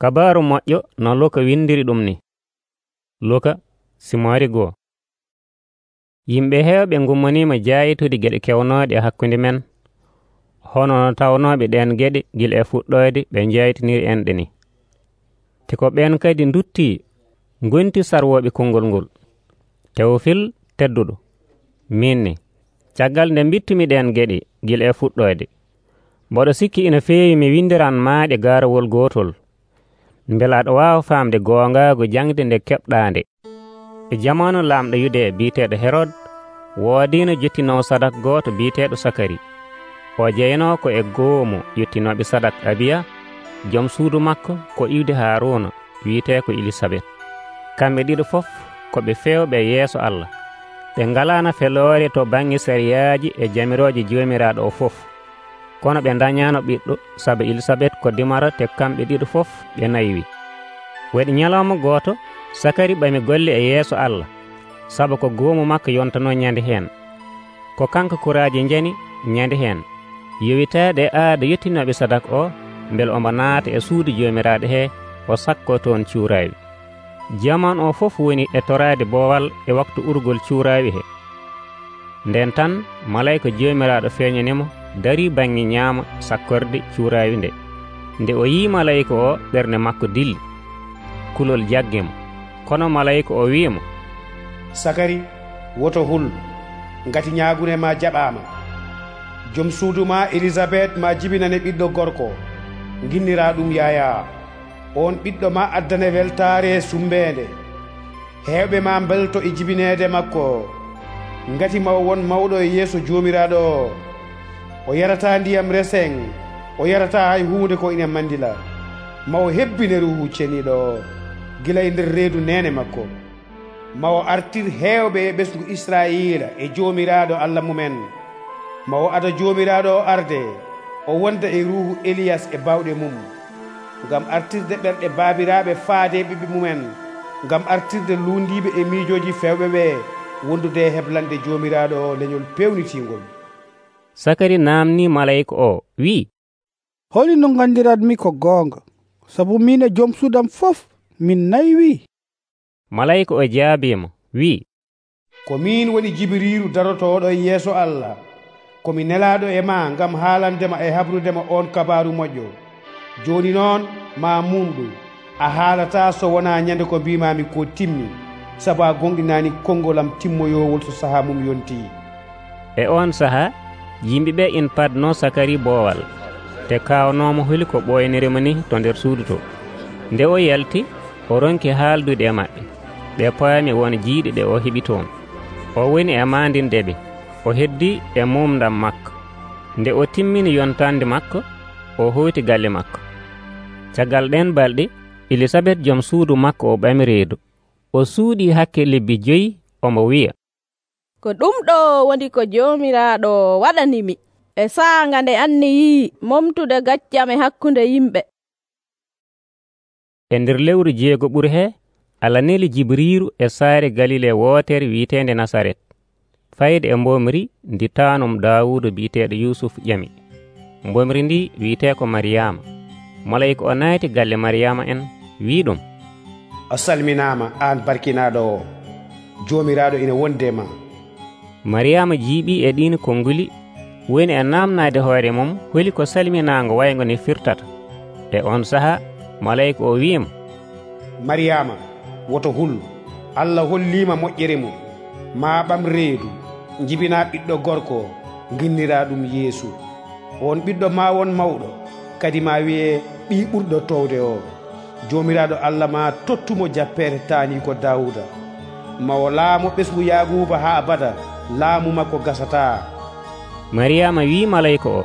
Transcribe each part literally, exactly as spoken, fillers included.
Kabaaru moƴƴo no Luka windiri ɗum ni. Luka simoori goo. Yimɓe heewɓe ngummaniima jaayitude geɗe kewnooɗe e hakkunde men, hono no tawnooɓe ɗeen geɗe gila e fuɗɗoode ɓe njaytiniri enɗe ni. Te ko ɓeen kadi nduttii ngonti sarwooɓe konngol ngol. Tewofil tedduɗo, min ni, caggal nde mbittumi ɗeen geɗe gila e fuɗɗoode, mboɗo sikki ina feewi mi windiran maaɗe gaarawol gootol, mbele aɗa waawa faamde goongaagu jangde nde keɓɗaande. E jamanu laamɗo Yude biiteeɗo Herod, woodiino jottinoowo sadak gooto biiteeɗo Sakari. O jeynoo ko e goomu yottinooɓe sadak Abiya, jom suudu makko ko iwde Haaruuna wiitee ko Elisabet. Kamɓe ɗiɗo fof ko ɓe feewɓe yeeso Allah. Ɓe ngalaano feloore to baŋnge sariyaaji e jamirooje joomiraaɗo o fof. Kono ɓe dañaano ɓiɗɗo sabu Elisabet ko dimara te kamɓe ɗiɗo fof ɓe naywii. Waɗi ñalawma gooto Sakari ɓami golle e yeeso Allah, sabu ko goomu makko yontanoo ñande heen. Ko kanko kuraaji njani ñande heen, yowitaade e aada yettinooɓe sadak o, mbele omo naata e suudu joomiraaɗo hee o sakkoo toon cuuraawi. Jamanu o fof woni e toraade boowal e waktu urgol cuuraawi he. Nden tan malayika joomiraaɗo feeñanimo darii baŋnge ñaamo sakkorde cuuraawi nde. Nde o yii malayika o, ɓernde makko dilli, kulol jaggimo. Kono malayika o wi'imo, Sakari, woto hul, ngati ñaagune ma jaɓaama. Jom suudu ma Elisabet ma jibinane ɓiɗɗo gorko, nginnira ɗum Yaya. On ɓiɗɗo ma addane weltaare sumbeende. Heewɓe ma mbelto e jibineede makko, ngati maw won mawɗo e yeeso joomiraaɗo o. O yarataa ndiyam reseng, o yarataa hay huunde ko ina mandila. Maw hebbine Ruuhu Ceniiɗo o gila e nder reedu nene makko. Maw artir heewɓe e ɓesngu Israa'iila e joomiraaɗo Allah mumen. Maw ada joomiraaɗo o arde, o wonda e ruuhu Eliyas e bawɗe mum, ngam artirde ɓerɗe baabiraaɓe faade ɓiɓɓe mumen, ngam artirde luundiiɓe e miijooji fewɓe ɓe wondude e heblande joomiraaɗo o leñol pewnitingol. Sakari naamni malayika o wi'i, holino nganndiranmi ko goonga, sabu min e joom suudam fof min naywii. Malayika o jaabiimo wi'i, ko min woni Jibriilu darotooɗo e yeeso Allah, komi nelaaɗo e ma ngam haalandema e habrudema on kabaaru moƴƴo. Jooni noon ma mumɗu, a haalataa so wonaa ñande ko mbimami ko timmi, sabu a gonɗinaani konngolam timmoyoowol so sahaa mum yontii. E on sahaa yimɓe ɓe ina padnoo Sakari boowal, te kaawnoomo holi ko ɓooynirimo ni to nder suudu to. Nde o yalti, o ronki haaldude e maɓɓe. Ɓe paami won jiiɗe ɗe o heɓi toon. O woni e maandinde ɓe, o heddii e mumdam makko. Nde o timmini yontande makko, o hoyti galle makko. Caggal ɗen balɗe, Elisabet jom suudu makko o ɓami reedu. O suuɗii hakke lebbi joyi, omo wi'a, ko ɗum ɗo woni ko joomiraaɗo waɗanimi, e saanga nde anniyii momtude gaccam e hakkunde yimɓe. E nder lewru jeego ɓuri hee, Allah neli Jibriiru e saare Galile wootere wiiteende Nasaret, fayde e mbomri ndi taanum Daawuda biiteeɗo Yusuf ƴami. Mbomri ndi wiitee ko Mariyama. Malayika o naati galle Mariyama en, wii ɗum, a salminaama aan barkinaaɗo o, joomiraaɗo ina wonde ma. Mariyama jiiɓii e ɗiin konnguli, woni e naamnaade hoore mum holi ko salminaango wayngo ne firtata. E on sahaa malayika o wiima, Mariyama, woto hul, Allah holliima moƴƴere mum. Ma ɓam reedu, njibinaa ɓiɗɗo gorko, nginniraa ɗum Yeesu. On ɓiɗɗo ma won mawɗo, kadi ma wiyee ɓii ɓurɗo towde o. Joomiraaɗo Allah ma tottumo jappeere taanii ko Daawuda. Mawo laamu ɓesngu Yaaguuba haa abada, laamu makko gasataa. Mariyama wii malayika o,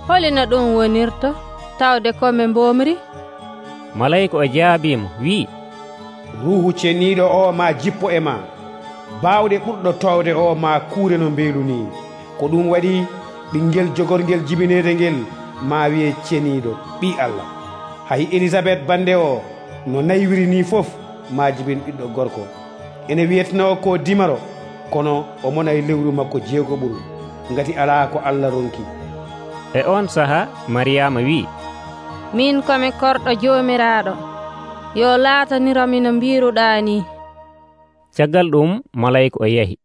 holino ɗum wonirta tawde komi mbomri? Malayika o jaabiimo wii, Ruuhu Ceniiɗo o ma jippo e ma, baawɗe ɓurɗo towde o ma kuure no mbeelu ni. Ko ɗum waɗi ɓinngel jogorngel jibineede ngel ma wiye Ceniiɗo, ɓii Allah. Hay Elisabet bande o no naywiri ni fof ma jibin ɓiɗɗo gorko. Ene wiyetnoo ko dimaro, kono o mona e lewru makko jeegoɓuru, ngati alaa ko Allah ronki. E on sahaa Mariyama wii, min komi korɗo Joomiraaɗo, yo laatanirami no mbiiruɗaa ni. Caggal ɗum malayika o yahi.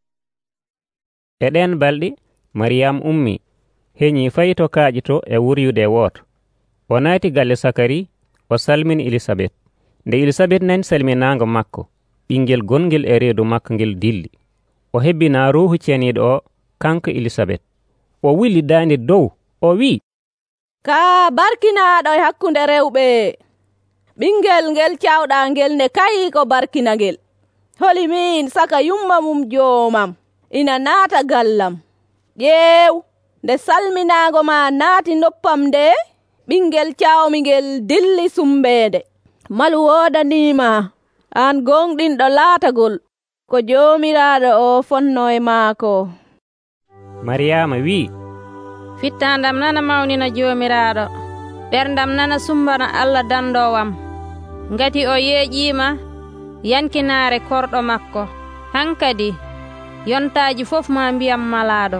E ɗen balɗe Mariyam ummi heñii fayi to kaaƴito e wuryude e wooto. O naati galle Sakari, o salmini Elisabet. Nde Elisabet nani salminaango makko, ɓinngel gongel e reedu makko ngel dilli. O hebbinaa Ruuhu Ceniiɗo o kanko Elisabet. O wuli daande dow, o wi'i, Kaa barkinaaɗo e hakkunde rewɓe. Ɓinngel ngel cawɗaa ngel nde kayii ko barkina ngel. Holi min saka yumma mum joomam ina naata gallam. Ƴeew, nde salminaango ma naati noppam nde, ɓinngel cawmi ngel dilli sumbeende. Malu woodaniima, aan gonɗinɗo laatagol, ko Joomiraaɗo o fonno e maako. Mariyama wi'i, Fittaandam nana mawnina Joomiraaɗo, ɓerdam nana sumbana Allah dandoowam, ngati o yeeƴiima yankinaare korɗo makko. Hankadi yontaaji fof ma mbiyam malaaɗo,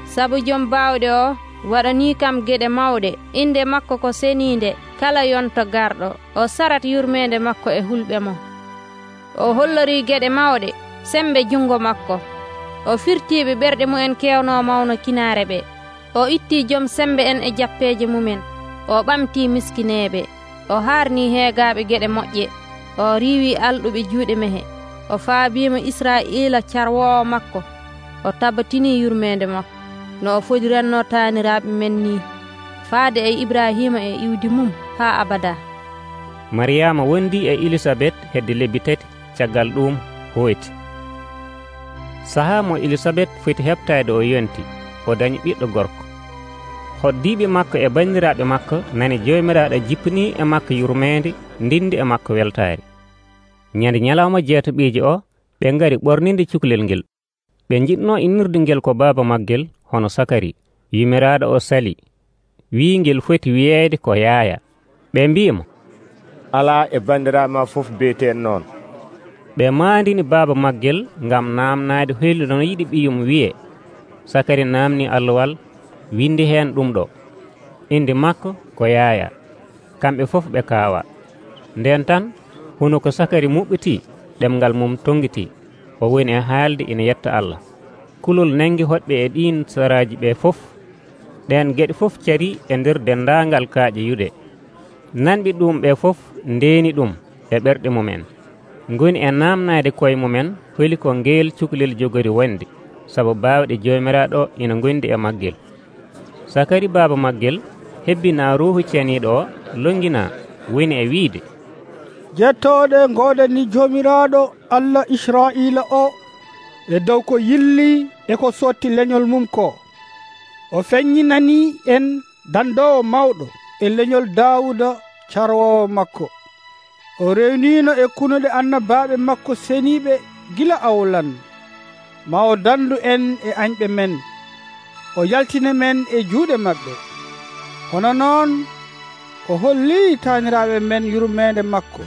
sabu jom baawɗe o waɗanii kam geɗe mawɗe, inde makko ko seniinde kala yonto garɗo. O sarat yurmeende makko e hulɓe mo. O hollorii geɗe mawɗe sembe jungo makko. O firtiiɓe ɓerɗe mumen kewnoo mawno kinaare ɓe. O ittii jom sembe en e jappeeje mumen. O ɓamtii miskineeɓe. O haarnii heegaaɓe geɗe moƴƴe. O riiwii alɗuɓe juuɗe mehe. O faabiima Israa'iila carwoowo makko. O tabatinii yurmeende makko no o fodiranno taaniraaɓe men ni, faade e Ibrahima e iwdi mum haa abada. Mariyama wondi e Elisabet hedde lebbi tati, caggal ɗum hoyti. Sahaa mo Elisabet foti heɓtaade o yonti, o dañi ɓiɗɗo gorko. Hoddiiɓe makko e banndiraaɓe makko nani Joomiraaɗo jippinii e makko yurmeende, ndindi e makko weltaare. Ñande ñalawma jeetoɓiiji o, ɓe ngari ɓorninde cukalel ngel. Ɓe njiɗnoo innirde ngel ko baaba maggel hono Sakari. Yumiraaɗo o sali, wii ngel foti wiyeede ko Yaaya. Ɓe mbi'imo, alaa e banndiraaɓe ma fof biyeteen noon. Ɓe maandini baaba maggel ngam naamnaade hoyli no yiɗi ɓiyum wiye. Sakari naamni alluwal, windi heen ɗum ɗo, inde makko ko Yaaya. Kamɓe fof ɓe kaawa. Nden tan hono ko Sakari muɓɓitii, ɗemngal mum tongitii. O woni e haalde ina yetta Allah. Kulol nangi hoɗɓe e ɗiin saraaji ɓe fof. Ɗen geɗe fof carii e nder denndaangal kaaƴe yuɗe. Nanɓe ɗum ɓe fof ndeeni ɗum e ɓerɗe mumen. Ngoni e naamnaade koye mumen holi ko ngeel cukalel jogori wonde, sabu baawɗe Joomiraaɗo ina ngondi e maggel. Sakari baaba maggel hebbinaa Ruuhu Ceniiɗo o longinaa, woni e wiide, Jettooɗe ngoodani Joomiraaɗo Allah Israa'iila o e dow ko yilli e ko sotti leñol mum ko. O feññinanii en dandoowo mawɗo e leñol Daawuda carwoowo makko. O rewniino e kunuɗe annabaaɓe makko seniiɓe gila awlan. Ma o dandu en e añɓe men, o yaltina men e juuɗe maɓɓe. Hono noon o hollii taaniraaɓe men yurmeende makko.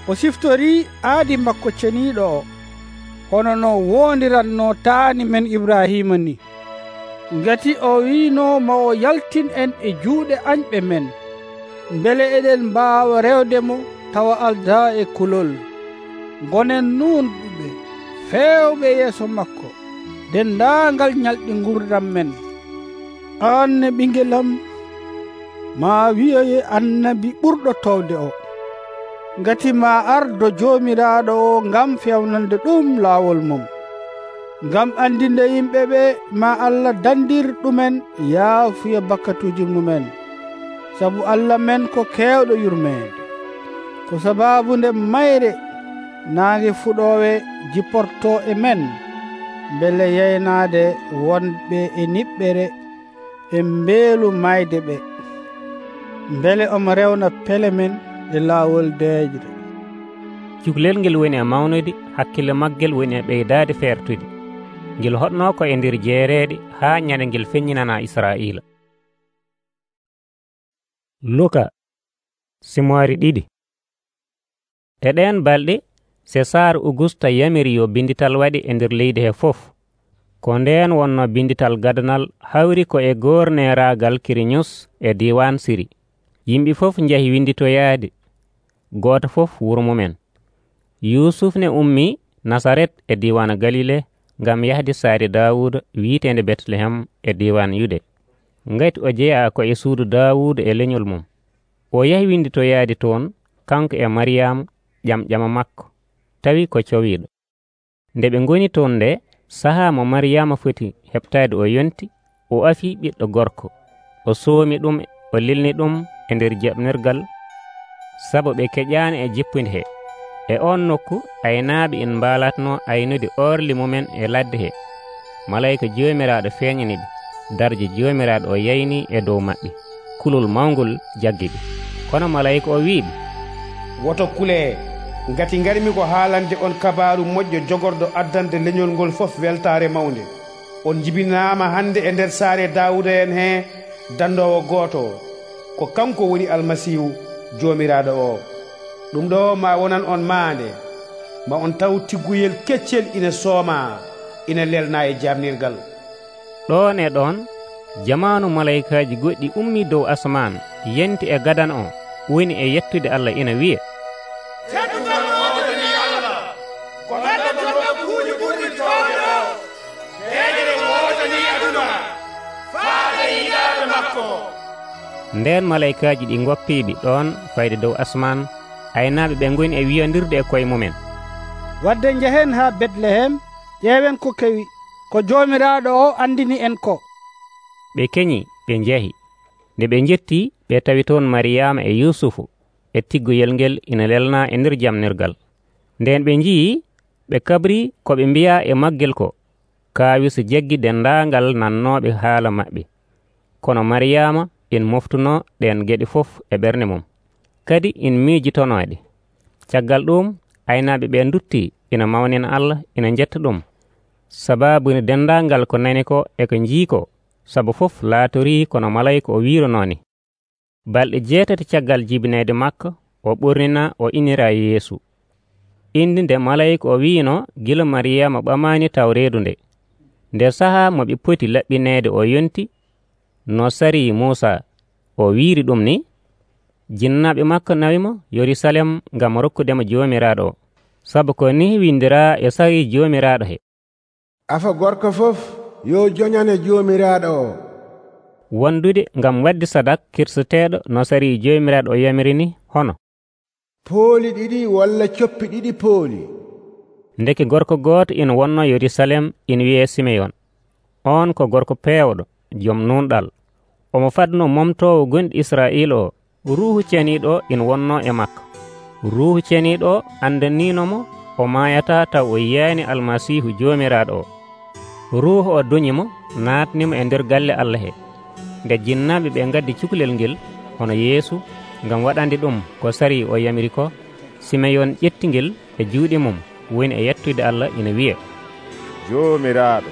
O siftorii aadi makko ceniiɗo o, hono no woondiranno taani men Ibrahima ni. Ngati o wiino ma o yaltin en e juuɗe añɓe men, mbele eɗen mbaawa rewde mo tawa aldaa e kulol. Ngonen nuunɗuɓe feewɓe yeeso makko, denndaangal ñalɗi ngurdam men. Aan ne ɓingelam, ma wi'oye annabi ɓurɗo towde o, ngati ma ardo Joomiraaɗo o ngam fewnande ɗum laawol mum, ngam andinde yimɓe ɓe ma Allah dandir ɗumen yaafuya bakkatuji mumen, sabu Allah men ko keewɗo yurmeende. Ko sababu nde mayre naange fuɗoowe jipporto e men, mbele yeynaade wonɓe e niɓɓere e mbeelu mayde ɓe, mbele omo rewna pele men e laawol deejre. Cukalel ngel woni e mawnude, hakkille maggel woni e ɓeydaade feertude. Ngel hoɗnoo ko e nder jeereede haa ñande ngel feññinanaa Israa'iila. Luka simoori ɗiɗi. E ɗeen balɗe Sesaar Augusta yamiri yo bindital waɗi e nder leydi he fof. Ko ndeen wonno bindital gadanal hawri ko e gorneeraagal Kiriñus e diiwan Siri. Yimɓe fof njahi winditoyaade, gooto fof wuro mumen. Yusuf ne ummii Nasaret e diiwaan Galile ngam yahde saare Daawuda wiiteende Betlehem e diiwaan Yude, ngati o jeyaa ko e suudu Daawuda e leñol mum. O yahi winditoyaade toon kanko e Maryaama ƴamƴama makko, tawi ko cowiiɗo. Nde ɓe ngoni toon nde, sahaa mo Maryaama foti heɓtaade o yonti, o afii ɓiɗɗo gorko. O soomi ɗum, o lilni ɗum e nder jaɓnirgal, sabu ɓe keƴaani e jippunde he. E on nokku aynaaɓe en mbaalatno aynude orli mumen e ladde he. Malayika Joomiraaɗo feeñaniɓe, darje Joomiraaɗo o yaynii e dow maɓɓe. Kulol mawngol jaggi ɓe. Kono malayika o wi'iɓe, woto kulee, ngati ngarmi ko haalande on kabaaru moƴƴo jogorɗo addande leñol ngol fof weltaare mawnde. On jibinaama hannde e nder saare Daawuda en hee dandoowo gooto, ko kanko woni Almasiihu Joomiraaɗo o. Ɗum ɗo ma wonan on maande, ma on taw tigguyel keccel ina sooma, ina lelna e jaamnirgal. Ɗon e ɗon jamaanu malaykaaji goɗɗi ummii dow asaman, yenti e gadan o, woni e yettude Allah ina wiya, teddugal wodani Allah, ko heddata nokkuuji ɓurɗi towɗo, heeƴere wodani aduna, faade yiɗaaɓe makko. Nden malaykaaji ɗi ngoppiiɓe ɗon fayde dow asaman, aynaaɓe ɓe ngoni e wiyandirde e koye mumen, wadde njehen haa Betlehem, ƴeewen ko kewi, ko Joomiraaɗo o andini en ko. Ɓe keñi, ɓe njahi. Nde ɓe njettii, ɓe tawi toon Maryaama e Yusufu e tiggoyel ngel ina lelna e nder jamnirgal. Nden ɓe njii, ɓe kabrii ko ɓe mbiya e maggel ko, kaawisi jaggi dendaangal nannooɓe haala maɓɓe. Kono Maryaama en moftuno ɗen geɗe fof e ɓernde mum, kadi in miijitonoɗe. Caggal ɗum aynaaɓe ɓe duttii ina mawnina Allah, ina njetta ɗum, sabaabu ne dendaangal ko nani ko e ko njii ko, sabu fof laatorii kono malayika o wiironooni. Balɗe jeetati caggal jibineede makko, o ɓurnina o inira Yeesu. Indi nde malayika o wiino gila Maryaama ɓamaani taw reedu nde. Nde sahaa mo ɓe poti laɓɓineede o yonti, no sarii Muusa, o wiiri ɗum ni, jinnaaɓe makko nawimo Yerusalem ngam rokkudemo Joomiraaɗo o, sabu ko ni windiraa e sarii Joomiraaɗo he, afa gorko fof yo joñane Joomiraaɗo o. wondude ngam wadde sadak kirseteeɗo no sarii Joomiraaɗo o yamiri ni hono pooli ɗiɗi walla coppi ɗiɗi pooli. Ndeke gorko gooto ina wonno Yerusalem ina wiyee Simeyon. On ko gorko peewɗo, jom nunɗal. Omo fadno momtoowo gonɗi Israa'iila o. Ruuhu ceniiɗo ina wonno e makko. Ruuhu ceniiɗo o andaniinomo o maayata taw o yiyaani Almasiihu Joomiraaɗo o. Ruuhu o doñimo, naatnimo e nder galle Allah he. Nde jinnaaɓe ɓe ngaddi cukalel ngel hono Yeesu ngam waɗande ɗum ko sarii o yamiri ko, Simeyon ƴetti ngel e juuɗe mum, woni e yettude Allah ina wiya, Joomiraaɗo,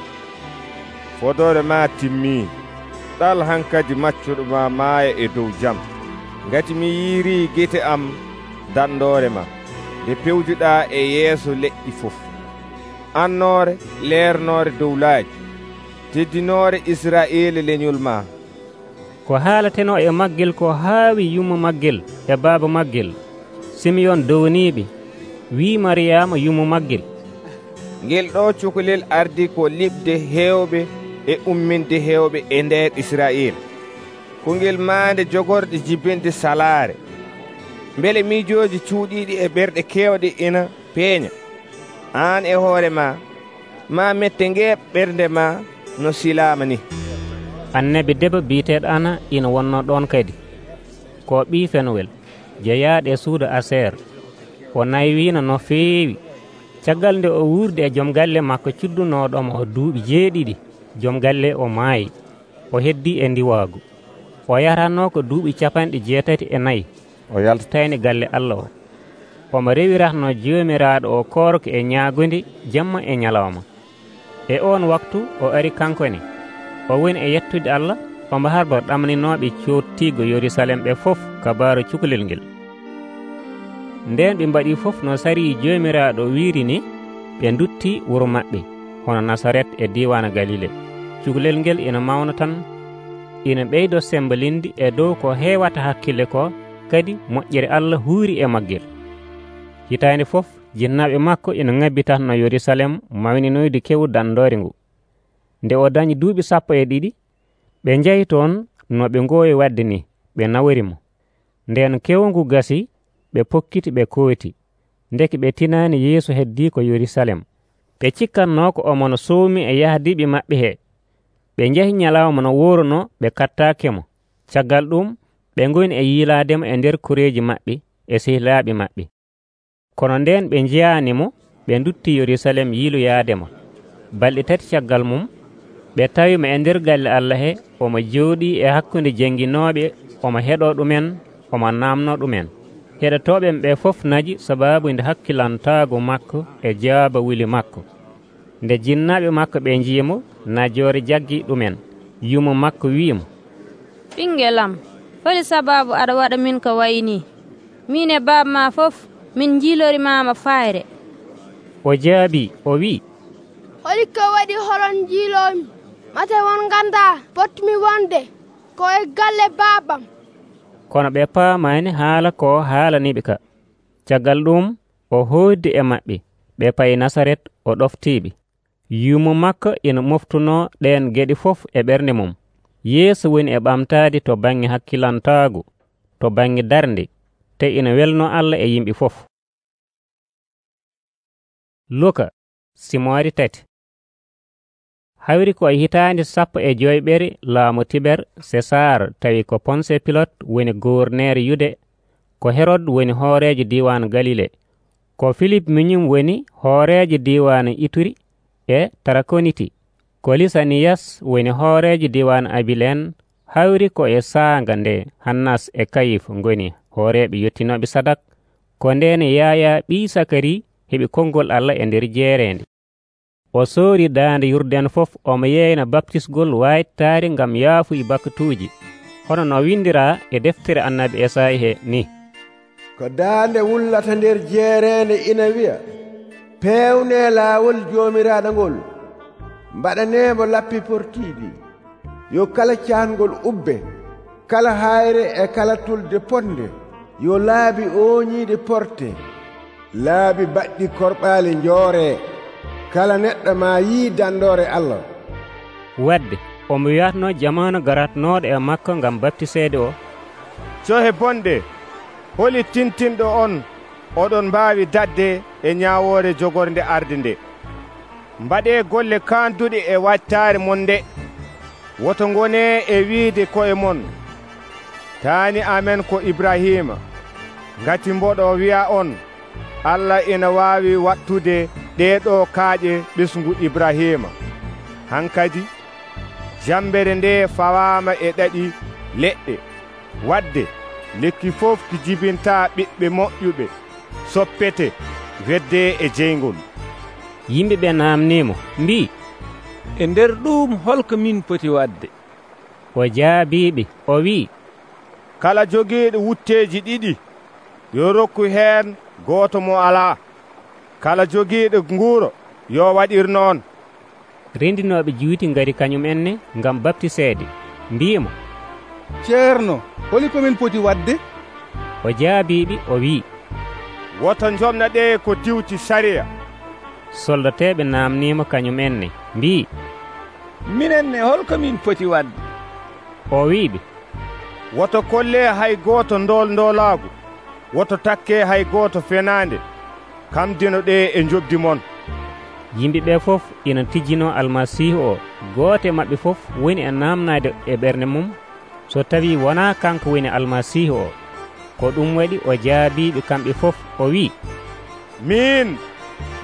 fodore ma timmii, ɗal hankadi maccuɗo ma maaya e dow jam, ngati mi yiirii gite am dandoore ma nde pewjuɗaa e yeeso leƴƴi fof. Annoore leernoore dow laaji, teddinoore Israa'iila leñol ma. Ko haalateno e maggel ko haawi yummo maggel e baaba maggel. Simeyon downiiɓe, wii Maryaama yummo maggel, ngel ɗo cukalel ardi ko liɓde heewɓe e umminde heewɓe e nder Israa'iila, ko ngel maande jogorɗe jibinde salaare. Mbele miijooji cuuɗiiɗi e ɓerɗe keewɗe ina peeña. Aan e hoore ma, ma mette ngeeɓ ɓernde ma no silaama ni. Annabi debbo biiteeɗo Ana ina wonno ɗon kadi. Ko ɓii Fenuwel, jeyaaɗo e suudu Aseer. O naywiino no feewi. Caggal nde o wuurdi e joom galle makko cuddunooɗomo o duuɓi jeeɗiɗi, joom galle o maayi. O heddii e ndiwaagu. O yaratnoo ko duuɓi capanɗe jeetati e nayi. O yaltatayni galle Allah o. Omo rewiratno Joomiraaɗo o koorko e ñaagonde jamma e ñalawma. E on waktu o ari kankone. O woni e yettude Allah, omo harba ɗamninooɓe cottiigo Yerusalem ɓe fof kabaaru cukalel ngel. Nden ɓe mbaɗii fof no sarii Joomiraaɗo wiiri ni, ɓe nduttii wuro maɓɓe hono Nasaret e diiwaan Galile. Cukalel ngel ina mawna tan, ina ɓeydo sembolinde e dow ko heewata hakkille ko, kadi moƴƴere Allah huuri e maggel. Hitaande fof jinnaaɓe makko ina ŋabbitatno Yerusalem mawninoyde kewu dandoore ngu. Nde o dañi duuɓi sappo e ɗiɗi, ɓe njahi toon no ɓe ngoowi wadde ni, ɓe nawrimo. Nden kewu ngu gasi, ɓe pokkiti ɓe kooti, ndeki ɓe tinaani Yeesu heddii ko Yerusalem. Ɓe cikkatnoo ko omono sowmi e yahdiiɓe maɓɓe hee. Ɓe njahi ñalawma no wooruno, ɓe kattaakemo. Caggal ɗum ɓe ngoni e yiilaademo e nder koreeji maɓɓe e sehilaaɓe maɓɓe. Kono nden ɓe njiyaanimo, ɓe ndutti Yerusalem yiiloyaademo. Balɗe tati caggal mum, ɓe tawimo e nder galle Allah he, omo jooɗii e hakkunde jangginooɓe, omo heɗoo ɗumen, omo naamnoo ɗumen. Heɗotooɓe ɓe fof naji sabaabu nde hakkilantaago makko e jaaba wuli makko. Nde jinnaaɓe makko ɓe njiyimo, najoore jaggii ɗumen. Yumo makko wi'imo, ɓingelam, holi sababu aɗa waɗa min ko wayni? Min e baaba ma fof min jiilorimaama fayre. O jaabi o wi'i, holi ko waɗi holon jiilomi? Mate won ganda potmi wonde ko e galle baabam. Kono ɓe paamaani haala ko haalaniɓe ka. Caggal ɗum o hooddi e maɓɓe, ɓe payi Nasaret, o ɗoftiiɓe. Yumo makko ina moftunoo ɗeen geɗe fof e ɓernde mum. Yeeso woni e ɓamtaade to baŋnge hakkilantaago, to baŋnge darnde, te ina welnoo Allah e yimɓe fof. Luka simoori tati. Hawri ko e hitaande sappo e joyɓere laamu Tiber Sesar tawi ko Ponse Pilot woni gouverneur Yude, ko Herod woni hooreejo diiwaan Galile, ko Philip miñum woni hooreejo diiwaan Ituri e Tarakoniti, ko Lisaniyas woni hooreejo diiwaan Abilen. Hawri ko e saanga nde Hannas e Kayif ngoni hooreeɓe yettinooɓe sadak, ko ndeen Yaya ɓii Sakari heɓi konngol Allah e nder jeereende. O soori daande Yurden fof, omo yeeyna baptisgol waytaari ngam yaafuyi bakkatuuji, hono no windiraa e deftere annabi Esaayi he ni: ko daande wullata nder jeereende ina wi'a, peewne laawol joomiraaɗo ngol, mbaɗaneemo lappi portiiɗi, yo kala caangol ubbe, kala hayre e kala tulde ponde, yo laabi ooñiiɗe porte, laabi baɗɗi korɓaali njooree, kala neɗɗo ma yii dandoore Allah. Wadde omo wiyatno jamanu garatnooɗo e makko ngam baptiseede o, cohe bonɗe, holi tintinɗo on oɗon mbaawi dadde e ñaawoore jogorde arde nde. Mbaɗee golle kaanduɗe e wattaare mon nde. Woto ngonee e wiide koye mon, taani amen ko Ibrahima, ngati mboɗo wi'a on, Allah ina waawi wattude ɗeeɗo kaaƴe ɓesngu Ibrahima. Hankadi jambere nde fawaama e ɗaɗi leɗɗe. Wadde lekki fof ki jibintaa ɓiɓɓe moƴƴuɓe soppete wedde e jeyngol. Yimɓe ɓe naamniimo mbii, e nder ɗum holko min poti wadde? O jaabiiɓe o wi'i, kala jogiiɗo wutteeji ɗiɗi yo rokku heen gooto mo alaa. Kala jogiiɗo nguuro yo waɗir noon. Rendinooɓe juuti ngari kañum enne ngam baptiseede, mbi'imo, ceerno, holi komin poti wadde? O jaabiiɓe o wi'i, woto jomna ɗe ko diwti sariya. Soldateeɓe naamniimo kañum enne, mbi'i, minenne holko min poti wadde? O wi'iɓe, woto kolle hay gooto ndool ndoolaagu, woto takke hay gooto fenaande, kam dino ɗe e jobdi mon. Yimɓe ɓe fof ina tijjino Almasihu o. Gooto e maɓɓe fof woni e naamnaade e ɓernde mum, so tawi wonaa kanko woni Almasihu o. Ko ɗum waɗi o jaabiiɓe kamɓe fof o wi'i, min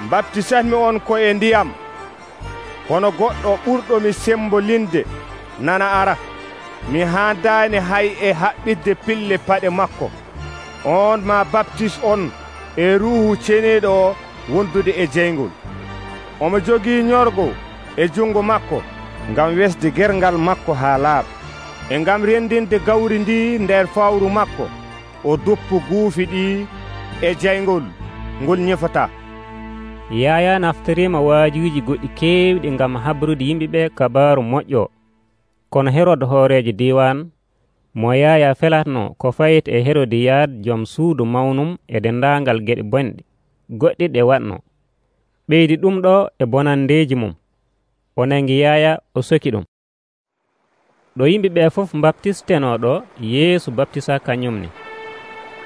mbaptisatmi on ko e ndiyam, kono goɗɗo ɓurɗomi sembolinde nana ara. Mi haandaani hay e haɓɓidde pille paɗe makko. On ma baptis on e ruuhu ceniiɗo o wondude e jeyngol. Omo jogii ñorgo e jungo makko ngam wesde gergal makko haa laaɓa, e ngam rendinde gawri ndi nder fawru makko, o duppu guufi ɗi e jeyngol ngol ñefata. Yaya naftiriima waajuuji goɗɗi keewɗi ngam habrude yimɓe ɓe kabaaru moƴƴo. kono Herod hoorejo diwan mo Yaya felatno ko fayit e Herodiyad joom suudu mawnum e dendaangal geɗe bonɗe goɗɗi ɗe waɗno, ɓeydi ɗum ɗo e bonandeji mum. O nangi Yaya o soki ɗum. ɗo yimɓe ɓe fof baptisteno ɗo, Yeesu baptisa kañumne.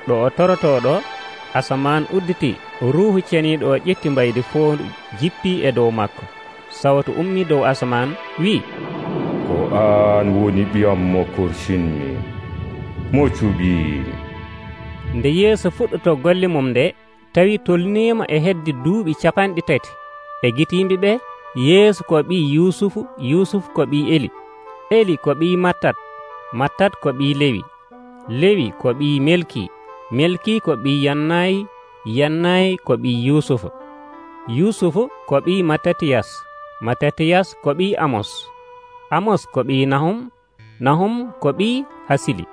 ɗo o torotoɗo, asaman udditi, ruuhu ceniiɗo o ƴetti mbaydi foondu jippi e dow makko. Sawtu ummi dow asaman wi, ko an woni ɓiyam mo korsinmi, mo cuɓiimi. Nde Yeesu fuɗɗoto golle mum nde, tawi tolniima e heddi duuɓi capanɗe tati e giti yimɓe ɓe. Yeesu ko ɓii Yusufu, Yusufu ko ɓii Eli, Eli ko ɓii Mattat, Mattat ko ɓii Lewi, Lewi ko ɓii Melki, Melki ko ɓii Yannayi, Yannayi ko ɓii Yusufu, Yusufu ko ɓii Mattatiyas, Mattatiyas ko ɓii Amos, Amos ko ɓii Nahum, Nahum ko ɓii Hasili,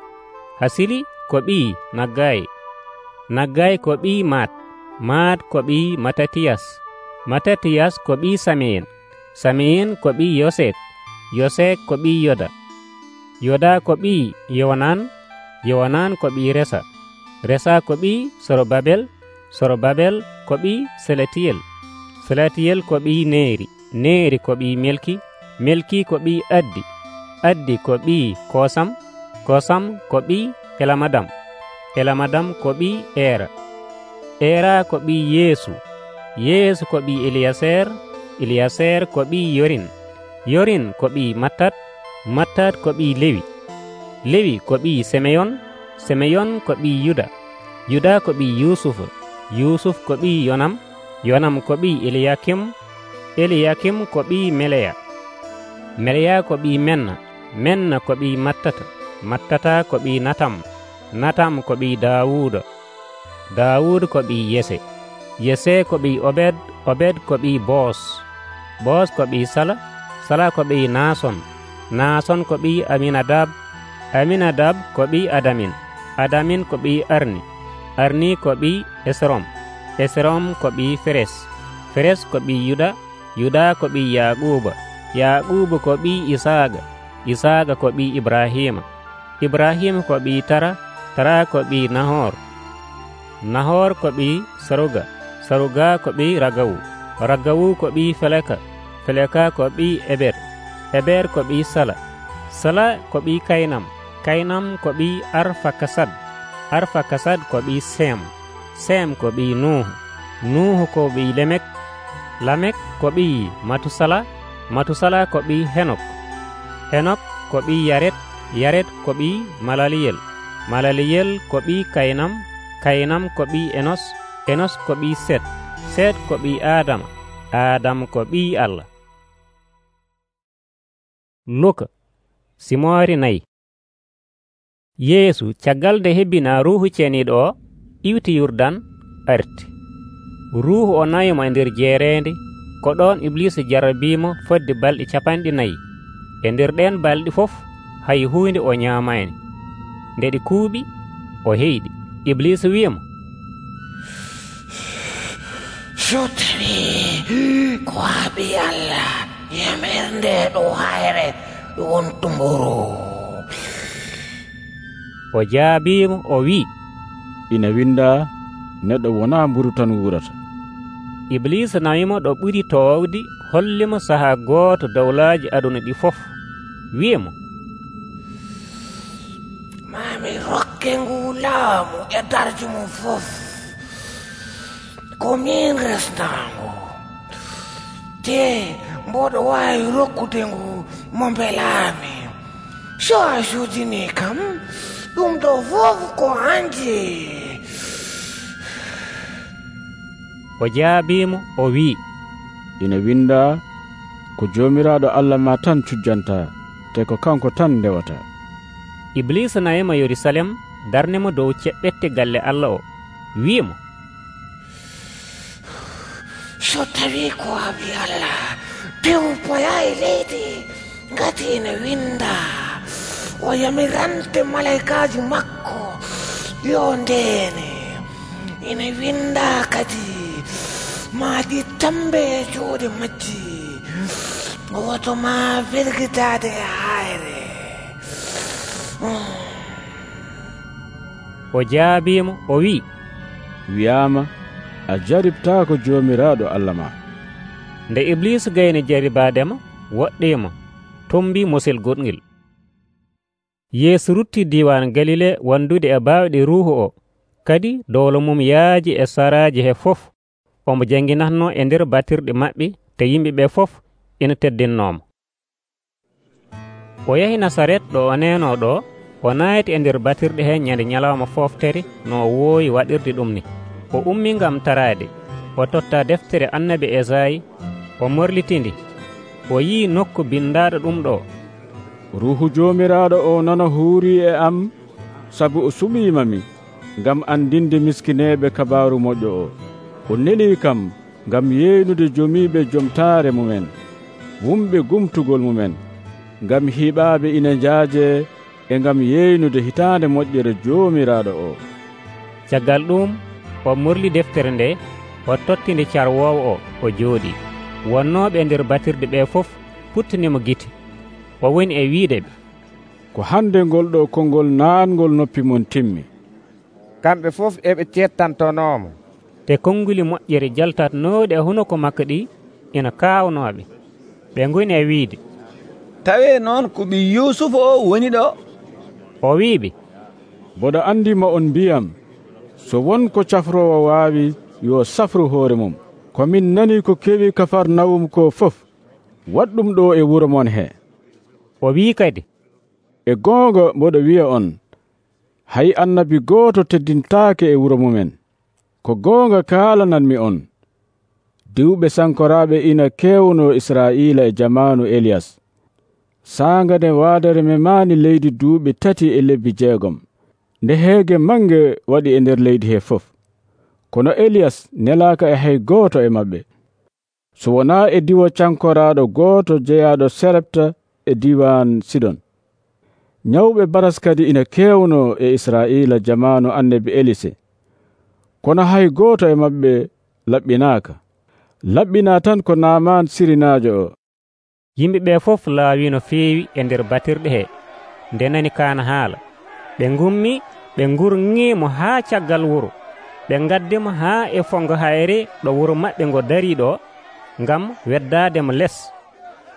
Hasili ko ɓii Naggayi, Naggayi ko ɓii Maat, Maat ko ɓii Mattatiyas, Mattatiyas ko ɓii Sameyen, Sameyen ko ɓii Yoset, Yoset ko ɓii Yoda, Yoda ko ɓii Yowanan, Yowanan ko ɓii Resa, Resa ko ɓii Sorobabel, Sorobabel ko ɓii Selatiyel, Selatiyel ko ɓii Neeri, Neeri ko ɓii Melki, Melki ko ɓii Addi, Addi ko ɓii Kosam, Kosam ko ɓii Elamadam, Elamadam ko ɓii Era, Era ko ɓii Yeesu, Yeesu ko ɓii Eliyaser, Eliyaser ko ɓii Yorin, Yorin ko ɓii Mattat, Mattat ko ɓii Lewi, Lewi ko ɓii Semeyon, Semeyon ko ɓii Yuda, Yuda ko ɓii Yusuf, Yusuf ko ɓii Yonam, Yonam ko ɓii Eliyakim, Eliyakim ko ɓii Meleya, Meleya ko ɓii Menna, Menna ko ɓii Mattata, Mattata ko ɓii Natam, Natam ko ɓii Daawuda, Daawud ko ɓii Yese, Yese ko ɓii Obed, Obed ko ɓii Boos, Boos ko ɓii Sala, Sala ko ɓii Naason, Naason ko ɓii Aminadab, Aminadab ko ɓii Adamin, Adamin ko ɓii Arni, Arni ko ɓii Esrom, Esrom ko ɓii Feres, Feres ko ɓii Yuda, Yuda ko ɓii Yaquba, Yaquba ko ɓii Isaaga, Isaaga ko ɓii Ibrahima, Ibrahima ko ɓii Tara, Tara ko ɓii Nahor, Nahor ko ɓii Saruga, Saruga ko ɓii Ragawu, Ragawu ko ɓii Feleka, Feleka ko ɓii Eber, Eber ko ɓii Sala, Sala ko ɓii Kaynam, Kaynam ko ɓii Arfakasad, Arfakasad ko ɓii Sem, Sem ko ɓii Nuhu, Nuhu ko ɓii Lemek, Lamek ko ɓii Matusala, Matusala ko ɓii Henok, Henok ko ɓii Yaret, Yaret ko ɓii Malaliyel, Malaliyel ko ɓii Kaynam, Kaynam ko ɓii Enos, Enos ko ɓii Set, Set ko ɓii Adama, Adam ko ɓii Allah. Luka simoori nayi. Yeesu caggal nde hebbina ruuhu ceeniiɗo o iwti Yurdan arti. Ruuhu o nayimo e nder jeereende, ko ɗon Iblisa jarrabiimo fodde balɗe capanɗe nayi. E nder ɗen balɗe fof hay huunde o ñaamayni. Nde ɗi kuuɓi o heyɗi. Iblisa wiyimo, so tawi ko a ɓii Allah, yamir nde ɗo hayre wontumburu. O jaabiimo o wi'i, ina winda, neɗɗo wona mburu tan wurata. Iblisa nawimo ɗo ɓuri toowdi, hollimo sahaa gooto dawlaaji aduna ɗi fof, wiyimo, mami rokke ngu laamu e darji mum fof, ko min resnango, te mboɗo waawi rokkude ngu mo mbelaami. So a sudini kam, ɗum ɗo fof ko hanji. O jaabiimo o wi'i, ina winda, ko joomiraaɗo Allah ma tan cujjanta, te ko kanko tan ndewata. Iblisa nayima Yerusalem, darnimo dow ceɓɓette galle Allah o, wi'imo, so tawi ko a ɓii Allah, tew poya e leydi, ngati ina winda, o yamirante malaikaji makko yo ndeene. Ina winda kadi, maɗi tambe e juuɗe majji, woto ma firgitade e hayre. o jaabimo o wi'i, wiyaama a jaribtaako Joomiraaɗo Allah ma. Nde Iblisu gayni jaribaademo, woɗɗimo tombi mosil goɗngel. Yeesu rutti diiwan Galile wandude e baawɗe ruuhu o, kadi dowlo mum yaaji e saraaji he fof. Omo janginatno e nder batirɗe maɓɓe, te yimɓe ɓe fof ina teddinnomo. O yahi Nasaret ɗo o neno ɗo, o naati e nder batirɗe he ñande ñalawma foftere no o woowi waɗirde ɗum ni. O ummi ngam taraade, o totta deftere annabi Esayi, o morlitindi, o yii nokku bindaaɗo ɗum ɗo: Ruuhu Joomiraaɗo o nana huurii e am, sabu o suɓiimami ngam andinde miskineeɓe kabaaru moƴƴo o. O nelii kam ngam yeynude jomiiɓe jomtaare mumen, wumɓe gumtugol mumen, ngam hiiɓaaɓe ina njaajee, e ngam yeynude hitaande moƴƴere Joomiraaɗo o. Caggal ɗum o morli deftere nde, o tottinde carwoowo o, o jooɗii. Wonnooɓe nder batirɗe ɓe fof puttanimo gite. O woni e wiide ɓe, ko hande ngol ɗo konngol naatngol noppi mon timmi. Kamɓe fof eɓe cettantonoomo. Te konnguli moƴƴere jaltatnooɗi e hunoko makko ɗi ina kaawnooɓe. Ɓe ngoni e wiide, tawee noon ko ɓii Yuusufa o woni ɗo. O wiiɓe, mboɗo andima on mbiyam, so won ko cafrowo waawi yo safru hoore mum. Komin nani ko kewi Kafarnawum ko fof, waɗɗum ɗo e wuro mon he. O wii kadi, e goonga mboɗo wiya on, hay annabi gooto teddintaake e wuro mumen. Ko goonga kaalananmi on, diwɓe sankoraaɓe ina keewno Israa'iila e jamaanu Eliyas. Saanga nde waadere memaani leydi duuɓi tati e lebbi jeegom, nde heege mange waɗi e nder leydi he fof. Kono Eliyas nelaaka e hay gooto e maɓɓe, so wonaa e diwo cankoraaɗo gooto jeyaaɗo Serepta e diiwaan Sidon. Nyawɓe baras kadi ina keewno e Israa'iila jamaanu annabi Elise, kono hay gooto e maɓɓe laɓɓinaaka. Laɓɓinaa tan ko Naaman Sirinaajo o. Yimɓe ɓe fof laawi no feewi e nder batirɗe he nde nani kaana haala. Ɓe ngummi, ɓe ngurŋiimo haa caggal wuro. Ɓe ngaddimo haa e fongo hayre ɗo wuro maɓɓe ngo darii ɗo, ngam weddaademo les.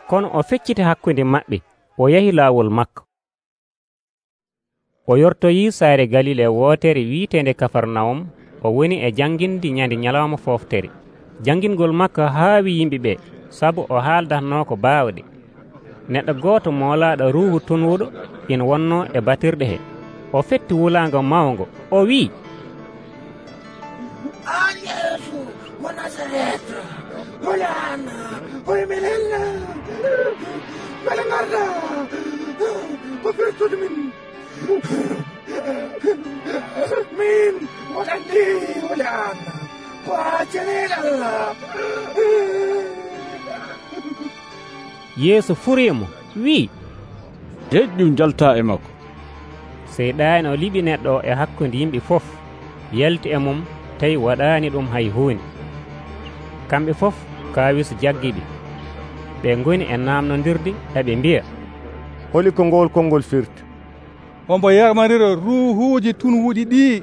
Kono o fecciti hakkunde maɓɓe, o yahi laawol makko. O yortoyii saare Galile wootere wiiteende Kafarnawum. O woni e janngindi ñande ñalawma fooftere. Janngingol makko haawi yimɓe ɓe, sabu o haaldatnoo ko baawɗe. Neɗɗo gooto moolaaɗo ruuhu tunwuɗo ina wonnoo e batirɗe he. O fetti wulaango mawngo, o wi'i, an Yeesu mo Nasaret, molana hoye menen, mbele ngarda ko firtude min. Min moɗanndi wole an ko a ceneel Allah. Yeesu furiimo wi'i, deƴƴum jaltaa e makko. Seyɗaani o liɓi neɗɗo e hakkunde yimɓe fof, yalti e mum tawi waɗaani ɗum hay huunde. Kamɓe fof kaawiso jaggiɓe. Ɓe ngoni e naamnondirde eɓe mbiya, holi ko ngol konngol firti? Ombo yamarira ruuhuuji tunwuɗi ɗi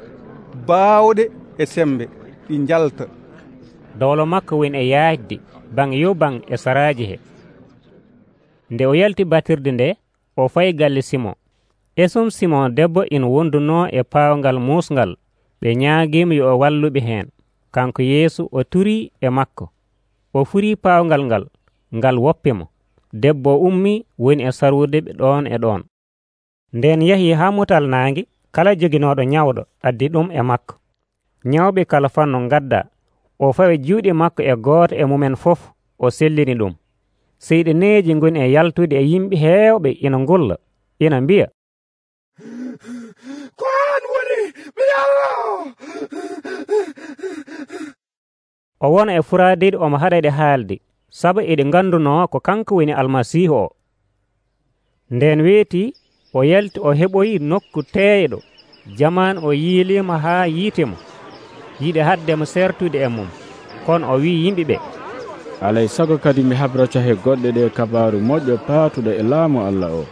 baawɗe e sembe ɗi jalta. Dowlo makko woni e yaajde baŋ yo baŋ e saraaji he. Nde o yalti batirde nde, o fayi galle Simon. Esum Simon debbo ina wondunoo e paawngal muusngal. Ɓe ñaagiimo yo o walluɓe heen. Kanko Yeesu o turii e makko. O furii paawngal ngal, ngal woppimo. Debbo ummii woni e sarwude ɓe ɗoon e ɗoon. Nden yahii haa mutal naange, kala joginooɗo ñawɗo addi ɗum e makko. Ñawɓe kala fanno ngadda. O fawi juuɗe makko e gooto e mumen fof, o sellini ɗum. Seyɗaneeji ngoni e yaltude e yimɓe heewɓe ina ngulla, ina mbiya, ko an woni mi Allah. O wona e furaadede omo haɗade haalde, sabu eɗe ngandunoo ko kanko woni Almasiihu o. Nden weeti o yalti o heɓoyi nokku teeyɗo. Jamaan o yiiliimo haa yiitemo, yiɗi haddemo sertude e mum. Kono o wii yimɓe ɓe, alay sago kadi mi habrata he goɗɗe ɗe kabaaru moƴƴo paatuɗo e laamu Allah o.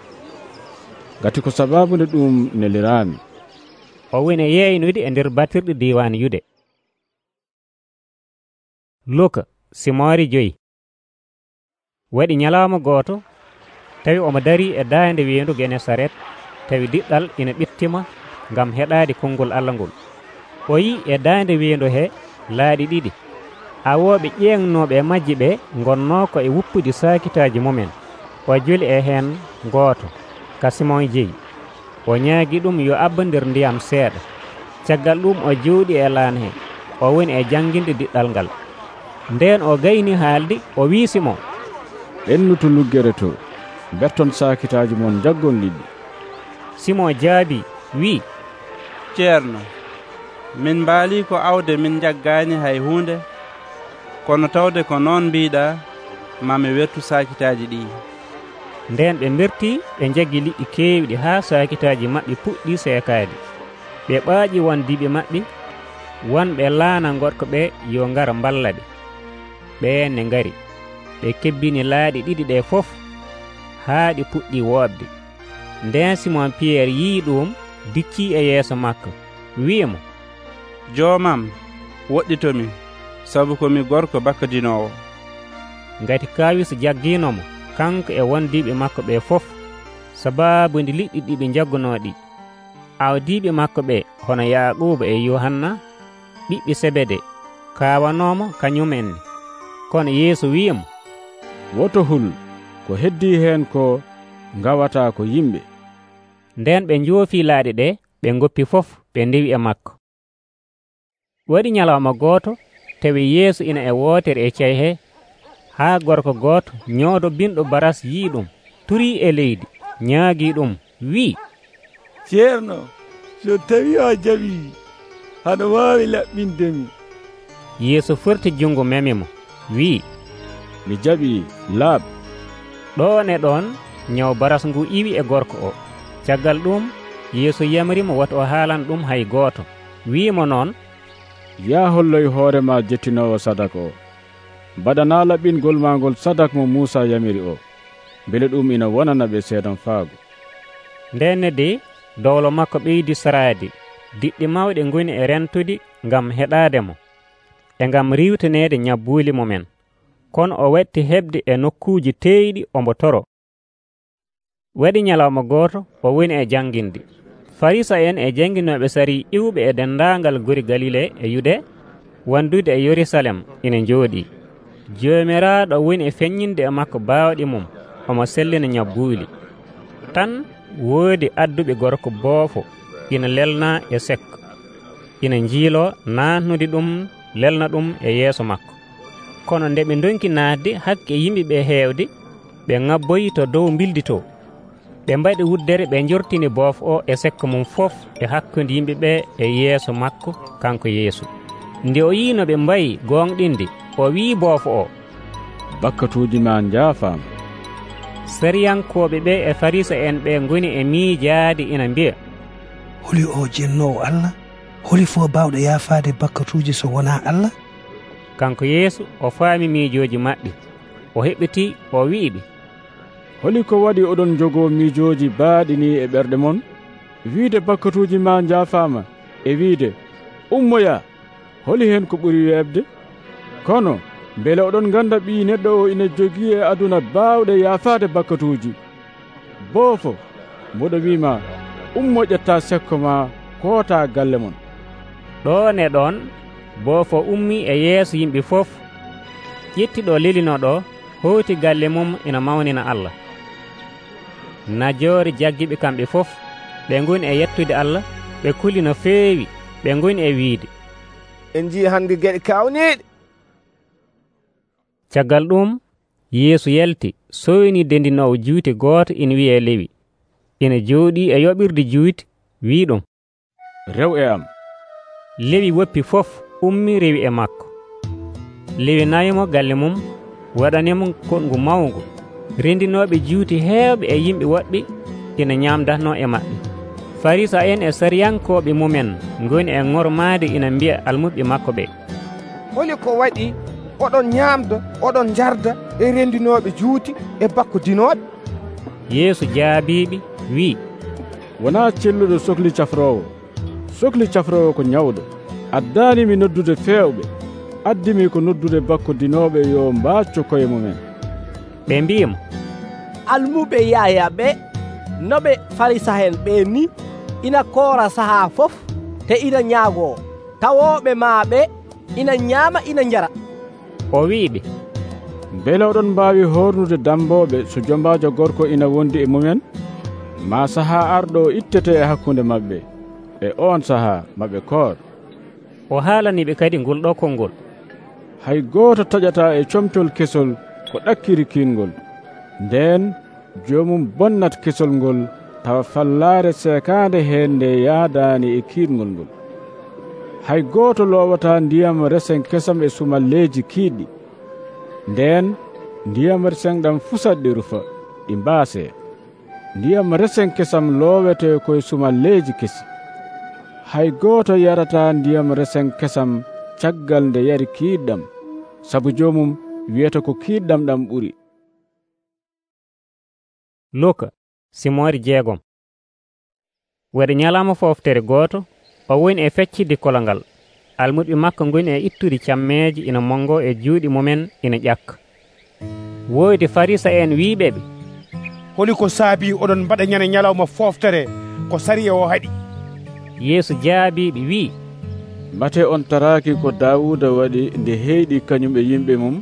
gati ko sabaabu ɗum neliraami. O woni yeeynude e nder batirɗe diiwaan Yude. Luka simoori joyi. Waɗi ñalawma gooto tawi omo darii e daande weendu Genesaret, tawi diɗɗal ina ɓittima ngam heɗaade konngol Allah ngol. O yii e daande weendu he laaɗi ɗiɗi. Awooɓe ƴeeŋnooɓe e majji ɓe ngonnoo ko e wuppude saakitaaji mumen. O joli e heen gooto ka Simon jeyi. O ñaagi ɗum yo abba nder ndiyam seeɗa. Caggal ɗum o jooɗi e laan he, o woni e jannginde diɗɗal ngal. Ndeen o gayni haalde, o wii Simon, ɓennutu luggere to, betton saakitaaji mon jaggon liɗɗi. Simon jaabi wii, ceerno, min mbaalii ko awde min jaggaani hay huunde, kono tawde ko noon mbiiɗa, mami wettu saakitaaji ɗi. Ndeen ɓe mbertii ɓe njaggi liɗɗi keewɗi haa saakitaaji maɓɓe puɗɗii seekaade. Ɓe ɓaaƴi wondiiɓe maɓɓe, wonɓe laana gorko ɓe yo ngara mballa ɓe. Ɓeen ne ngari, ɓe kebbini laaɗi ɗiɗi ɗe fof haa ɗi puɗɗii woobde. Ndeen Simon Piyeer yii ɗum, diccii e yeeso makko, wi'imo, joomam, woɗɗitomi, sabu komi gorko bakkadinoowo. Ngati Kaawis jaggiinomo kanko e wondiiɓe makko ɓe fof, sabaabude liɗɗi ɗi ɓe jaggunoo ɗi. Awdiiɓe makko ɓe hono Yaaquuba e Yohanna, ɓiɓɓe Sebede, kaawanoomo kañumenne. Kono Yeesu wi'imo, woto hul, ko heddii heen ko ngawataa ko yimɓe. Ndeen ɓe njoofii laaɗi ɗe, ɓe ngoppi fof, ɓe ndewi e makko. Waɗi ñalawma gooto, tawi Yeesu ina e wootere e cey he, haa gorko gooto ñoodo binɗo baras yii ɗum, turii e leydi, ñaagii ɗum, wi'i, ceerno, so tawi a jaɓii, haɗa waawi laɓɓindemi. Yeesu forti junngo memimo, wi'i, mi jaɓii, laaɓ. ɗon e ɗon ñaw baras ngu iwi e gorko o. Caggal ɗum Yeesu yamirimo woto o haalan ɗum hay gooto. Wi'imo noon, yaa holloy hoore ma jettinoowo sadaka o. Mbaɗanaa laɓɓingol ma ngol sadak mo Muusa yamiri o, mbele ɗum ina wonana ɓe seedan faago. Ndenne de dowlo makko ɓeydi saraade, diɗɗi mawɗe ngoni e rentude ngam heɗaademo e ngam riwtaneede ñabbuuli mumen. Kono o wetti heɓde e nokkuuji teeyɗi ombo toro. Waɗi ñalawma gooto, o woni e jannginde. Farisa en e jannginooɓe sari iwɓe e denndaangal gori Galile e Yude wondude e Yerusalem ina njooɗii. Joomiraaɗo woni e feññinde e makko baawɗi mum, omo sellina ñabbuuli. Tan woodi adduɓe gorko boofo ina lelnaa e sekko, ina njiiloo naatnude ɗum lelna ɗum e yeeso makko. Kono nde ɓe ndonki naatde hakke yimɓe ɓe heewde, ɓe ŋabboyi to dow mbildi to. Ɓe mbaɗi wuddere ɓe njortini boofo o e sekko mum fof e hakkunde yimɓe ɓe e yeeso makko kanko Yeesu. Nde o yii no ɓe mbayi gonɗinde, o wii boofo o, bakkatuuji ma njaafaama. Sariyankooɓe ɓe e Farisa en ɓe ngoni e miijaade ina mbiya, holi o jennoowo Allah? Holi fof baawɗo yaafaade bakkatuuji so wonaa Allah? Kanko Yeesu o faami miijooji maɓɓe, o heɓitii, o wi'iɓe, holi ko waɗi oɗon jogoo miijooji baaɗi ni e ɓerɗe mon, wiide bakkatuuji ma njaafaama e wiide ummoya, holi heen ko ɓuri weeɓde? Kono mbele oɗon ngannda ɓii neɗɗo o ina jogii e aduna baawɗe yaafaade bakkatuuji. Boofo, mboɗo wiima, ummo ƴettaa sekko ma kootaa galle mon. Ɗon e ɗon boofo ummii e yeeso yimɓe fof, ƴettiɗo lelinoɗo howti galle mum ina mawnina Allah. Najoore jaggiɓe kamɓe fof, ɓe ngoni e yettude Allah, ɓe kuli no feewi, ɓe ngoni e wiide, en jii hannde geɗe kawniiɗe. Caggal ɗum Yeesu yalti soyni dendinowo juuti gooto ina wiye Lewi, ina jooɗii e yoɓirde juuti, wii ɗum, rew e am. Lewi woppi fof ummi rewi e makko. Lewi nayimo galle mum, waɗanimo kongu mawngu. Rendinooɓe juuti heewɓe e yimɓe woɗɓe ina ñaamdatno e maɓɓe. Farisa en e sariyankooɓe mumen ngoni e ŋormaade ina mbiya almuɓe makko ɓe, holi ko waɗi oɗon ñaamda oɗon jarda e rendinooɓe juuti e bakkudinooɓe? Yeesu jaabiiɓe wii, wonaa celluɗo sohli cafroowo. Sohli cafroowo ko nyawɗo. Addaanimi noddude feewɓe, addimi ko noddude bakkodinooɓe yo mbaacco koye mumen. Ɓe mbiyimo, almuɓe Yaya ɓe no ɓe Farisa'en ɓe ni ina koora sahaa fof te ina nyaagoo, tawooɓe maaɓe ina nyaama ina njara. O wi'iɓe, mbele oɗon mbaawi hornude dambooɓe so jombaajo gorko ina wondi e mumen? Ma sahaa arɗo ittete e hakkunde maɓɓe, e on sahaa maɓɓe koor. O haalaniɓe kadi ngol ɗo konngol, hay gooto taƴataa e comtol kesol ko ɗakkiri kiingol, nden joomum bonnat kesol ngol tawa fallaare seekaande heen nde yaadaani e kiirngol ngol. Hay gooto loowataa ndiyam resen kesam e sumalleeji kiiɗɗi, nden ndiyam resen ɗam fusat ɗi rufa ɗi mbaasee. Ndiyam resen kesam loowete koye sumalleeji kesi. Hay gooto yarataa ndiyam resen kesam caggal nde yari kiiɗɗam, sabu joomum wiyata ko kiiɗɗam ɗam ɓuri. Luka simoori jeegom. Waɗi nyalaama fooftere gooto, o woni e feccide kolongal. Almuɓe makko ngoni e ittude cammeeji ina mongo e juuɗe mumen ina ƴakka. Woodi Farisa'en wiiɓe ɓe, holi ko saabi oɗon mbaɗa ñande nyalawma fooftere ko sariya o haɗi? Yeesu jaabiɓe wi'i, mate on taraaki ko Daawuda waɗi nde heyɗi kañum e yimɓe mum?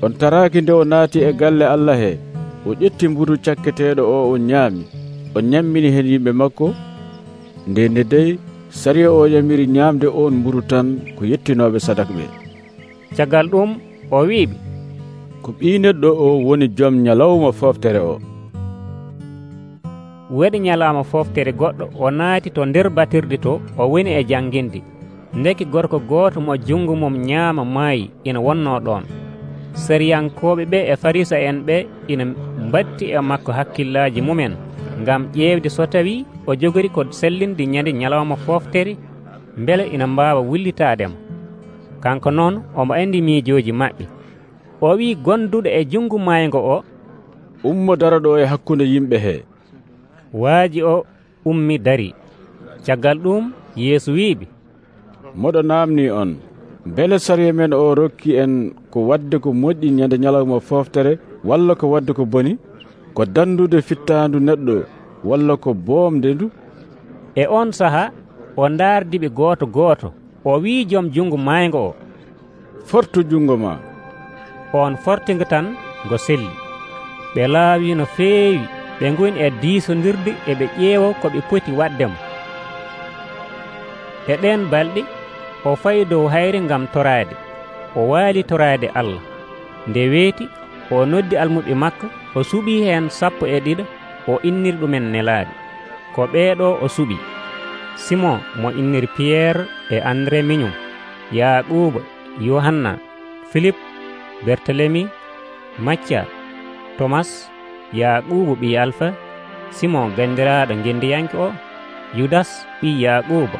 On taraaki nde o naati e galle Allah he, o ƴetti mburu cakketeeɗo o o ñaami, o ñammini hen yimɓe makko? Nde nde dey sariya o yamiri ñaamde on mburu tan ko yettinooɓe sadakɓe. Caggal ɗum o wi'iɓe, ko ɓii neɗɗo o woni joom nyalawma fooftere o. Waɗi nyalaama fooftere goɗɗo o naati to nder batirde to o woni e jannginde. Ndeki gorko gooto mo junngo mum ñaama maayi ina wonnoo ɗoon. Sariyankooɓe ɓe e Farisa'en ɓe ina mbatti e makko hakkillaaji mumen ngam ƴeewde so tawii o jogori ko sellinde ñande nyalawma fooftere mbele ina mbaawa wullitaademo. Kanko noon omo anndi miijooji maɓɓe. O wii gonduɗo e junngo maaygo o, ummo dara ɗo e hakkunde yimɓe hee. Waaji o ummi dari. Caggal ɗum Yeesu wiiɓe, moɗo naamni on, mbele sariya men o rokki en ko wadde ko moƴƴi ñande nyalawma fooftere walla ko wadde ko boni, ko dandude fittaandu neɗɗo walla ko boomde ndu? E on sahaa o ndaardiɓe gooto gooto. O wii joom junngo maaygo o, fortu junngo ma. On fortinga tan ngo selli. Ɓe laawi no feewi, ɓe ngoni e diisondirde e ɓe ƴeewo ko ɓe poti waddemo. E ɗen balɗe o fayi dow hayre ngam toraade. O waali toraade Allah. Nde weeti o noddi almuɓe makko, o suɓii heen sappo e ɗiɗo, o inniri ɗumen nelaaɓe. Ko ɓeeɗo o suɓi: Simon mo inniri Piyerre e André miñum, Yaaquuba, Yohanna, Philippe, Bertelemi, Macca, Tomas, Yaaquubu ɓii Alfa, Simon gandiraaɗo gendiyanke o, Yudas ɓii Yaaquuba,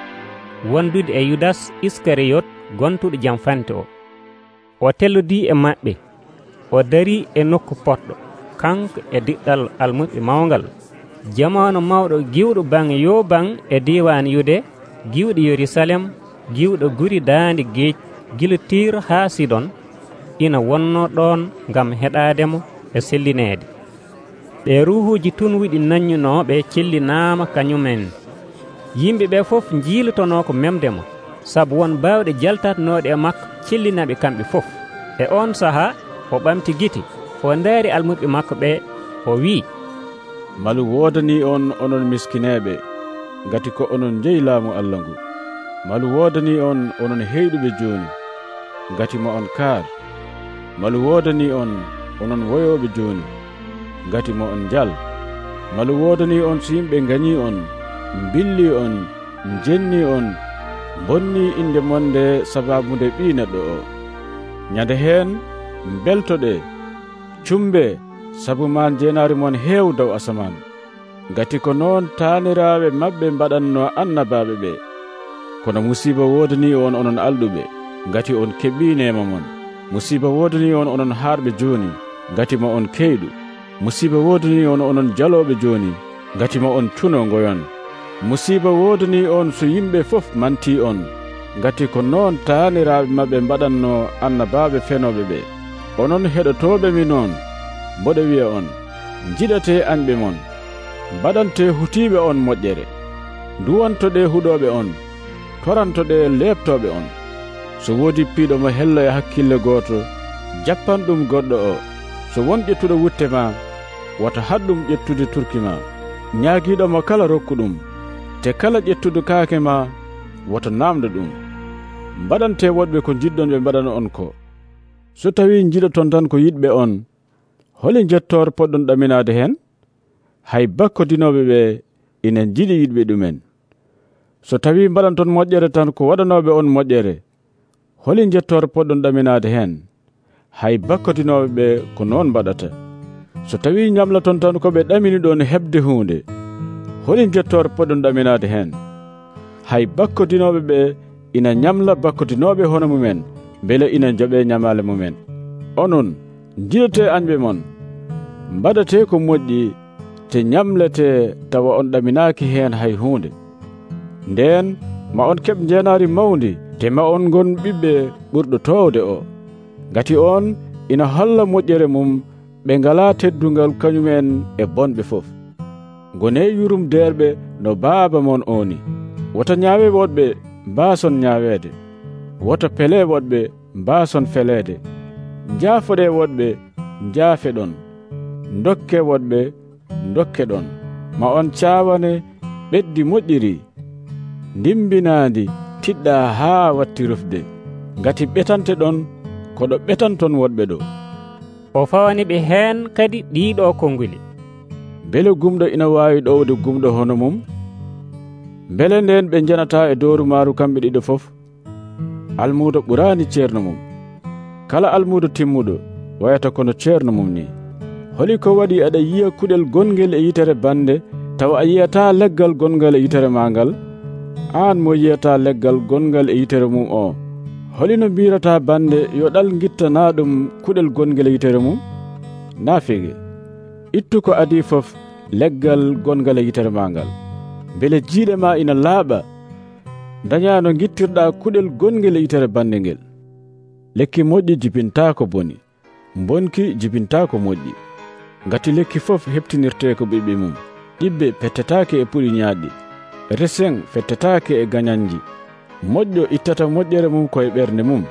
wondude e Yudas Iskariyot gontuɗo jam fante o. O tellodii e maɓɓe, o darii e nokku poɗɗo, kanko e diɗɗal almuɓe mawngal. Jamanu mawɗo giwɗo baŋnge yo baŋ e diiwan Yude, giwɗo Yerusalem, giwɗo guri daande geej gila Tiir haa Sidon, ina wonno ɗon ngam heɗaademo e sellineede. Ɓe ruuhuuji tunwiɗi nannunooɓe cellinaama kañumen. Yimɓe ɓe fof njiilotonoo ko memdemo, sabu won baawɗe jaltatanooɗe e makko cellinaɓe kamɓe fof. E on sahaa o ɓamti gite, o ndaari almuɓe makko ɓe, o wii, malu woodanii on onon miskineeɓe, ngati ko onon njeyi laamu Allah ngu. Malu woodanii on onon heyɗuɓe jooni, ngati mo on kaar. Malu woodanii on onon woyooɓe jooni, ngati mo on njal. Malu woodanii on so yimɓe ngañii on, mbilli on, njennii on, bonnii inde monde sabaabude ɓii neɗɗo o. Ñande heen mbeltoɗe, cumbe, sabu maan jeenaari mon heew dow asaman, ngati ko noon taaniraaɓe maɓɓe mbaɗatno annabaaɓe ɓe. Kono musiiba woodanii on onon alɗuɓe, ngati on keɓii neema mon. Musiiba woodanii on onon haarɓe jooni, ngati mo on keyɗu. Musiiba woodanii on onon jalooɓe jooni, ngati ma on cuno ngoyon. Musiba wodani on so yimɓe fof manti on, ngati ko noon taaniraaɓe maɓɓe mbaɗanno annabaaɓe fenoɓe ɓe. Onon heɗotooɓe mi noon, mboɗo wi'a on, njiɗate anɓe mon, mbaɗante hutiiɓe on moƴƴere, nduwantoɗe huɗoɓe on, torantoɗe leɓtoɓe on. So woodi piiɗo mo helloya hakkille gooto, jappan ɗum goɗɗo o. So won ƴettuɗo wutte ma, wata haɗɗum ƴettude turki ma. Ñaagiiɗomo kala rokku ɗum, te kala ƴettuɗo kaake ma, wata namdo ɗum. Mbaɗante woɗɓe ko jiɗɗon ɓe mbaɗana on ko. So tawi jiɗoton tan ko yiɗɓe on, holi jettor poɗɗon ɗaminade hen? Hay bakkodinoɓe ɓe ina jiɗi yiɗɓe ɗumen. So tawi mbaɗanton moƴƴere tan ko waɗanoɓe on moƴƴere, holi jettor poɗɗon ɗaminade hen? Hay bakkodinoɓe ɓe ko noon mbaɗata. So tawi ñamlaton tan ko ɓe ɗamini ɗon heɓde hunde, holi jettor poɗɗon ɗaminade hen? Hay bakkodinoɓe ɓe ina ñamla bakkodinoɓe hono mumen, beele ina joɓe ñamale mumen. Onon jiɗate anɓe mon, mbaɗate ko moƴƴi, te ñamlete tawa on ɗaminaki hen hay hunde. Nden ma on keɓ jeenari mawdi, te ma on gon ɓiɓɓe ɓurɗo towde o, ngati on ina holla moƴƴere mum ɓe ngala teddungal kañumen e bonɓe fof. Gone yurum derɓe no baaba mon oni. Wota ñaawe woɗɓe mbason ñaawede, wota pele woɗɓe mbason felede, jaafoɗe woɗɓe jaafe ɗon, dokke woɗɓe dokke ɗon. Ma on caawane ɓeddi moƴƴiri, ndimbinaandi tiɗɗa haa watti rufde, ngati ɓetante ɗon koɗo ɓetanton woɗɓe ɗo. O fawani ɓe heen kadi ɗiɗo konguli. Bele gumɗo ina waawi ɗowde gumɗo hono mum? Bele nden ɓe janata e dooru maaru kamɓe ɗiɗo fof? Almuudo ɓuraani ceerno mum. Kala almuudo timmuɗo wayata kono ceerno mum ni. Holi ko waɗi aɗa yiya kuɗel gongel e yitere bande, tawa a yiyata leggal gongal e yitere maagal? Aan mo yiyata leggal gongal e yitere mum o, holino mbirata bande yo ɗal gittana ɗum kuɗel gongel e yitere mum? Naafige, ittu ko adi fof leggal gongal e yitere maagal, beele jiiɗe ma ina laaɓa. Daña no gittirɗa kuɗel gongel e yitere bande ngel. Lekki moƴƴi jibinta ko boni, bonki jibinta ko moƴƴi. Ngati lekki fof heptinirte ko ɓiɓɓe mum. Ɗibbe pettetake e puɗi ñaaɗɗi, resen fettetake e gañanji. Moƴƴo ittata moƴƴere mum koye ɓernde mum,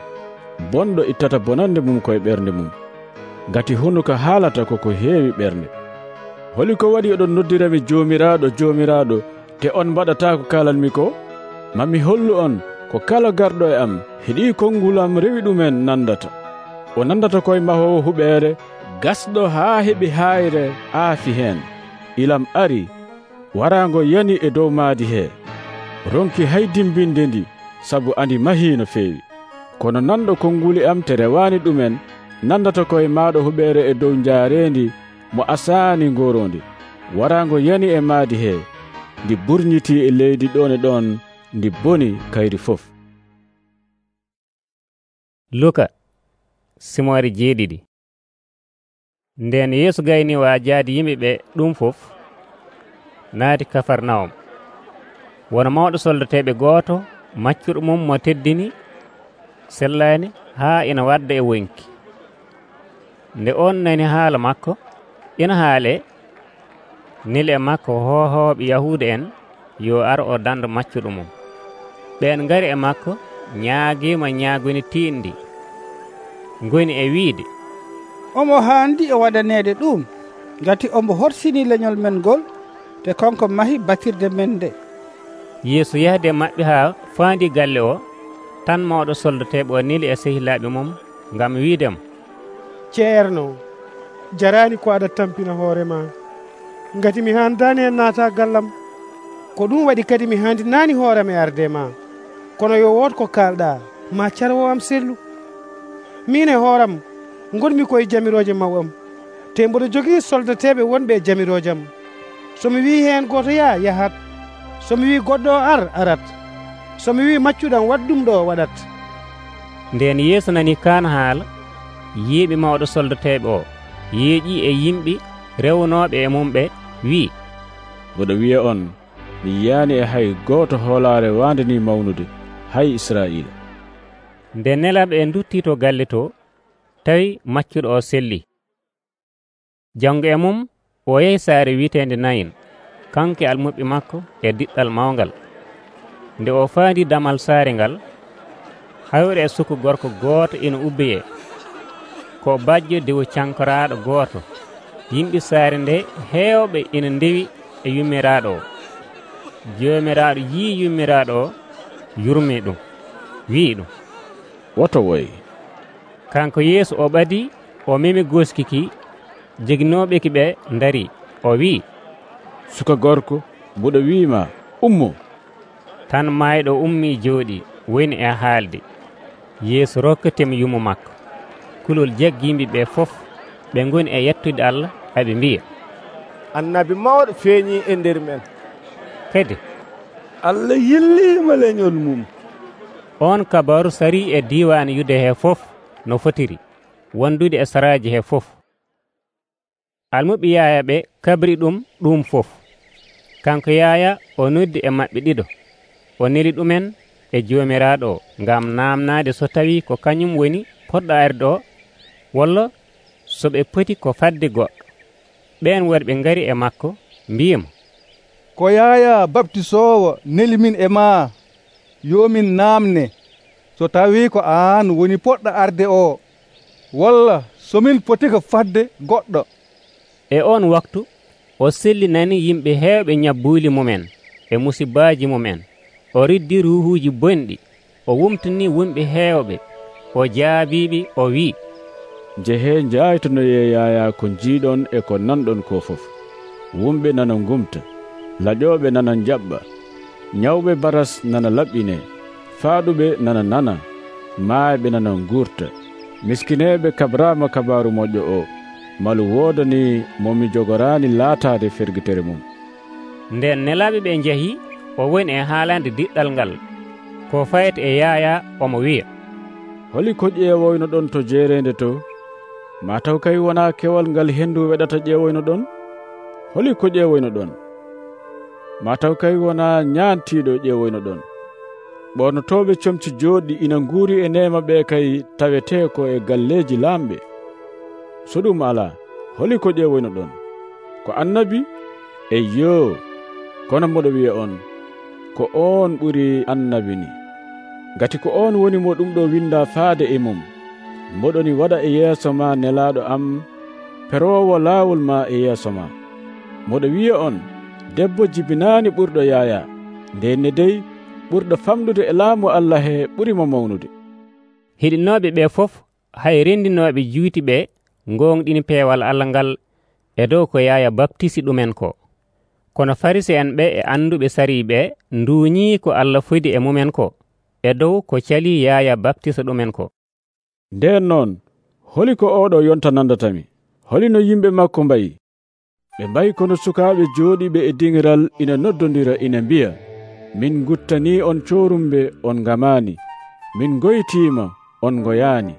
bonɗo ittata bonande mum koye ɓernde mum. Ngati hunuko haalata koko heewi ɓernde. Holi ko waɗi oɗon noddirami joomiraɗo joomiraɗo, te on mbaɗata ko kalanmi ko? Mami hollu on ko kala garɗo e am heɗi kongulam rewi ɗumen nandata. O nandata koye mahowo huɓeere, gasɗo haa heɓi hayre aafi heen. Ilam ari, warango yani e dow maadi he. Ronki hay dimbinde ndi, sabu andi mahi no feewi. Kono nanɗo konguli am te rewani ɗumen, nandata koye maɗo huɓeere e dow jaarendi mo asani ngorondi. Warango yani e maadi he, ndi burñiti e leydi ɗon e ɗon, ndi boni kayri fof. Luka simore jeeɗiɗi. Nden Yeesu gayni waajaade yimɓe ɓe ɗum fof, naati Kafarnawum. Wona mawɗo soldateɓe gooto maccuɗo mum mo teddini sellaani haa ina wadda e wonki. Nde on nani haala makko, ina haale neli e makko hohooɓe Yahuuda en yo ar o danda maccuɗo mum. Ɓeen ngari e makko ñaagiima ñaaguni tiiɗndi, ngoni e wiide, omo haandi e waɗaneede ɗum, ngati omo horsini leñol men ngol, te konko mahi batirde men nde. Yeesu yahde maɓɓe haa faandi galle o, tan mawɗo soldateɓe o neli e sehilaaɓe mum ngam wiidemo, ceerno, jarani ko aɗa tampina hoore ma, ngati mi handani hen naata gallam. Ko ɗum waɗi kadi mi handinani hoorem e arde ma. Kono yo wood ko kalɗa, ma carwo am sellu. Min e hooram gonmi koye jamiroje maw am, te mboɗo jogii soldateɓe wonɓe e jamiroje am. Somi wi heen goto ya yahat, somi wi goɗɗo ar arat, somi wi maccuɗam waɗ ɗum ɗo waɗat. Nden Yeesu nani kaan haala, yiiɓe mawɗo soldateɓe o yeeƴi e yimɓe rewnoɓe e mum ɓe, wi, mboɗo wiya on mi yiyaani e hay gooto hoolaare waande ni mawnude hay Israa'iila. nde nelaɓe e duttii to galle to, tawi maccuɗo o selli. Janngo e mum o yehi saare wiiteende Nayin, kanko e almuɓe makko e diɗɗal mawngal. Nde o faandi damal saare ngal, hawre e suku gorko gooto ina ubbeyee, ko bajjo dewu cankoraaɗo gooto. Yimɓe saare nde heewɓe ina ndewi e yummiraaɗo o. Joomiraaɗo yii yummiraaɗo o, yurmii ɗum, wi'i ɗum, woto woy. Kanko Yeesu o ɓadii, o memi goskiki, joginooɓe ki ɓe ndarii. O wi'i, suka gorko, mbuɗo wiima, ummo. Tan maayɗo ummii jooɗii, woni e haalde. Yeesu rokkatimo yumo makko. Kulol jaggiimɓe ɓe fof ɓe ngoni e yettude Allah, aɓe mbiya, annabi mawɗo feeñii e nder men. kadi Allah yilliima leñol mum. On kabaru sarii e diiwaani Yude hee fof no fotiri wondude e saraaji hee fof. Almuɓe Yaaya ɓe kabri ɗum ɗum fof. Kanko Yaaya o noddi e maɓɓe ɗiɗo, o neli ɗumen e Joomiraaɗo o ngam naamnaade so tawii ko kañum woni poɗɗo arde o, walla so ɓe poti ko fadde goɗɗo. Ɓeen worɓe ngari e makko mbiyimo, ko Yaaya baptisoowo neli min e maa yo min naamne so tawii ko aan woni poɗɗo arde o, walla so min poti ko fadde goɗɗo. E on waktu o sellinani yimɓe heewɓe ñabbuuli mumen e musibaaji mumen. O riddi ruuhuuji bonɗi, o wumtini wumɓe heewɓe, o jaabiiɓe, o wi'i, njehee njaaytonoyee Yaaya ko njiiɗon e ko nanɗon ko fof. Wumɓe nana ngumta, laƴooɓe nana njaɓɓa, ñawɓe baras nana laɓɓinee, faaɗuɓe nana nana, maayɓe nana nguurta, miskineeɓe kabraama kabaaru moƴƴo o, malu woodani mo mi jogoraani laataade fergitere mum. Nden nelaaɓe ɓe njahii, o woni e haalande diɗɗal ngal ko fayata e Yaaya, omo wiya, holi ko ƴeewoyno ɗon to jeereende to? Ma taw kay wonaa kewal ngal henndu weɗata ƴeewoyno ɗon? Holi ko ƴeewoyno ɗon? Ma taw kay wonaa ñaantiiɗo ƴeewoyno ɗon? Ɓornotooɓe comci jooɗɗi ina nguuri e neema ɓe kay tawetee ko e galleeji laamɓe. So ɗum alaa, holi ko ƴeewoyno ɗon? Ko annabi? Eyyoo, kono mboɗo wiya on, ko oon ɓuri annabi ni. Ngati ko oon woni mo ɗum ɗo windaa faade e mum. Mboɗoni waɗa e yeeso ma nelaaɗo am peroowo laawol ma e yeeso ma. Mboɗo wiya on, debbo jibinaani ɓurɗo Yaaya, ndenne dey ɓurɗo famɗude e laamu Allah he ɓurimo mawnude. Hiɗinooɓe ɓe fof hay renndinooɓe juuti ɓe ngoongɗini peewal Allah ngal e dow ko Yaaya baptisi ɗumen ko. Kono Farisi'en ɓe e annduɓe sarii ɓe nduuñii ko Allah fodi e mumen ko e dow ko calii Yaaya baptisa ɗumen ko. Nden noon, holi ko oɗo yonta nandatami? Holi no yimɓe makko mbayi? Ɓe mbayi kono sukaaɓe jooɗiɓe e diŋiral ina noddondira ina mbiya, min guttanii on coorumɓe, on ngamaani, min goytiima, on ngoyaani.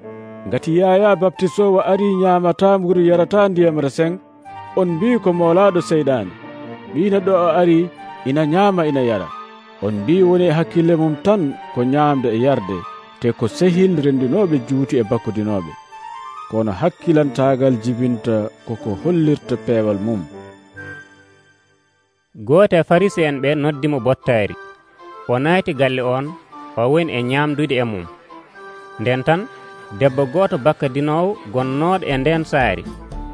Ngati Yaaya baptisoowo arii ñaamataa mburu yarataa ndiyam resen, on mbii ko moolaaɗo seyɗaane. Ɓii neɗɗo o arii ina ñaama ina yara. On mbii woni e hakkille mum tan ko ñaamde e yarde, te ko sehil renndinooɓe juuti e bakkudinooɓe. Kono hakkilantaagal jibinta koko hollirta peewal mum. Gooto e Farisi'en ɓe noddimo bottaari. O naati galle on, o woni e ñaamdude e mum. Nden tan debbo gooto bakkadinoowo gonnooɗo e nden saari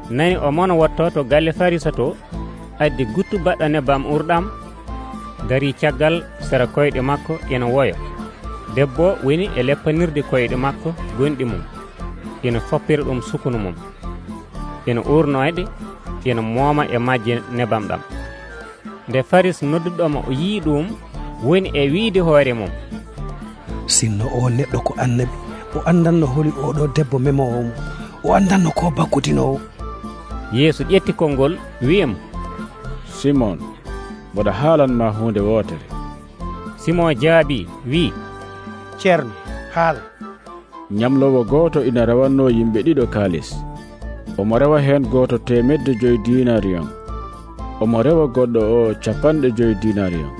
nani o mona wotto to galle Farisa to, addi guttu baɗɗo nebbam urɗam, darii caggal sera koyɗe makko ina woya. Debbo woni e leppanirde koyɗe makko gonɗi mum, ina foppira ɗum sukunu mum, ina urnoyde, ina mooma e majje nebam ɗam. Nde Faris nodduɗomo o yii ɗum, woni e wiide hoore mum, sinno o neɗɗo ko annabi, o andanno holi oɗo debbo memowo mum, o andanno ko bakkudinowo. Yeesu ƴetti konngol wiyimo, Simon, mboɗa haalanma hunde wootere. Simon jaabi wi, ceerno, haal. Ñamlowo gooto ina rawanno yimɓe ɗiɗo kaalis. Omo rewa heen gooto temedde joyi dinariyon. omo rewa goɗɗo o capanɗe joyi dinariyon.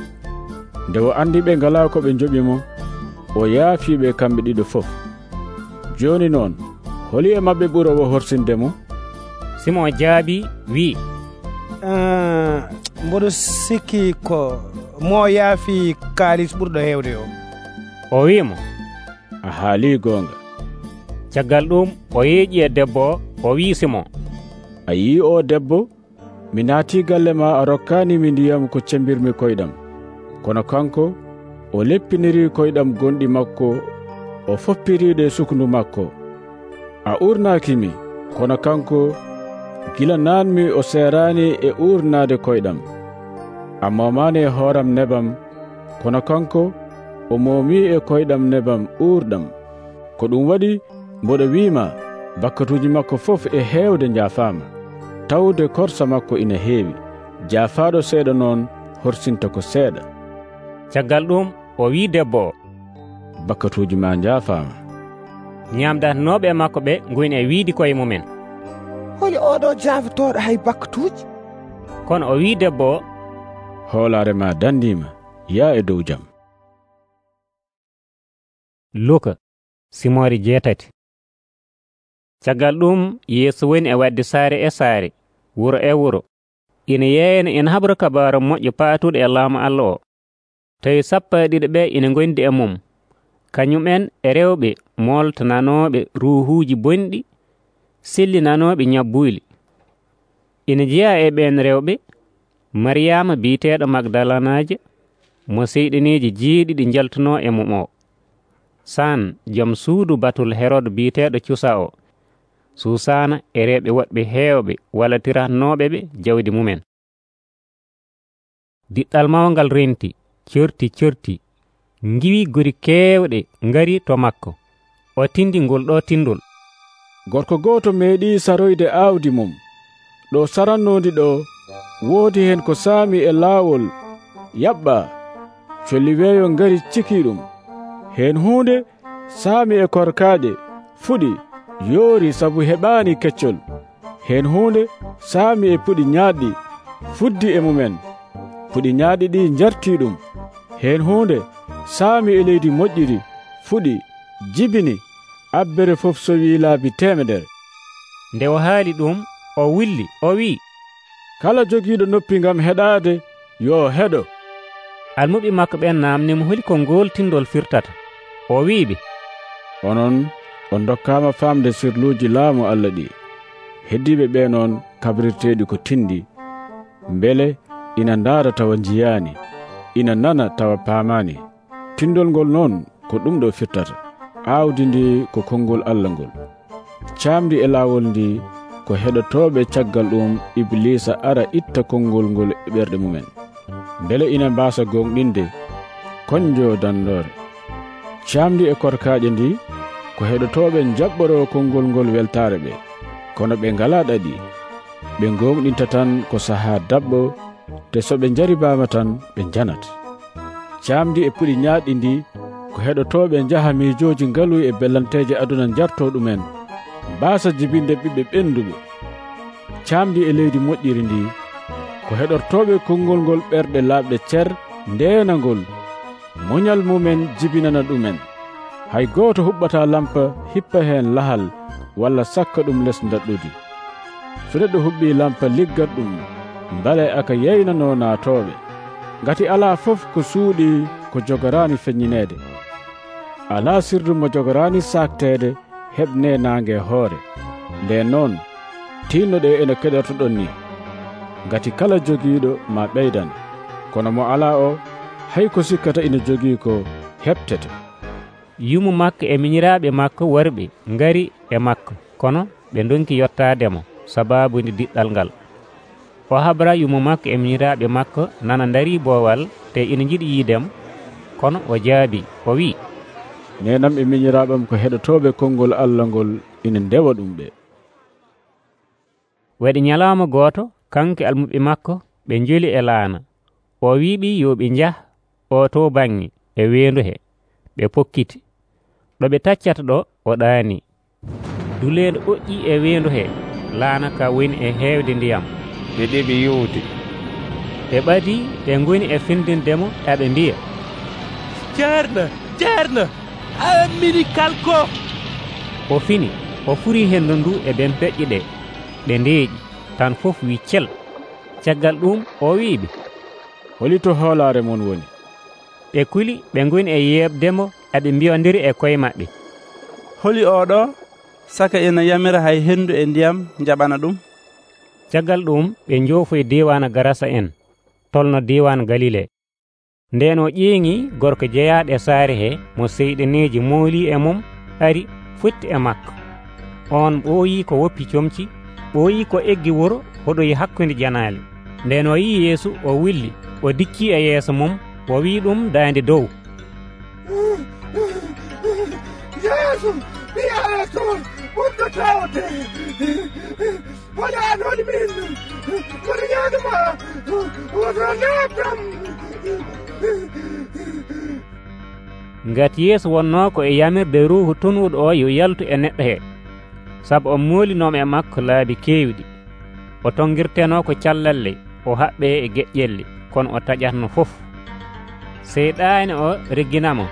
Nde o andi ɓe ngala ko ɓe njoɓi mo, o yaafiɓe kamɓe ɗiɗo fof. Joni noon holi e maɓɓe ɓurowo horsinde mo? Simon jaabi wi, uh, mboɗo sikki ko mo yaafi kaalis ɓurɗo heewde o. O wimo, a haali goonga. Caggal ɗum o yeeƴi e debbo o, o wi Simon, a yii o debbo? Mi naati galle ma a rokkanimi ndiyam ko cembirmi koyɗam, kono kanko o leppiniri koyɗam gonɗi makko, o foppiriɗe sukundu makko. A urnakimi, kono kanko gila naanmi o serani e urnade koyɗam. A momani e hooram nebam, kono kanko o momi e koyɗam nebam urɗam. Ko ɗum waɗi mboɗo wiima bakkatuji makko fof e heewde jaafama, tawde korsa makko ina heewi. Jaafaɗo seeɗa noon horsinta ko seeɗa. Caggal ɗum o wi debbo o, bakkatuji ma jaafama. Ñamdatanoɓe e makko ɓe goyni e wiidi koye mumen, holi oɗo jaafitoɗo hay bakkatuji? Kono o wi debbo o, hoolare ma dandima, yaa e dow jam. Luka simori jeetati. Caggal ɗum Yeesu woni e wadde saare e saare, wuro e wuro, ina yeeyana ina habra kabaru moƴƴo paatuɗo e laamu Allah o. Tawi sappo e ɗiɗi ɓe ina gondi e mum, kañumen e rewɓe moltananoɓe ruuhuuji bonɗi, sellinanoɓe ñabbuyli. Ina jeeya e ɓen rewɓe Mariyama biiteɗo Magdalanaje, mo seyɗineji jeeɗiɗi jaltuno e mum o, San joom suudu batul Herode biiteɗo Cusa o, Susana e rewɓe woɓɓe heewɓe wallatiratnoɓeɓe jawdi mumen. Diɗɗal mawngal renti, corti corti, ngiwi gori keewɗe ngari to makko. O tindi ngol ɗo tindol. Gorko gooto meeɗi saroyde aawdi mum. Ɗo sarannondi ɗo woodi hen ko saami e laawol yaɓɓa. Colli weeyo ngari ciki ɗum. Hen hunde saami e korkaaje fuɗi yoori sabu heɓaani keccol. Hen hunde saami e puɗi ñaaɗɗi fuddi e mumen. Puɗi ñaaɗɗi ɗi njarti ɗum. Hen hunde saami e leydi moƴƴiri fuɗi jibini abbere fof sowi laabi temedere. Nde o haali ɗum o willi o wi, kala jogiiɗo noppi ngam heɗaade yo heɗo. Almuɓe makko ɓen namnimo holi ko ngol tindol firtata. O wiiɓe, onon on dokkaama famde sirluuji laamu Allah ɗi. Heddiɓe ɓe noon kabrirteeɗi ko tindi, mbele ina ndaara tawa njiyaani, ina nana tawa paamaani. Tindol ngol noon ko ɗum ɗo firtata. Aawdi ndi ko konngol Allah ngol. Caamdi e laawol ndi ko heɗotooɓe caggal ɗum Iblisa ara itta konngol ngol e ɓerɗe mumen, mbele ina mbaasa gonɗinde konjo dandoore. Caamdi e korkaaje ndi ko heɗotooɓe jaɓɓoro konngol ngol weltaare ɓe, kono ɓe ngalaa ɗaɗi. Ɓe gonɗinta tan ko sahaa daɓɓo, te so ɓe njaribaama tan ɓe njanat. Caamdi e puɗi ñaaɗɗi ndi ko heɗotooɓe njaha miijooji ngaluy e bellanteeje aduna njartoo ɗumen, mbaasa jibinde ɓiɓɓe ɓenduɓe. Caamdi e leydi moƴƴiri ndi ko heɗortooɓe konngol ngol ɓerɗe laaɓɗe cer ndeena ngol, muñal mumen jibinana ɗumen. Hay gooto huɓɓata lampa hippa heen lahal walla sakka ɗum les daɗɗudi. So neɗɗo huɓɓi lampa liggat ɗum, mbale aka yeynano naatooɓe, ngati alaa fof ko suuɗi ko jogoraani feññineede. Alaa sirdu mo jogoraani saakteede heɓne naange hoore. Nden noon tinnoɗe ene keɗortoɗon ni, ngati kala jogiiɗo ma ɓeydan, kono mo alaa o hay ko sikkata ina jogii ko heɓtete. Yumu makko e miñiraaɓe makko worɓe ngari e makko, kono ɓe donki yottaademo sabaabude diɗɗal ngal. O habra yumu makko e miñiraaɓe makko nana ndarii boowal te ina jiɗi yiidemo, kono o jaabi o wi, nenam e miñiraaɓam ko heɗotooɓe konngol Allah ngol ina ndewa ɗum ɓe. Waɗi ñalaama gooto kanko almuɓe makko ɓe njoli e laana. O wiiɓi yo ɓe njah o to baŋnge e weendu he. Ɓe pokkiti. ɗo ɓe taccata ɗo o ɗaani. Duleeɗo oƴƴi e weendu he, laana ka woni e heewde ndiyam. ɓe ɗeɓi yowde. ɓe ɓadi ɓe ngoni e findindemo eɓe mbiya, ceerno ceerno ammini kalko. o fini o furi hendu ndu e ɓen peƴƴi ɗe ɓe ndeeƴi tan fof wi cel. caggal ɗum o wiɓe, holito hoolare mon woni? ɓe kuli ɓe ngoni e yeɓdemo eɓe mbiyodiri e koye maɓɓe, holi oɗo saka ina yamira hay hendu e ndiyam jaɓana ɗum. caggal ɗum ɓe joofoyi diwan Garasa en tolno diwan Galile. nden o ƴeeŋi gorko jeyaɗo e saare he mo seyɗeneji mooli e mum ari futti e makko. on ɓooyi ko woppi comci, ɓooyi ko eggi wuro hoɗoyi hakkunde janaale. nden o yi Yeesu o willi o dicci e yeeso mum o wi ɗum daande dow, Yeesu mi alaton ɓurɗo tawte waɗan holi min kono ñaaduma woto natam. ngati Yeesu wonno ko e yamirde ruuhu tunwuɗo o yo yaltu e neɗɗo he, sabu o moolinomo e makko laabi keewɗi. o tongirteno ko callalle o haɓɓe e geƴƴelle kono o taƴatno fof. seyɗaani o regginamo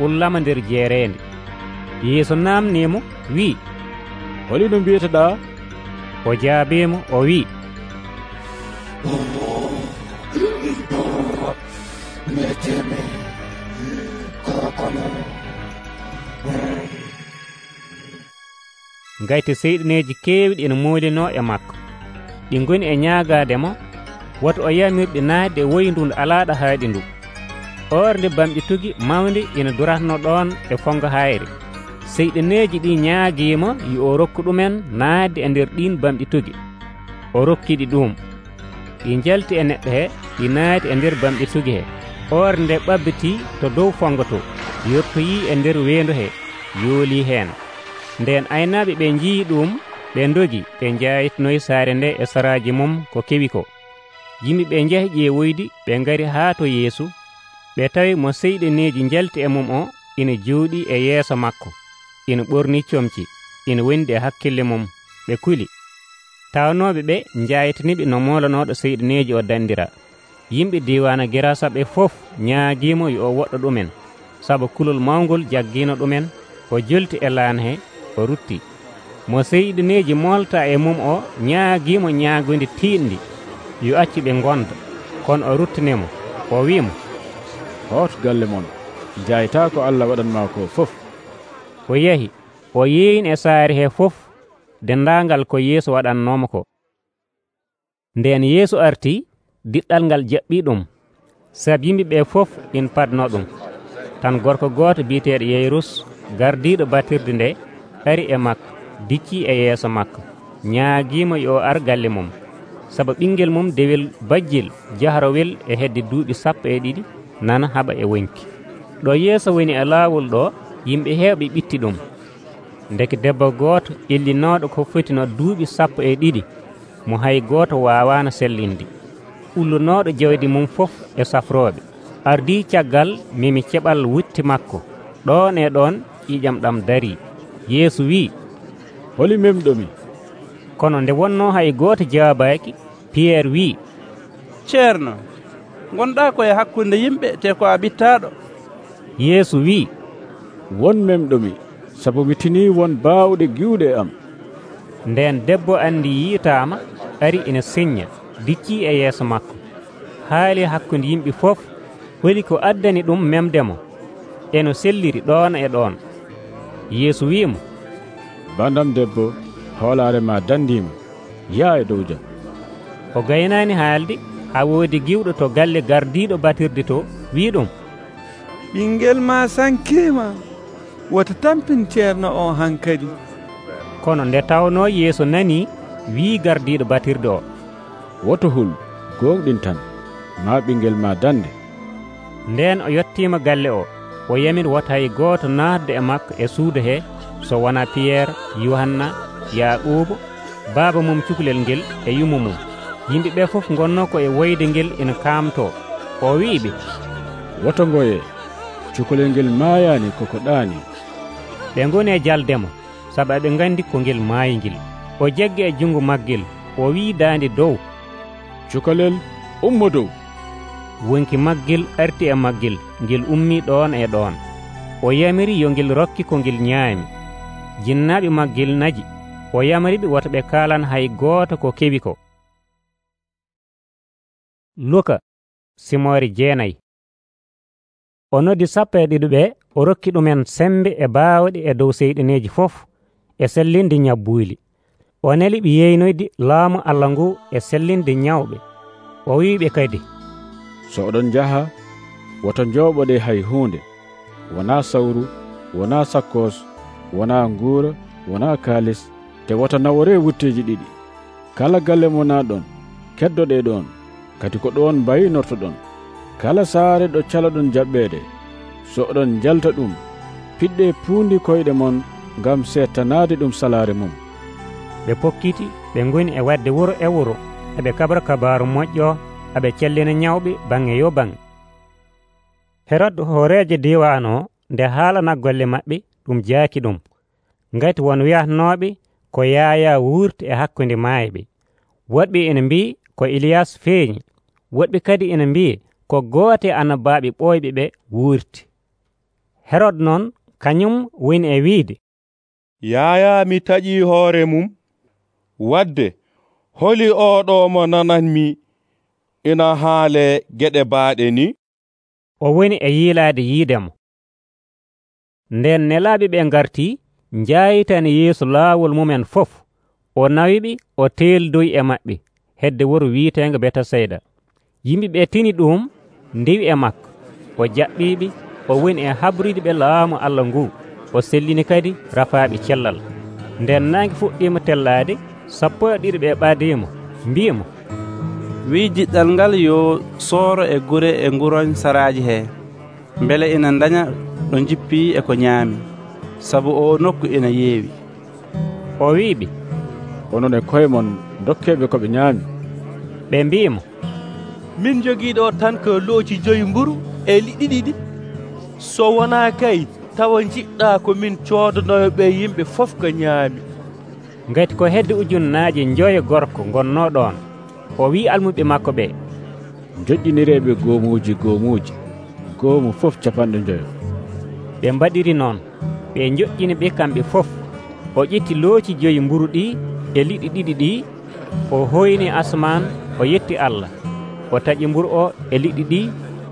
ullama nder jeereende. Yeesu namnimo wi, holino mbiyetoɗa? o jaabimo o wi, meteme kokono. ngayti seyɗineji keewɗi ina moolino e makko, ɗi ngoni e ñaagademo woto o yamirɗi naatde e woyndu ndu alaaɗo haaɗi ndu. orde bamɗi tugi mawde ina duratno ɗon e fongo hayre. seyɗineji ɗi ñaaguima yo o rokku ɗumen naatde e nder ɗin bamɗi tugi. o rokkiɗi ɗum. ɗi jalti e neɗɗo he, ɗi naati e nder bamɗi tugi he. orde nde ɓabbiti to dow fongo to, yettoyi e nder weendu he, yooli heen. nden aynaaɓe ɓe njii ɗum, ɓe ndogi ɓe jayitnoyi saare nde e saraaji mum ko kewi ko. yimɓe ɓe njahi ƴeewoydi ɓe ngari haa to Yeesu. ɓe tawi mo seyɗineji jalti e mum o ina jooɗi e yeeso makko, ina ɓorni comci, ina wondi e hakkille mum. ɓe kuli. tawnooɓe ɓe jayitaniɓe no molanoɗo seyɗineji o dandira. yimɓe diwana Gerasa ɓe fof ñaaguimo yo o woɗɗo ɗumen, sabu kulol mawgol jaggino ɗumen. o jolti e laan he, o rutti. mo seyɗineji molta e mum o ñaaguimo ñaagonde tiiɗndi yo accu ɓe gonda, kono o ruttinimo o wimo, hoto galle mon, jayta ko Allah waɗanma ko fof. o yahi o yeeyni e saare he fof dendaangal ko Yeesu waɗannoma ko. nden Yeesu arti, diɗɗal ngal jaɓɓi ɗum, sabi yimɓe ɓe fof in padno ɗum. tan gorko gooto biyeteeɗo Yayrus, gardiiɗo batirde nde, ari e makko, dicci e yeeso makko, ñaagiimo yo ar galle mum, sabu ɓinguel mum dewel bajjel jahrowel e hedde duuɓi sappo e ɗiɗi nana haɓa e wonki. ɗo yeeso woni e laawol ɗo, yimɓe heewɓe ɓitti ɗum. ndeke debbo gooto illinooɗo ko fotino duuɓi sappo e ɗiɗi mo hay gooto waawaano sellinde, ullunooɗo jawdi mum fof e safrooɓe, ardii caggal mimi keɓal wutti makko. ɗon e ɗon ƴiƴam ɗam darii. Yeesu wii, holi memɗomi? kono nde wonnoo hay gooto jawaabaaki, Piyerre wii, ceerno, gonɗaa koye hakkunde yimɓe te ko a ɓittaaɗo. Yeesu wii, won memɗomi, sabu mi tinii won baawɗe giwɗe am. nden debbo anndi yiitaama, ari ina siñña, diccii e yeeso makko, haali hakkunde yimɓe fof, holi ko addani ɗum memdemo, eno selliri ɗon e ɗon. Yeesu wiimo, bandam debbo, hoolaare ma dandiima, yaa e dow jam. o gaynaani haalde, haa woodi giwɗo to galle gardiiɗo batirde to wii ɗum, ɓinguel ma sankiima, wota tampin ceerno o hankadi. kono nde tawnoo Yeesu nanii, wii gardiiɗo batirde o, woto hul, gonɗin tan, ma ɓinguel ma dande. nden o yettiima galle o, o yamir wota hay gooto naatde e makko e suudu he, so wona Piyerre, Yohanna, Yaaquuba, baaba mum cukalel ngel e yumu mum. yimɓe ɓe fof gonno ko e woyde ngel ina kaamto. o wiiɓe, woto ngoye, cukalel ngel maayaani koko ɗaani. ɓe ngoni e jaldemo, sabu eɓe nganndi ko ngel maayi ngel. o jaggi e junngo maggel, o wii daande dow, cukalel ummo dow. wonki maggel arti e maggel ngel ummii ɗoon e ɗoon. O yamiri yo ngel rokki ko ngel ñaami. Jinnaaɓe maggel naji. O yamriɓe woto ɓe kaalan hay gooto ko keɓi ko. Luka simoore jeenayi. O noddi sappo e ɗiɗo ɓe, o rokki ɗumen sembe e baawɗe e dow seyɗineeji fof e sellinde ñabbuuli. O neli ɓe yeynoyde laamu Allah ngu e sellinde ñawɓe. O wiiɓe kadi, so oɗon njaha woto njooɓoɗe hay huunde, wonaa sawru, wonaa sakkos, wonaa nguura, wonaa kaalis, te woto naworee wutteeji ɗiɗi. Kala galle mo naaɗon keddoɗe ɗon, kadi ko ɗon mbayinortoɗon. Kala saare ɗo caloɗon jaɓɓeede, so oɗon jalta ɗum, piɗɗe puundi koyɗe mon ngam seettanaade ɗum salaare mum. Ɓe pokkiti ɓe ngoni e wadde wuro e wuro eɓe kabra kabaaru moƴƴo aɓe cellina ñawɓe baŋnge yo baŋnge. Herod hooreejo diiwaan o nde haalana golle maɓɓe ɗum jaaki ɗum, ngati won wi'atnooɓe ko Yaaya wuurti e hakkunde maayɓe. Woɗɓe ene mbi'i ko Iliyas feeñi, woɗɓe kadi ene mbi'i ko gooto e annabaaɓe ɓooyɓe ɓe wuurti. Herod noon kañum woni e wiide, Yaaya mi taƴii hoore mum, wadde holi oɗo mo nananmi ina haale geɗe baaɗe ni? O woni e yiilaade yiidemo. Nden nelaaɓe ɓe ngartii njaayitani Yeesu laawol mumen fof. O nawiɓe o teeldoyi e maɓɓe hedde wuro wiiteengo Betasayda. Yimɓe ɓe tini ɗum ndewi e makko. O jaɓɓiiɓe, o woni e haɓrude ɓe laamu Allah ngu. O sellini kadi rafaaɓe cellal. Nden naange fuɗɗiima tellaade, sappo e ɗiɗo ɓe ɓaadiimo, mbi'imo, wii jiɗɗal ngal yo sooro e gure e nguroñ saraaji hee, mbele ina daña ɗo jippii e ko ñaami, sabu o nokku ina yeewi. O wiiɓe, onon e koye mon dokkeeɓe ko ɓe ñaami. Ɓe mbi'imo, min jogiiɗo tan ko looci joyi mburu e liɗɗi ɗiɗi. So wonaa kay tawa jiɗɗaa ko min coodanoyoɓe yimɓe fof ko ñaami. Ngati ko hedde ujunnaaje njoyo gorko ngonnoo ɗoon. O wii almuɓe makko ɓe, joƴƴinireeɓe goomuuji goomuuji, goomu fof capanɗe njoyo. Ɓe mbaɗiri noon, ɓe njoƴƴini ɓe kamɓe fof. O ƴetti looci joyi mburu ɗi e liɗɗi ɗiɗi ɗi, o hoyni asman, o yetti Allah. O taƴi mburu o e liɗɗi ɗi,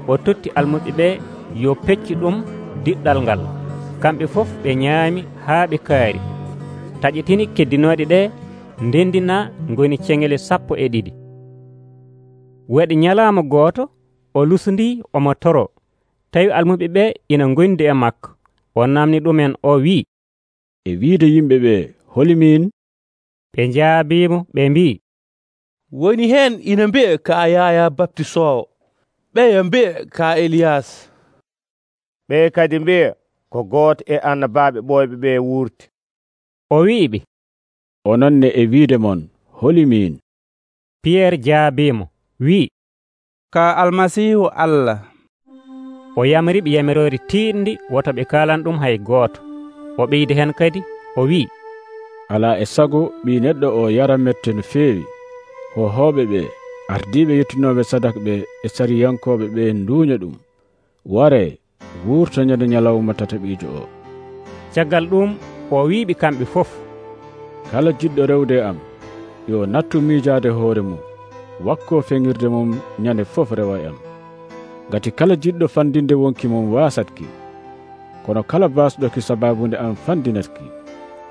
o totti almuɓe ɓe yo peccu ɗum diɗɗal ngal. Kamɓe fof ɓe ñaami haa ɓe kaari. Taƴetini keddinooɗe ɗe ndendina ngoni ceŋele sappo e ɗiɗi. Waɗi ñalaama gooto, o lusondii omo toro, tawi almuɓe ɓe ina ngondi e makko. O namni ɗumen o wii, e wiide yimɓe ɓe, holi min? Ɓe njaabiimo ɓe mbii, woni heen ina mbi'a ka Yaaya Baptisoowo, ɓeya mbi'a ka Eliyas. ɓe kadi mbi'a ko gooto e annabaaɓe ɓooyɓe ɓe wuurti. O wi'iɓe, ononne e wiide mon, holi min? Piyeer jaabiimo wii, ka Almasiihu Allah. O yamriɓe yamiroore tiiɗndi woto ɓe kaalan ɗum hay gooto. O ɓeydi hen kadi o wii, alaa e sago ɓii neɗɗo o yara mette no feewi. Hohooɓe ɓe, ardiiɓe yettinooɓe sadaka ɓe e sariyankooɓe ɓe nduuña ɗum. Waree, wuurto ñande ñalawma tataɓiijo o. Caggal ɗum o wiiɓe kamɓe fof, kala jiɗɗo rewde am yo nattu miijaade hoore mum, wakkoo feŋirde mum ñande fof rewa e am. Ngati kala jiɗɗo fandinde wonki mum waasatki, kono kala baasɗoki sabaabunde am fandinatki.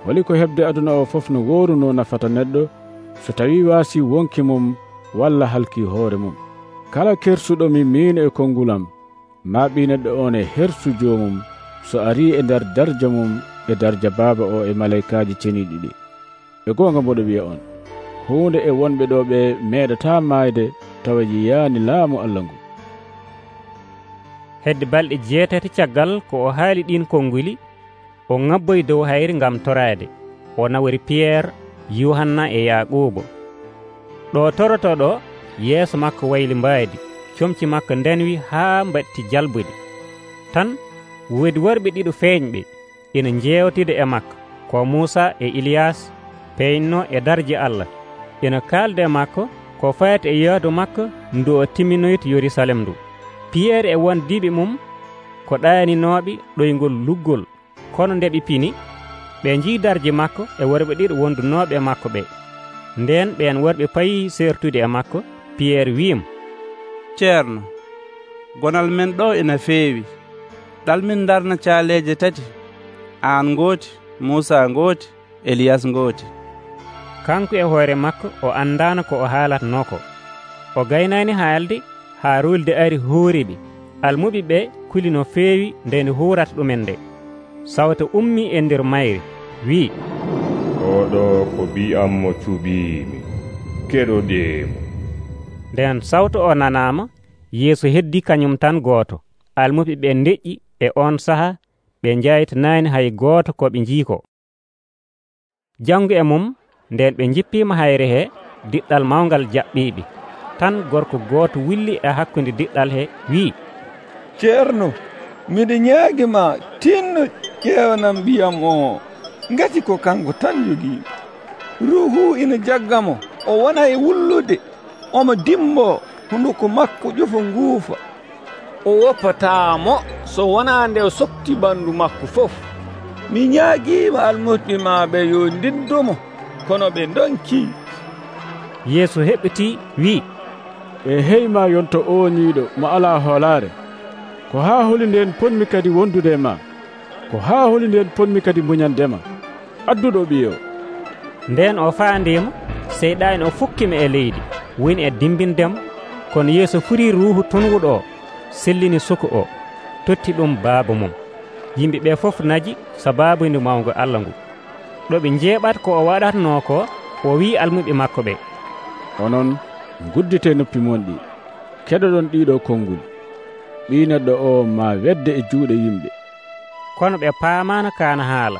Holi ko heɓde aduna o fof no wooruno nafata neɗɗo so tawi waasi wonki mum walla halki hoore mum. Kala kersuɗomi min e kongulam, maa ɓii neɗɗo on e hersu joomum so arii e nder darja mum e darja baaba o e malaykaaji ceniiɗi ɗi. E goonga mboɗo wiya on, huunde e wonɓe ɗo ɓe meeɗataa maayde tawa yiyaani laamu Allah ngu. Hedde balɗe jeetati caggal ko o haali ɗin konnguli, o ŋabboyi dow hayri ngam toraade. O nawori Piyeer, Yuhanna e Yaaquubo. Ɗo toroto ɗo, yeeso makko wayli mbaadi, comci makko ndenwi haa mbatti jalbude. Tan woodi worɓe ɗiɗo feeñɓe ina njeewtida e makko, ko Muusa e Iliyas, peynno e darje Allah. Ina kaalda e makko ko fayata e yahdu makko ndu o timminoyta Yerusalem ndu. Piyerre e wondiɓe mum ko ɗaninooɓe ɗoygol luggol, kono nde ɓe pini ɓe njii darje makko e worɓe ɗiɗo wondunooɓe e makko ɓe. Nden ɓen worɓe payi sertude e makko. Piyerre wi'imo, ceerno, gonal men ɗo ina feewi. ɗalmin darna caaleeje tati, aan ngooti, Muusa ngooti, Eliyas ngooti. Kanko e hoore makko o andaano ko o haalatnoo ko. O gaynaani haalde haa ruulde ari huuriɓe. Almuɓe ɓe kuli no feewi nde nde huurata ɗumen nde. Sawto ummii e nder mayre wi'i, oɗo ko bi'am mo cuɓiimi, keɗoɗeemo. Nden sawto o nanaama, Yeesu heddi kañum tan gooto. Almuɓe ɓe ndeƴƴi e on saha ɓe njaytanaani hay gooto ko ɓe njii ko. Janngo e mum nden ɓe jippiima hayre he, diɗɗal mawngal jaɓɓiiɓe. Tan gorko gooto willi e hakkunde diɗɗal he wi'i, ceerno, miɗe ñaagima tinno ƴeewanam mbiyam o, ngati ko kanko tan jogii. Ruuhu ina jaggamo, o wona e wullude, omo dimbo, hunduko makko ƴufa nguufa. O woppataamo so wonaa nde o softi ɓanndu makko fof. Mi ñaagiima almuɓe maaɓe yo ndiddomo, kono ɓe donkii. Yeesu heɓɓitii wi'i, ɓe heyma yonto o niiɗo mo alaa hoolaare. Ko haa holi nden ponmi kadi wondude e ma, ko haa holi nden ponmi kadi muñandema. Adduɗo ɓiyo. Nden o faandiimo, seyɗaani o fukkimo e leydi, woni e dimbindemo. Kono Yeesu furii ruuhu tunwuɗo o, sellini suka o, totti ɗum baaba mum. Yimɓe ɓe fof naji sabaabude mawngo Allah ngu. ɗo ɓe njeeɓata ko o waɗatnoo ko, o wii almuɓe makko ɓe, onon guddite noppi mon ɗi, keɗoɗon ɗiɗo konnguli. Ɓii neɗɗo o ma wedde e juuɗe yimɓe. Kono ɓe paamaano kaana haala,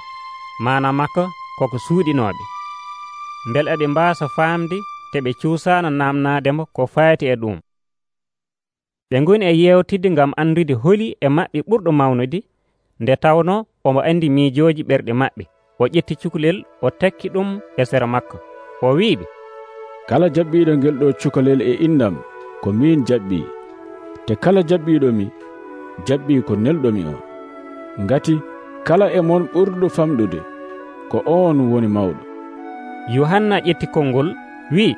maana makko koko suuɗinooɓe. Mbele eɓe mbaasa faamde te ɓe cuusaano naamnaademo ko fayti e ɗum. Ɓe ngoni e yeewtidde ngam anndude holi e maɓɓe ɓurɗo mawnude, nde tawnoo omo anndi miijooji ɓerɗe maɓɓe. O ƴetti cukalel, o takki ɗum e sera makko. O wi'iɓe, kala jaɓɓiiɗo ngel ɗo cukalel e innam ko min jaɓɓii, te kala jaɓɓiiɗomi jaɓɓii ko nelɗomi o. Ngati kala e mon ɓurɗo famɗude ko on woni mawɗo. Yohanna ƴetti konngol wi'i,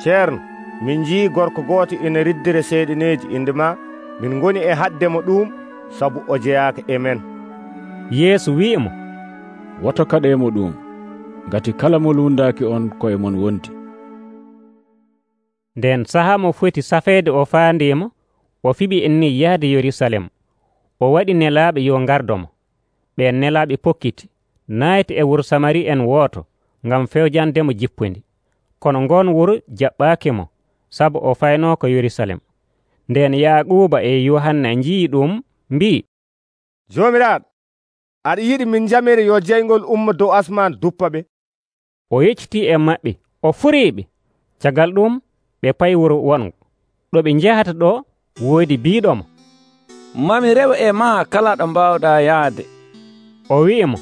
ceerno, min njii gorko gooto ina riddire seyɗineeji inde ma. Min ngoni e haddemo ɗum sabu o jeyaaka e men. Yeesu wi'imo, woto kaɗemo ɗum, ngati kala mo lundaaki on koye mon wonti. Nden sahaa mo foti safeede o faandiimo, o fiɓi enni yahde Yerusalem. O waɗi nelaaɓe yo ngardomo. Ɓen nelaaɓe pokkiti, nayti e wuro Samari en wooto, ngam fewjandemo jippundi. Kono ngon wuro jaɓɓaakimo, sabu o faynoo ko Yerusalem. Nden Yaaquuba e Yohanna njii ɗum, mbii, joomiraaɗo, aɗa yiɗi min jamire yo jeyngol umma dow asman duppa ɓe? O yeccitii e maɓɓe, o furiiɓe. Caggal ɗum ɓe payi wuro wongo. ɗo ɓe njahata ɗo woodi biiɗomo, mami rew e ma kala ɗo mbawɗa yaade. O wi'imo,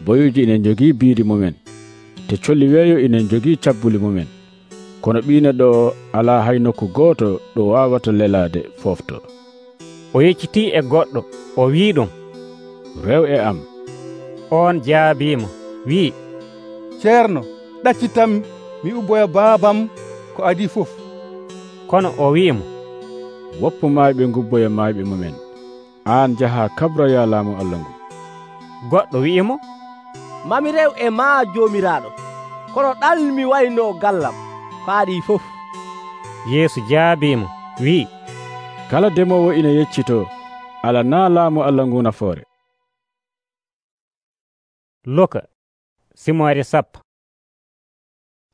boyuji inen jogii biidi mumen, te colli weeyo inen jogii cabbuli mumen, kono ɓii neɗɗo o alaa hay nokku gooto ɗo waawata lelaade foofto. O yeccitii e goɗɗo, o wii ɗum, rew e am. On jaabiimo wii, ceerno, ɗaccitam mi ubboya baabam ko adii fof. Kono o wi'imo, woppu maayɓe ngubboya maayɓe mumen, aan jaha kabroya laamu Allah ngu. Goɗɗo wi'imo, mami rew e ma joomiraaɗo, kono ɗalmi wayno gallam faaɗi fof. Yeesu jaabiimo wi'i, kala demowo ina yeccito ala naa laamu Allah ngu nafoore. Luka simoore sappo.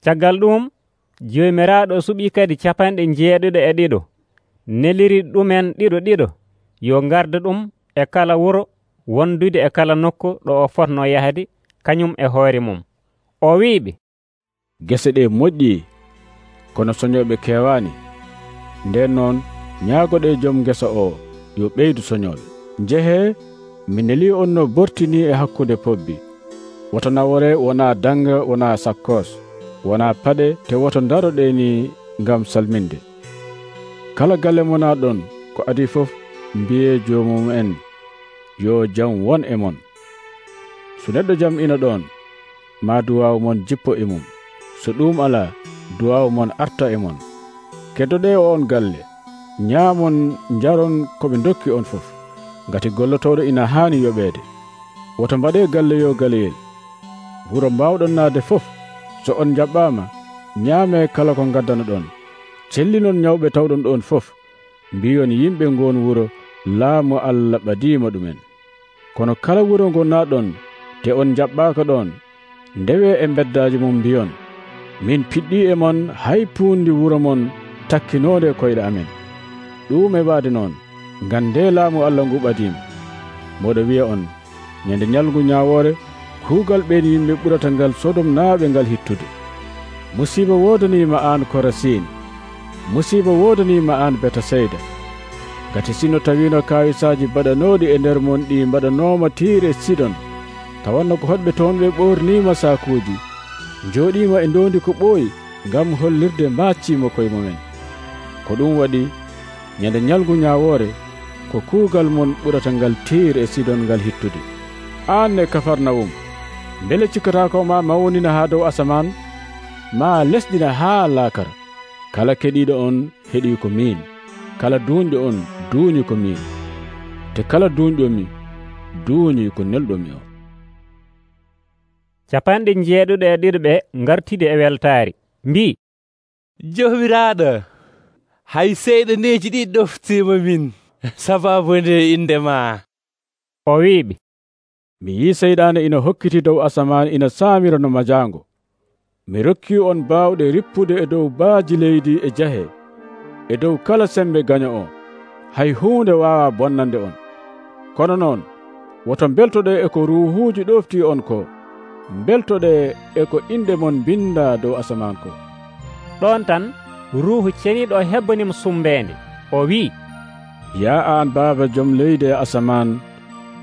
Caggal ɗum joomiraaɗo suɓii kadi capanɗe jeeɗiɗo e ɗiɗo, neliri ɗumen ɗiɗo ɗiɗo yo ngarda ɗum e kala wuro wondude e kala nokku ɗo o fotno yahde kañum e hoore mum. O wiiɓe, gese ɗe moƴƴi, kono soñoɓe kewaani. Nden noon ñaagoɗe joom gesa o yo ɓeydu soñoɓe. Njehe, mi neli on no bortini e hakkude pobbi. Woto nawore wona danga, wona sakkos, wona paɗe, te woto daroɗeni ngam salminde. Kala galle mona ɗon ko adi fof mbiye joomum en yo jam won e mon. So neɗɗo jam ina ɗon, ma duwawu mon jippo e mum. So ɗum alaa, duwawu mon arta e mon. Keddoɗe o on galle, ñaamon njaron ko ɓe dokki on fof, ngati gollotoɗo ina haani yoɓeede. Woto mbaɗe galle yo galeyel. Wuro mbawɗon naade fof, so on jaɓɓaama, ñaame kala ko ngaddano ɗon. Cellinon ñawɓe tawɗon ɗon fof, mbiyon yimɓe ngon wuro laamu Allah ɓadiima ɗumen. Kono kala wuro ngo naaɗon te on jaɓɓaaka ɗon, ndewe e beddaaji mum mbiyon, min piɗɗi e mon hay puundi wuro mon takkinoode koyɗe amen. Ɗum e waade noon, ngam nde laamu Allah ngu ɓadiima. Moɗo wiya on, ñande ñalngu ñaawoore, kuugal ɓeen yimɓe ɓurata ngal Sodom naaɓe ngal hittude. Musiiba woodaniima aan Korasin, musiiba woodaniima aan Betasayda. Gati sino tawiino kaawisaaji baɗanooɗi e nder mon ɗi mbaɗanooma Tiire e Sidon, tawanno ko hoɗɓe toon ɓe ɓoorniima saakuuji, njooɗiima e ndoondi ko ɓooyi ngam hollirde maacciimo koye mumen. Ko ɗum waɗi ñande ñalngu ñaawoore ko kuugal mon ɓurata ngal Tiire e Sidon ngal hittude. Aan ne Kafarnawum, mbele cikkataa ma mawnina haa dow asamaan, ma lesɗina haa laakara. Kala keɗiiɗo on heɗii ko miin, kala duuñɗo on duuñi ko miin, te kala duuñɗomi duuñi ko nelɗomi o. Capanɗe jeeɗuɗe e ɗiɗiɓe ngartide e weltaari mbi, Joomiraaɗo, hay seyɗaneeji ɗi ɗoftiima min sabaabu nde inde ma. O wiiɓe, mi yii seyɗaane ina hokkiti dow asamaan ina saamira no majaango. Mi rokki on baawɗe rippude e dow baaji leydi e jahe, e dow kala sembe gaño o, hay huunde waawa bonnande on. Kono noon, woto mbeltoɗe e ko ruuhuuji ɗoftii on ko, mbeltoɗe e ko inde mon binda dow asamaan ko. Ɗon tan ruuhu ceniiɗo hebbanimo sumbeende, o wii, yaa aan Baaba jom leydi e asamaan,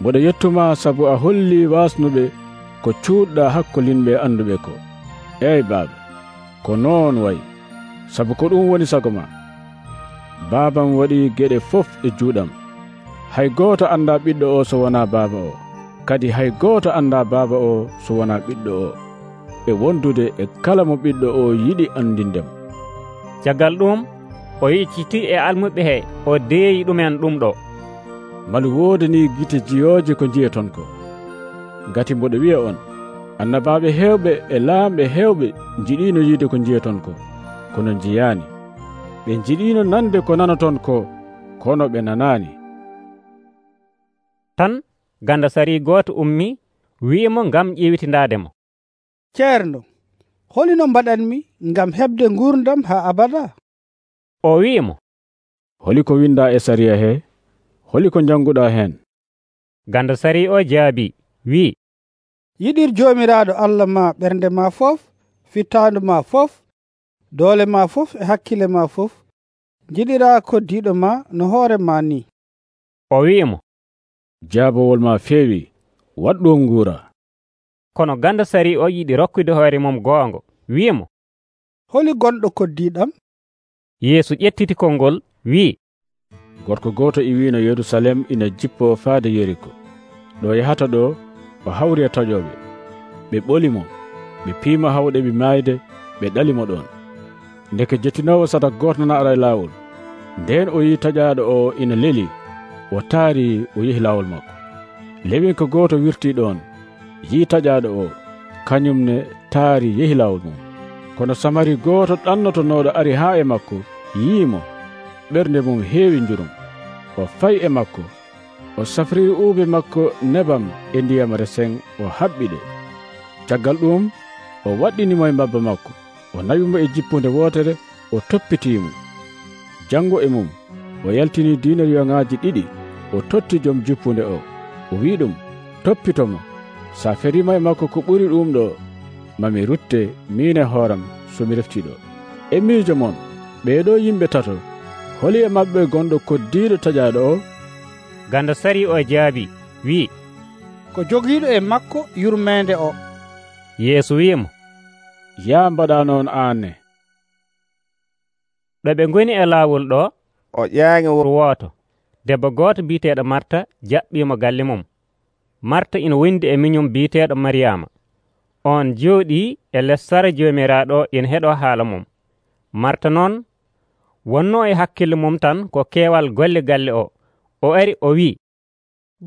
mboɗo yettuma sabu a hollii waasnuɓe ko cuuɗɗaa hakkolinɓe annduɓe ko. Eey Baaba, ko noon wayi, sabu ko ɗum woni sago ma. Baabam waɗii geɗe fof e juuɗam. Hay gooto anndaa ɓiɗɗo o so wonaa Baaba o, kadi hay gooto anndaa Baaba o so wonaa ɓiɗɗo o, e wondude e kala mo ɓiɗɗo o yiɗi andindemo. Caggal ɗum o yecciti e almuɓe he o deeyi ɗumen ɗum ɗo. Malu woodani gite jiyooje ko jiyaton ko. Ngati mboɗo wiya on, annabaaɓe heewɓe e laamɓe heewɓe njiɗiino yiide ko jiyaton ko, kono njiyaani. Ɓe njiɗiino nande ko nanaton ko, kono ɓe nanaani. Tan ganda sari gooto ummi wi'imo ngam ƴeewitindaademo, ceerno, holino mbaɗanmi ngam heɓde ngurdam haa abada? O wi'imo, holi ko winda e sariya he, holi ko janguɗa hen? Ganda sari o jaabi wi, yiɗir joomiraaɗo Allah ma ɓernde ma fof, fittaandu ma fof, doole ma fof e hakkille ma fof, jiɗira koddiɗo ma no hoore ma ni. O wi'imo, jaabowol ma feewi, waɗɗo nguura. Kono ganda sari o yiɗi rokkude hoore mum goongo, wi'imo, holi gonɗo koddiɗam? Yeesu ƴettiti konngol wi, gorko gooto e wiino Yerusalem ina jippo faade Yeriko. Ɗo yahata ɗo o hawri e taƴoɓe. Ɓe ɓolimo, ɓe piima hawɗeɓe maayde, ɓe ɗalimo ɗon. Ndeke jettinowo sadak goto na ara e laawol. Nden o yi taƴaaɗo o ina leli, o taari o yehi laawol makko. Lewinko gooto wirti ɗon, yi taƴaaɗo o, kañumne taari yehi laawol mum. Kono samari gooto ɗannotonooɗo ari haa e makko, yiimo, ɓernde mum heewi njurum. O fayi e makko, o safriri uube makko nebam e ndiyam resen, o haɓɓiɗe. Caggal ɗum o waɗɗinimo e mbabba makko, o nawimo e jippunde wootere, o toppitiimo. Jango e mum o yaltini dinariyoŋaaji ɗiɗi, o totti joom jippunde o, o wi ɗum, toppitomo. Sa ferima e makko ko ɓuri ɗum ɗo, mami rutte min e hooram somi reftiɗo. E miijo mon ɓeeɗo yimɓe tato, holi e maɓɓe gonɗo koddiiɗo taƴaaɗo o? Ganda sari o jaabi wi, ko jogiiɗo e makko yurmeende o. Yeesu wi'imo, yaa mbaɗa noon aan ne. Ɗo ɓe ngoni e laawol ɗo, o ƴaangi wuro wooto, debbo gooto biiteeɗo marta jaɓɓiimo galle mum. marta ina wondi e miñum biiteeɗo mariyama. on jooɗii e les sara joomiraaɗo ina heɗoo haala mum. marta noon wonnoo e hakkille mum tan ko keewal golle galle o. o ari o wi'i,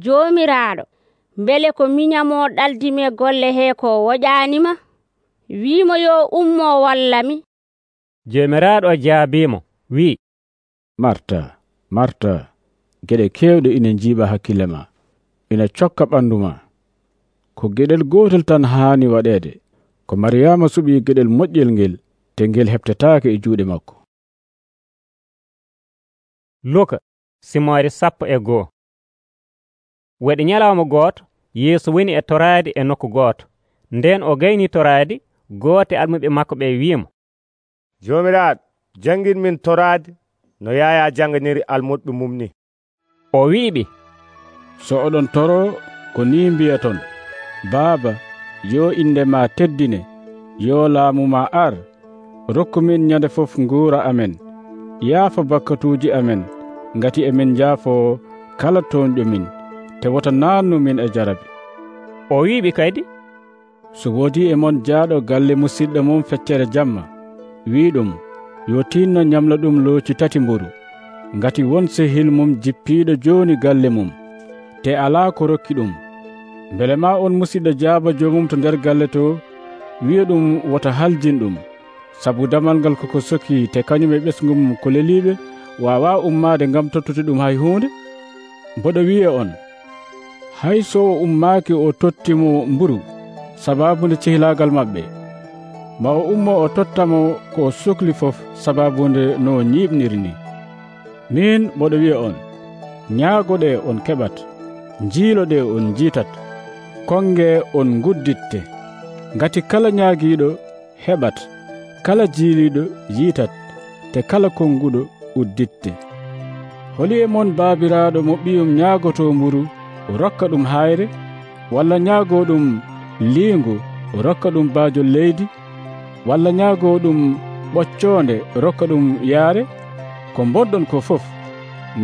joomiraaɗo, mbele ko miñamo ɗaldimi e golle hee ko woƴaanima? wiimo yo ummo wallami. joomiraaɗo jaabiimo wi'i, marta marta, geɗe keewɗe ina njiiɓa hakkille ma, ina cokka ɓanndu ma. ko geɗel gootel tan haani waɗeede. ko mariyama suɓii geɗel moƴƴel ngel, te ngel heɓtetaake e juuɗe makko. luka simoore sappo e goo. waɗi ñalawma gooto yeeso woni e toraadi e nokku gooto. nden o gayni toraadi, gooto e almuɓe makko ɓe wiimo, joomiraaɗo, janngin min toraadi no Yaaya janganiri almuɓe mum ni. o wi'iɓe, so oɗon toro ko ni mbiyaton, baaba, yo inde ma teddine, yo laamu ma ar, rokku min ñande fof nguura amen, yaafa bakkatuuji amen, ngati emin jaafo kala toonƴo min, te wota naannu min e jarabi. o wi'iɓe kadi, so woodi e mon jaaɗo galle musidɗo mum feccere jamma, wiiɗum yo tinno ñamla ɗum looci tati mburu, ngati won sehil mum jippiiɗo jooni galle mum, te alaa ko rokki ɗum. mbele ma on musidɗo jaaba joomum to nder galle to, wi'a ɗum wota haljin ɗum, sabu damal ngal koko soki, te kañum e ɓesgu mum ko leliiɓe waawaa ummaade ngam tottude ɗum hay huunde. mboɗo wi'a on, hay so o ummaaki o tottimo mburu sabaabude cehilaagal maɓɓe, ma o ummo o tottamo ko o sohli fof sabaabude no o ñiiɓniri ni. min mboɗo wi'a on, ñaagoɗe on keɓat, njiiloɗe on njiitat, konge on ngudditte. ngati kala ñaagiiɗo heɓat, kala jiiliiɗo yiitat, te kala konguɗo udditte. holi e mon baabiraaɗo mo ɓiyum ñaagoto mburu o rokka ɗum hayre, walla ñaago ɗum liingu o rokka ɗum baajol leydi, walla ñaago ɗum ɓoccoonde o rokka ɗum yaare? ko mboɗɗon ko fof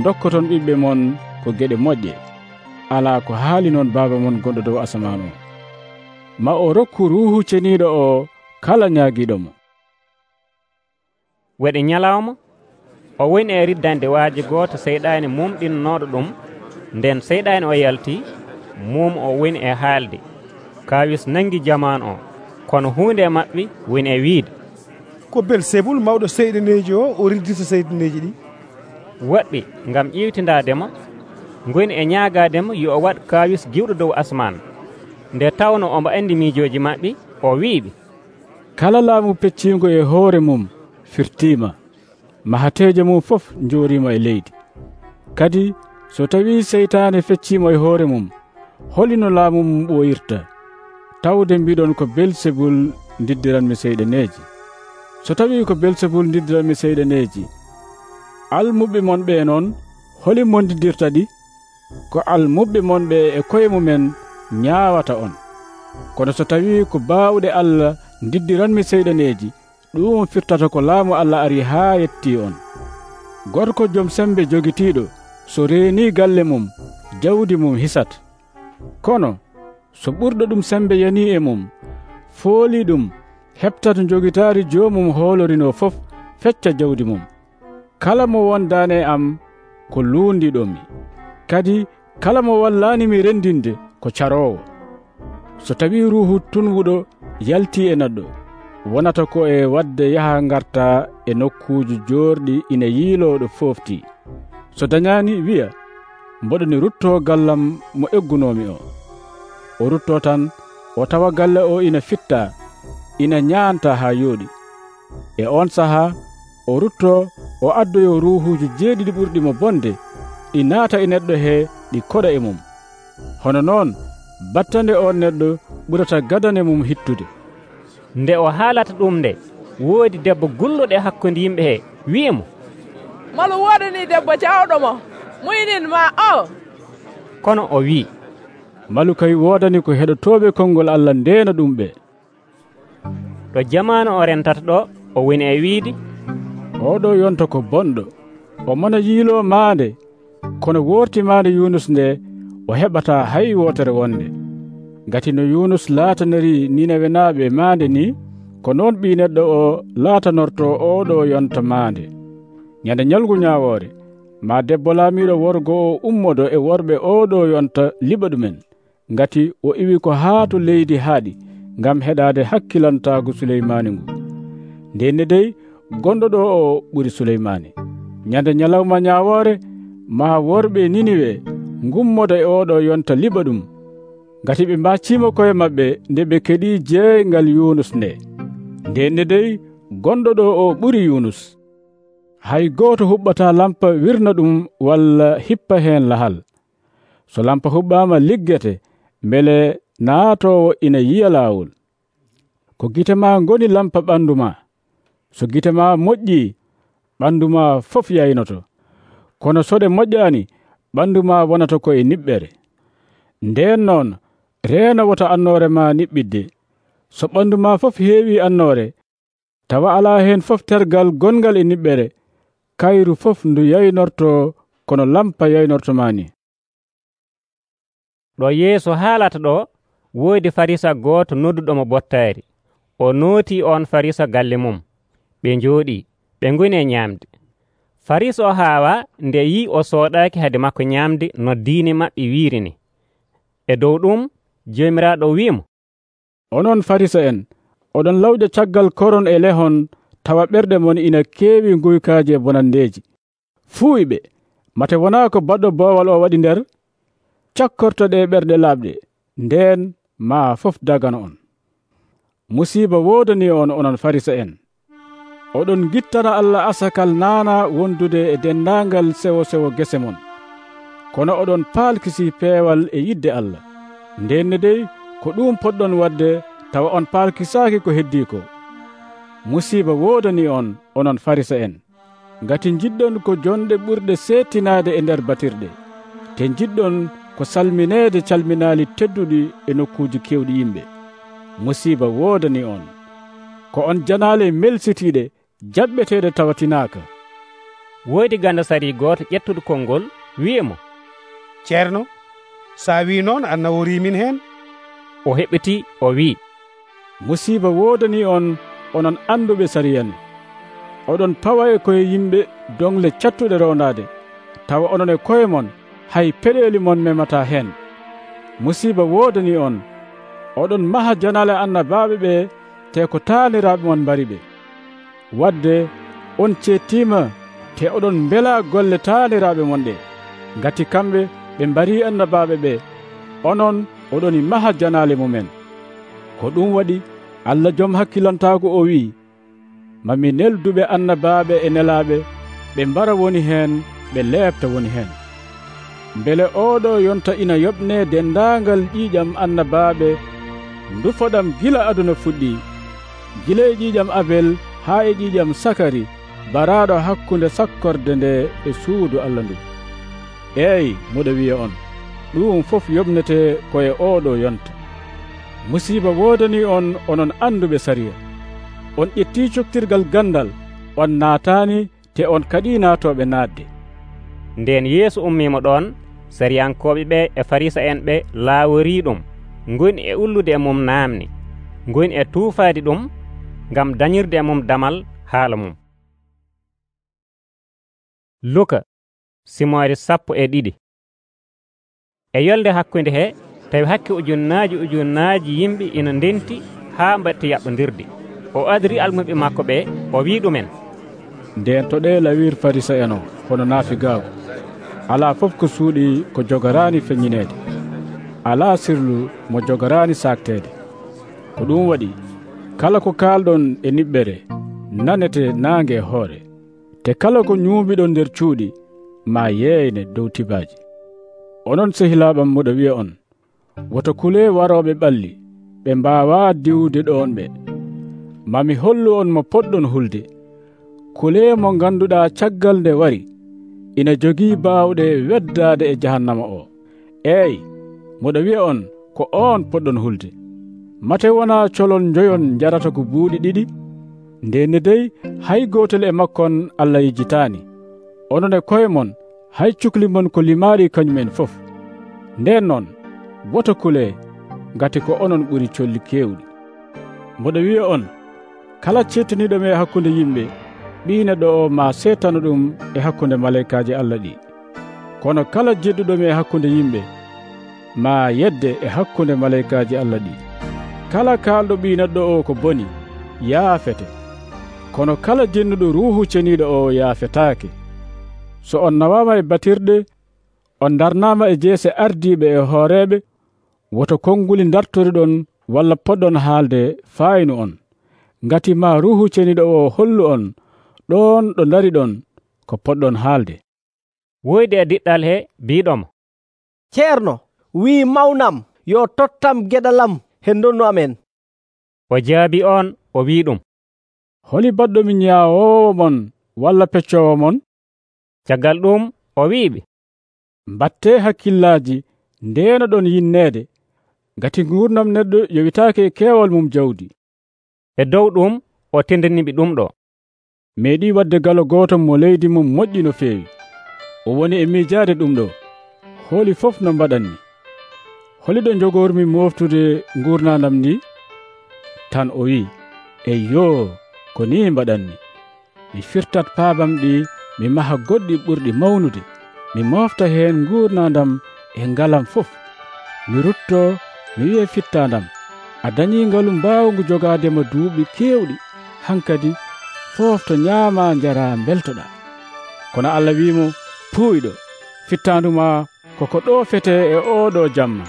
dokkoton ɓiɓɓe mon ko geɗe moƴƴe, alaa ko haali noon baaba mon gonɗo dow asaman o. ma o rokku ruuhu ceniiɗo o kala ñaagiiɗo mo. waɗi ñalawma o woni e riddande waaji gooto seyɗaani mumɗinnooɗo ɗum. nden seyɗaani o yaltii, mum o woni e haalde. kaawis nangi jamaanu o, kono huunde e maɓɓe woni e wiide, ko Belsebul mawɗo seyɗaneeji o o riddita seyɗaneeji ɗi. woɓɓe ngam ƴiwtindaademo ngoni e ñaagaademo yo o waɗ kaawis giwɗo dow asman. nde tawno omo anndi miijooji maɓɓe, o wiiɓe, kala laamu pecciingo e hoore mum firtiima, mahateejo mum fof njooriima e leydi. kadi so tawii seytaane fecciimo e hoore mum, holino laamu mum ɓooyirta? tawde mbiɗon ko Belsebul ndiddiranmi seyɗaneeji. so tawii ko Belsebul ndiddiranmi seyɗaneeji, almuɓe mon ɓe noon holi mondiddirta ɗi? ko almuɓe mon ɓe e koye mumen ñaawata on. kono so tawii ko baawɗe Allah ndiddiranmi seyɗaneeji, ɗum firtata ko laamu Allah ari haa yettii on. gorko jom sembe jogitiiɗo so reenii galle mum, jawdi mum hisat. kono so ɓurɗo ɗum sembe yanii e mum, foolii ɗum, heɓtata jogitaari joomum hoolorinoo fof fecca jawdi mum. kala mo wondaane am ko luundiɗomi, kadi kala mo wallaanimi renndinde ko caroowo. so tawii ruuhu tunwuɗo yaltii e neɗɗo, wonata ko e wadde yaha ngarta e nokkuuji joorɗi ina yiilooɗo fooftii. so dañaani wi'a, mboɗoni ruttoo gallam mo eggunoomi o. o ruttoo tan, o tawa galle o ina fitta, ina ñaanta haa yooɗi. e on sahaa o ruttoo o addoyo ruuhuuji jeeɗiɗi ɓurɗi mo bonde, ɗi naata e neɗɗo hee ɗi koɗa e mum. hono noon battande on neɗɗo ɓurata gadane mum hittude. nde o haalata ɗum nde, woodi debbo gulluɗo e hakkunde yimɓe hee wi'imo, malu woodani debbo cawɗomo muynin ma o. kono o wi'i, malu kay woodani ko heɗotooɓe konngol Allah ndeena ɗum ɓe. ɗo jamaanu o rentata ɗo o woni e wiide, oɗo yonta ko bonɗo, o mona yiiloo maande, kono wortimaande Yunus nde o heɓataa hay wootere wonde. Ngati no Yunus laataniri Ninawe naaɓe maande ni, ko noon Ɓii Neɗɗo o laatanorto oɗo yonta maande. Nyande ñalngu ñaawoore ma debbo laamiiɗo worgo o ummodo e worɓe oɗo yonta liɓa ɗumen, ngati o iwi ko haa to leydi haaɗi ngam heɗaade hakkilantaagu Suleymaani ngu. Ndenne dey gonɗo ɗo o ɓuri Suleymaani. Nyande ñalawma ñaawoore ma worɓe Niniwe ngummoda e oɗo yonta liɓa ɗum, ngati ɓe mbacciima koye maɓɓe nde ɓe keɗii jeeyngal Yunus nde. Ndenne dey gonɗo ɗo o ɓuri Yunus. Hay gooto huɓɓataa lampa wirna ɗum walla hippa heen lahal. So lampa huɓɓaama liggete, mbele naatoowo ina yiya laawol. Ko gite ma ngoni lampa ɓandu ma. So gite ma moƴƴii, ɓandu ma fof yaynoto. Kono so ɗe moƴƴaani, ɓandu ma wonata koye niɓɓere. Ndeen noon reena wota annoore ma niɓɓidde. So ɓandu ma fof heewi annoore, tawa alaa heen fof tergal gongal e niɓɓere, kayru fof ndu yaynorto kono lampa yaynortoma ni. Ɗo Yeesu haalata ɗo, woodi Farisa gooto nodduɗomo bottaari. O nooti on Farisa galle mum. Ɓe njooɗii, ɓe ngoni e ñaamde. Farisa o haawa nde yi o sooɗaaki hade makko ñaamde no diine maɓɓe wiirini. E dow ɗum Joomiraaɗo wi'imo, onon Farisa en, oɗon lawƴa caggal koron e lehon, tawa ɓerɗe mon ina keewi nguykaaji e bonandeeji. Fuuyɓe, mate wonaa ko baɗɗo boowal o waɗi nder? Cakkorto ɗe ɓerɗe laaɓɗe, ndeen maa fof dagana on. Musiiba woodani on onon Farisa en. Oɗon gittana Allah asakal naana wondude e dendaangal sewo sewo gese mon. Kono oɗon paalkisi peewal e yidde Allah. Ndenne dey ko ɗum poɗɗon wadde tawa on paalkisaaki ko heddii ko. Musiiba woodani on onon Farisa en, ngati jiɗɗon ko jonɗe ɓurɗe seettinaade e nder batirɗe, te jiɗɗon ko salmineede calminaali tedduɗi e nokkuuji kewɗi yimɓe. Musiiba woodani on, ko on janaale melsitiiɗe jaɓɓeteeɗe tawatinaaka. Woodi gandasari gooto ƴettuɗo konngol wi'imo, ceerno, sa wi noon a nawori min heen. O heɓiti o wi'i, musiiba woodani on onon anduɓe sariyane. Oɗon pawa e koye yimɓe dongle cattuɗe rondaade, tawa onon e koye mon hay peɗeli mon memata heen. Musiiba woodani on, oɗon maha janale annabaaɓe ɓe te ko taaliraaɓe mon mbari ɓe. Wadde on cettima te oɗon mbela golle taaliraaɓe mon ɗe, ngati kamɓe ɓe mbari annabaaɓe ɓe, onon oɗoni maha janale mumen. Ko ɗum waɗi Allah joom hakkilantaago o wi, mami nelduɓe annabaaɓe e nelaaɓe, ɓe mbara woni heen, ɓe leefta woni heen. Mbele oɗo yonta ina yoɓne dendaangal ƴiiƴam annabaaɓe ndufoɗam gila aduna fuɗɗi, gila e ƴiiƴam Abel haa e ƴiiƴam Sakari, baraaɗo hakkunde sakkorde nde e suudu Allah ndu. Eey, moɗo wiya on, ɗum fof yoɓnete koye oɗo yonta. Musiiba woodani on onon anduɓe sariya. On ƴetti coktirgal gandal, on naataani te on kadi naatoɓe naatde. Nden Yeesu ummimo ɗon, sariyankoɓe ɓe e Farisa en ɓe laawori ɗum, ngoni e ullude e mum naamni, ngoni e tuufaade ɗum ngam dañirde e mum damal haala mum. Luka simoore sappo e ɗiɗi. E yolde hakkunde he tawi hakke ujunnaaji ujunnaaji yimɓe ina ndenti haa mbatti yaɓɓondirde. O adri almuɓe makko ɓe o wi ɗumen, nden to ɗe lawir Farisa en o hono naafi gaagu. Alaa fof ko suuɗi ko jogoraani feññineede, alaa sirlu mo jogoraani saakteede. Ko ɗum waɗi kala ko kaalɗon e niɓɓere nanete naange e hoore, te kala ko ñuubiɗon nder cuuɗi ma yeeyne dow tibaaji. Onon sehilaaɓam moɗo wiya on, woto kulee warooɓe ɓalli, ɓe mbaawaa diwde ɗoon ɓe. Mami hollu on mo poɗɗon hulde. Kulee mo ngannduɗaa caggal nde wari ina jogii baawɗe weddaade e jahannama o. Eey, moɗo wiya on ko oon poɗɗon hulde. Mate wonaa colon njoyon jarata ko buuɗi ɗiɗi? Ndenne dey hay gootel e makkon Allah yejjitaani. Onon e koye mon hay cukli mon ko limaari kañumen fof. Nden noon woto kulee, ngati ko onon ɓuri colli keewɗi. Mboɗo wi'a on, kala cettaniiɗo e hakkunde yimɓe, Ɓii Neɗɗo o ma seetano ɗum e hakkunde maleykaaji Allah ɗi. Kono kala jedduɗo e hakkunde yimɓe ma yedde e hakkunde maleykaaji Allah ɗi. Kala kaalɗo Ɓii Neɗɗo o ko boni yaafete, kono kala jennuɗo ruuhu ceniiɗo o yaafetaake. So on nawaama e batirɗe, on darnaama e jeese ardiiɓe e hooreeɓe, woto konnguli dartoriɗon walla poɗɗon haalde faayinu on, ngati ma ruuhu ceniiɗo o hollu on ɗon ɗo ndariɗon ko poɗɗon haalde. Woyde e diɗɗal he biiɗomo, ceerno wii mawnam yo tottam geɗalam he ndonnu amen. O jaabi on o wii ɗum, holi baɗɗomi ñaawoowo mon walla peccoowo mon? Caggal ɗum o wiiɓe, mbattee hakkillaaji ndeeno ɗon yinneede, ngati nguurdam neɗɗo yowitaake e keewal mum jawdi. E dow ɗum o tindaniɓe ɗum ɗo, meeɗi wadde galo gooto mo leydi mum moƴƴi no feewi. O woni e miijaade ɗum ɗo, hooli fof no mbaɗanni. Holiɗo jogormi moftude nguurnandam ndi? Tan o wi, eyyoo, ko ni mbaɗanni. Mi firtat paabam ɗi, mi maha goɗɗi ɓurɗi mawnude, mi mofta heen nguurnandam e ngalam fof. Mi rutto, mi wi'e fittandam, a dañii ngalu mbaawngu jogaadema duuɓi keewɗi, hankadi foofto ñaama njara mbeltoɗa. Kono Allah wiimo, puuyɗo, fittanduma koko ɗo fete e oɗo jamma.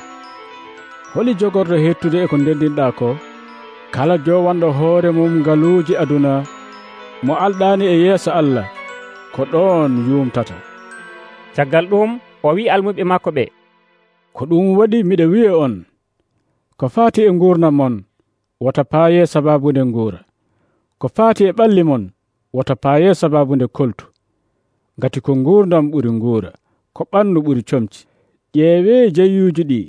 Holi jogorɗo hettude e ko ndendinɗa ko? Kala jowanɗo hoore mum ngaluuji aduna mo alɗaani e yeeso Allah, ko ɗon yumtata. Caggal ɗum o wi almuɓe makko ɓe, ko ɗum waɗi miɗa wi'a on, ko faati e nguurnam mon wota paaye sababunde nguura, ko faati e ɓalli mon wota paaye sababunde koltu. Ngati ko nguurdam ɓuri nguura, ko ɓandu ɓuri comci. Ƴeewee jayyuuji ɗi,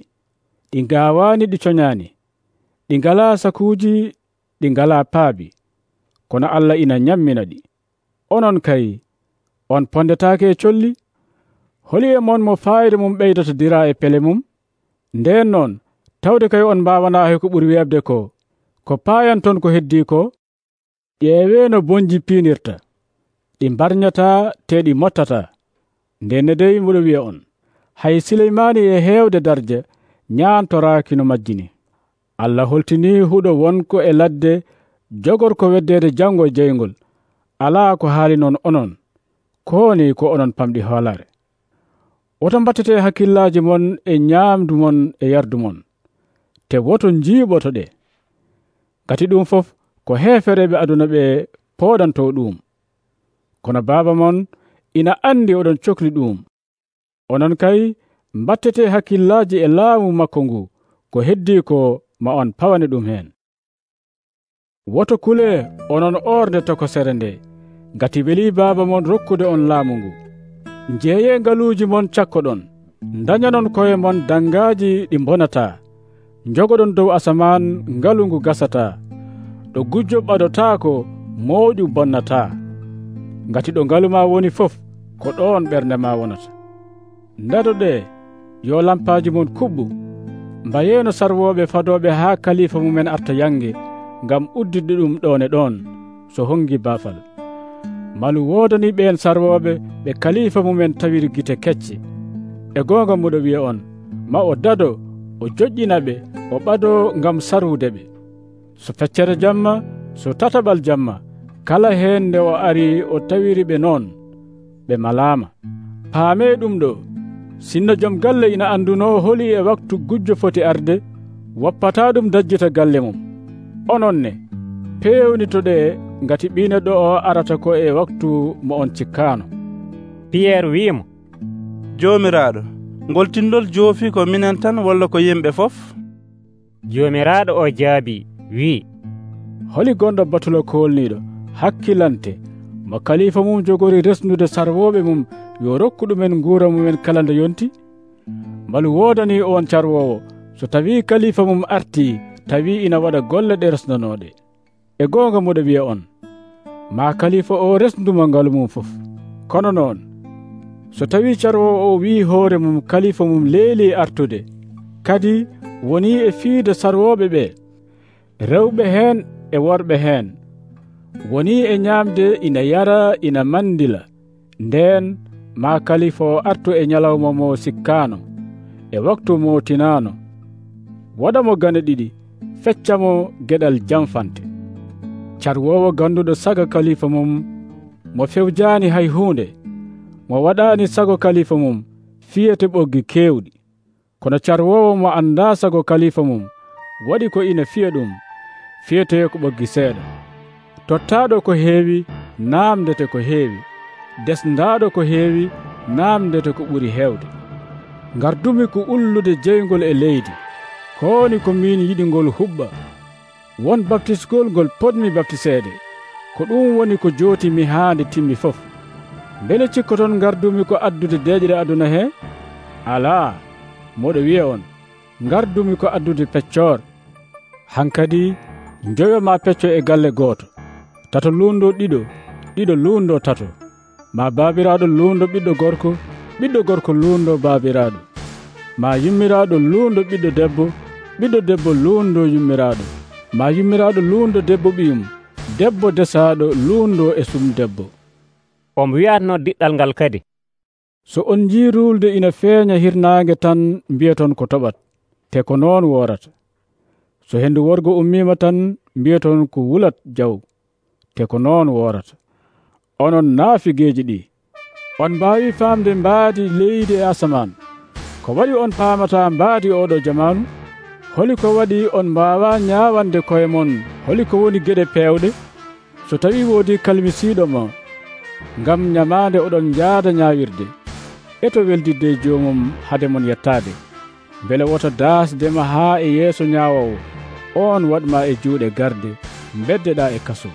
ɗi ngaawaani ɗi coñaani, ɗi ngalaa sakuuji, ɗi ngalaa paabi, kono Allah ina ñammina ɗi. Onon kay, on pondetaake e colli? Holi e mon mo faayde mum ɓeydata dira e pele mum? Nden noon, tawde kay on mbaawanaa he ko ɓuri weɓde ko, ko paayan ton ko heddii ko? Ƴeewee no bonji piinirta, ɗi mbarñataa te ɗi mottataa. Ndenne dey mboɗo wi'a on, hay Sileymaani e heewde darja ñaantoraaki no majjini. Allah holtinii huɗo wonko e ladde jogor ko weddeede janngo e jeyngol, alaa ko haali noon onon, kooni ko onon pamɗi hoolare. Woto mbattetee hakkillaaji mon e ñaamdu mon e yardu mon, te woto njiiɓoto ɗe. Gati ɗum fof ko heefereɓe aduna ɓe pooɗanto ɗum. Kono baaba mon ina andi oɗon cokli ɗum. Onon kay mbattetee hakkillaaji e laamu makko ngu, ko heddii ko ma on pawane ɗum heen. Woto kule onon orde tokosere nde, ngati welii baaba mon rokkude on laamu ngu. Njeeye ngaluuji mon cakkoɗon, dañanon koye mon dangaaji ɗi mbonataa, njogoɗon dow asamaan ngalu ngu gasataa, ɗo gujjo ɓadotaako mooƴu bonnataa. Ngati ɗo ngalu ma woni fof, ko ɗon ɓernde ma wonata. Ndadoɗe yo lampaaji mon kuɓɓu, mbayeeno sarwooɓe fadooɓe haa kalifa mumen arta yange, ngam uddide ɗum ɗon e ɗon so hongi baafal. Malu woodani ɓeen sarwooɓe ɓe kalifa mumen tawiri gite kecce. E goonga muɗo wi'a on, ma o dado o joƴƴina ɓe o ɓado ngam sarwude ɓe. So feccere jamma, so tataɓal jamma, kala heen nde o ari o tawiri ɓe noon, ɓe malaama. Paamee ɗum ɗo, sinno joom galle ina anduno holi e waktu gujjo foti arde, woppataa ɗum dajjita galle mum. Onon ne, peewnitoɗe ngati Ɓii Neɗɗo o arata ko e waktu mo on cikkaano. Piyerre wiimo, Joomiraaɗo, ngol tindol joofi ko minen tan walla ko yimɓe fof? Joomiraaɗo o jaabi wii, holi gonɗo batulo koolniiɗo hakkilante mo kalifa mum jogori resnude sarwooɓe mum yo rokku ɗumen nguura mumen kala nde yonti? Mbalu woodani on carwoowo so tawii kalifa mum artii tawii ina waɗa golle ɗe resnanooɗe. E goonga muɗo wi'a on, ma kalifa o resnduma ngalu mum fof. Kono noon, so tawi carwowo o wi hoore mum kalifa mum leeli artude, kadi woni e fiide sarwoɓe ɓe, rewɓe heen e worɓe heen, woni e ñaamde ina yara ina mandila, nden ma kalifa o artu e ñalawma mo sikkaano e waktu mo tinaano, waɗamo gane ɗiɗi, feccamo geɗal jamfante. Carwowo ganduɗo saga kalifa mum mo fewjaani hay hunde, mo waɗaani sago kalifa mum fiyete ɓoggi kewɗi. Kono carwowo mo anda sago kalifa mum waɗi ko ina fiya ɗum fiyete ko ɓoggi seeɗa. Tottaɗo ko heewi naamdete ko heewi, desdaɗo ko heewi naamdete ko ɓuri hewde. Gardumi ko ullude jeygol e leydi, kowoni ko min yiɗi ngol huɓɓa. Won baptisgol ngol potmi baptiseede, ko ɗum woni ko jooti mi haande timmi fof. Bele cikkoton gardumi ko addude deeƴre aduna he? Alaa, moɗo wiya on, gardumi ko addude peccor. Hankadi njoyoma pecco e galle gooto, tato luundo ɗiɗo, ɗiɗo luundo tato, ma baabiraɗo luundo ɓiɗɗo gorko, ɓiɗɗo gorko luundo baabiraɗo, ma yummiraɗo luundo ɓiɗɗo debbo, ɓiɗɗo debbo luundo yummiraɗo, ma yummiraɗo luundo debbo ɓiyum, debbo desaɗo luundo e sum debbo. Omo wi'atno diɗɗal ngal kadi, so on jii rulde ina feeña hirnaange tan mbiyaton ko toɓat, te ko noon worata. So hendu worgo ummima tan mbiyaton ko wulat jaw, te ko noon worata. Onon naafigeeji ɗi, on mbaawi faamde mbaadi leydi e asaman. Ko waɗi on paamata mbaadi oɗo jamanu? Holi ko waɗi on mbaawa ñaawande koye mon holi ko woni geɗe peewɗe? So tawi woodi kalmisiiɗo ma ngam ñamaande oɗon jaada ñaawirde, eto weldidde joomum hade mon yettaade, mbele woto daasdema haa e yeeso ñaawowo, on waɗma e juuɗe garde, beddeɗa e kaso.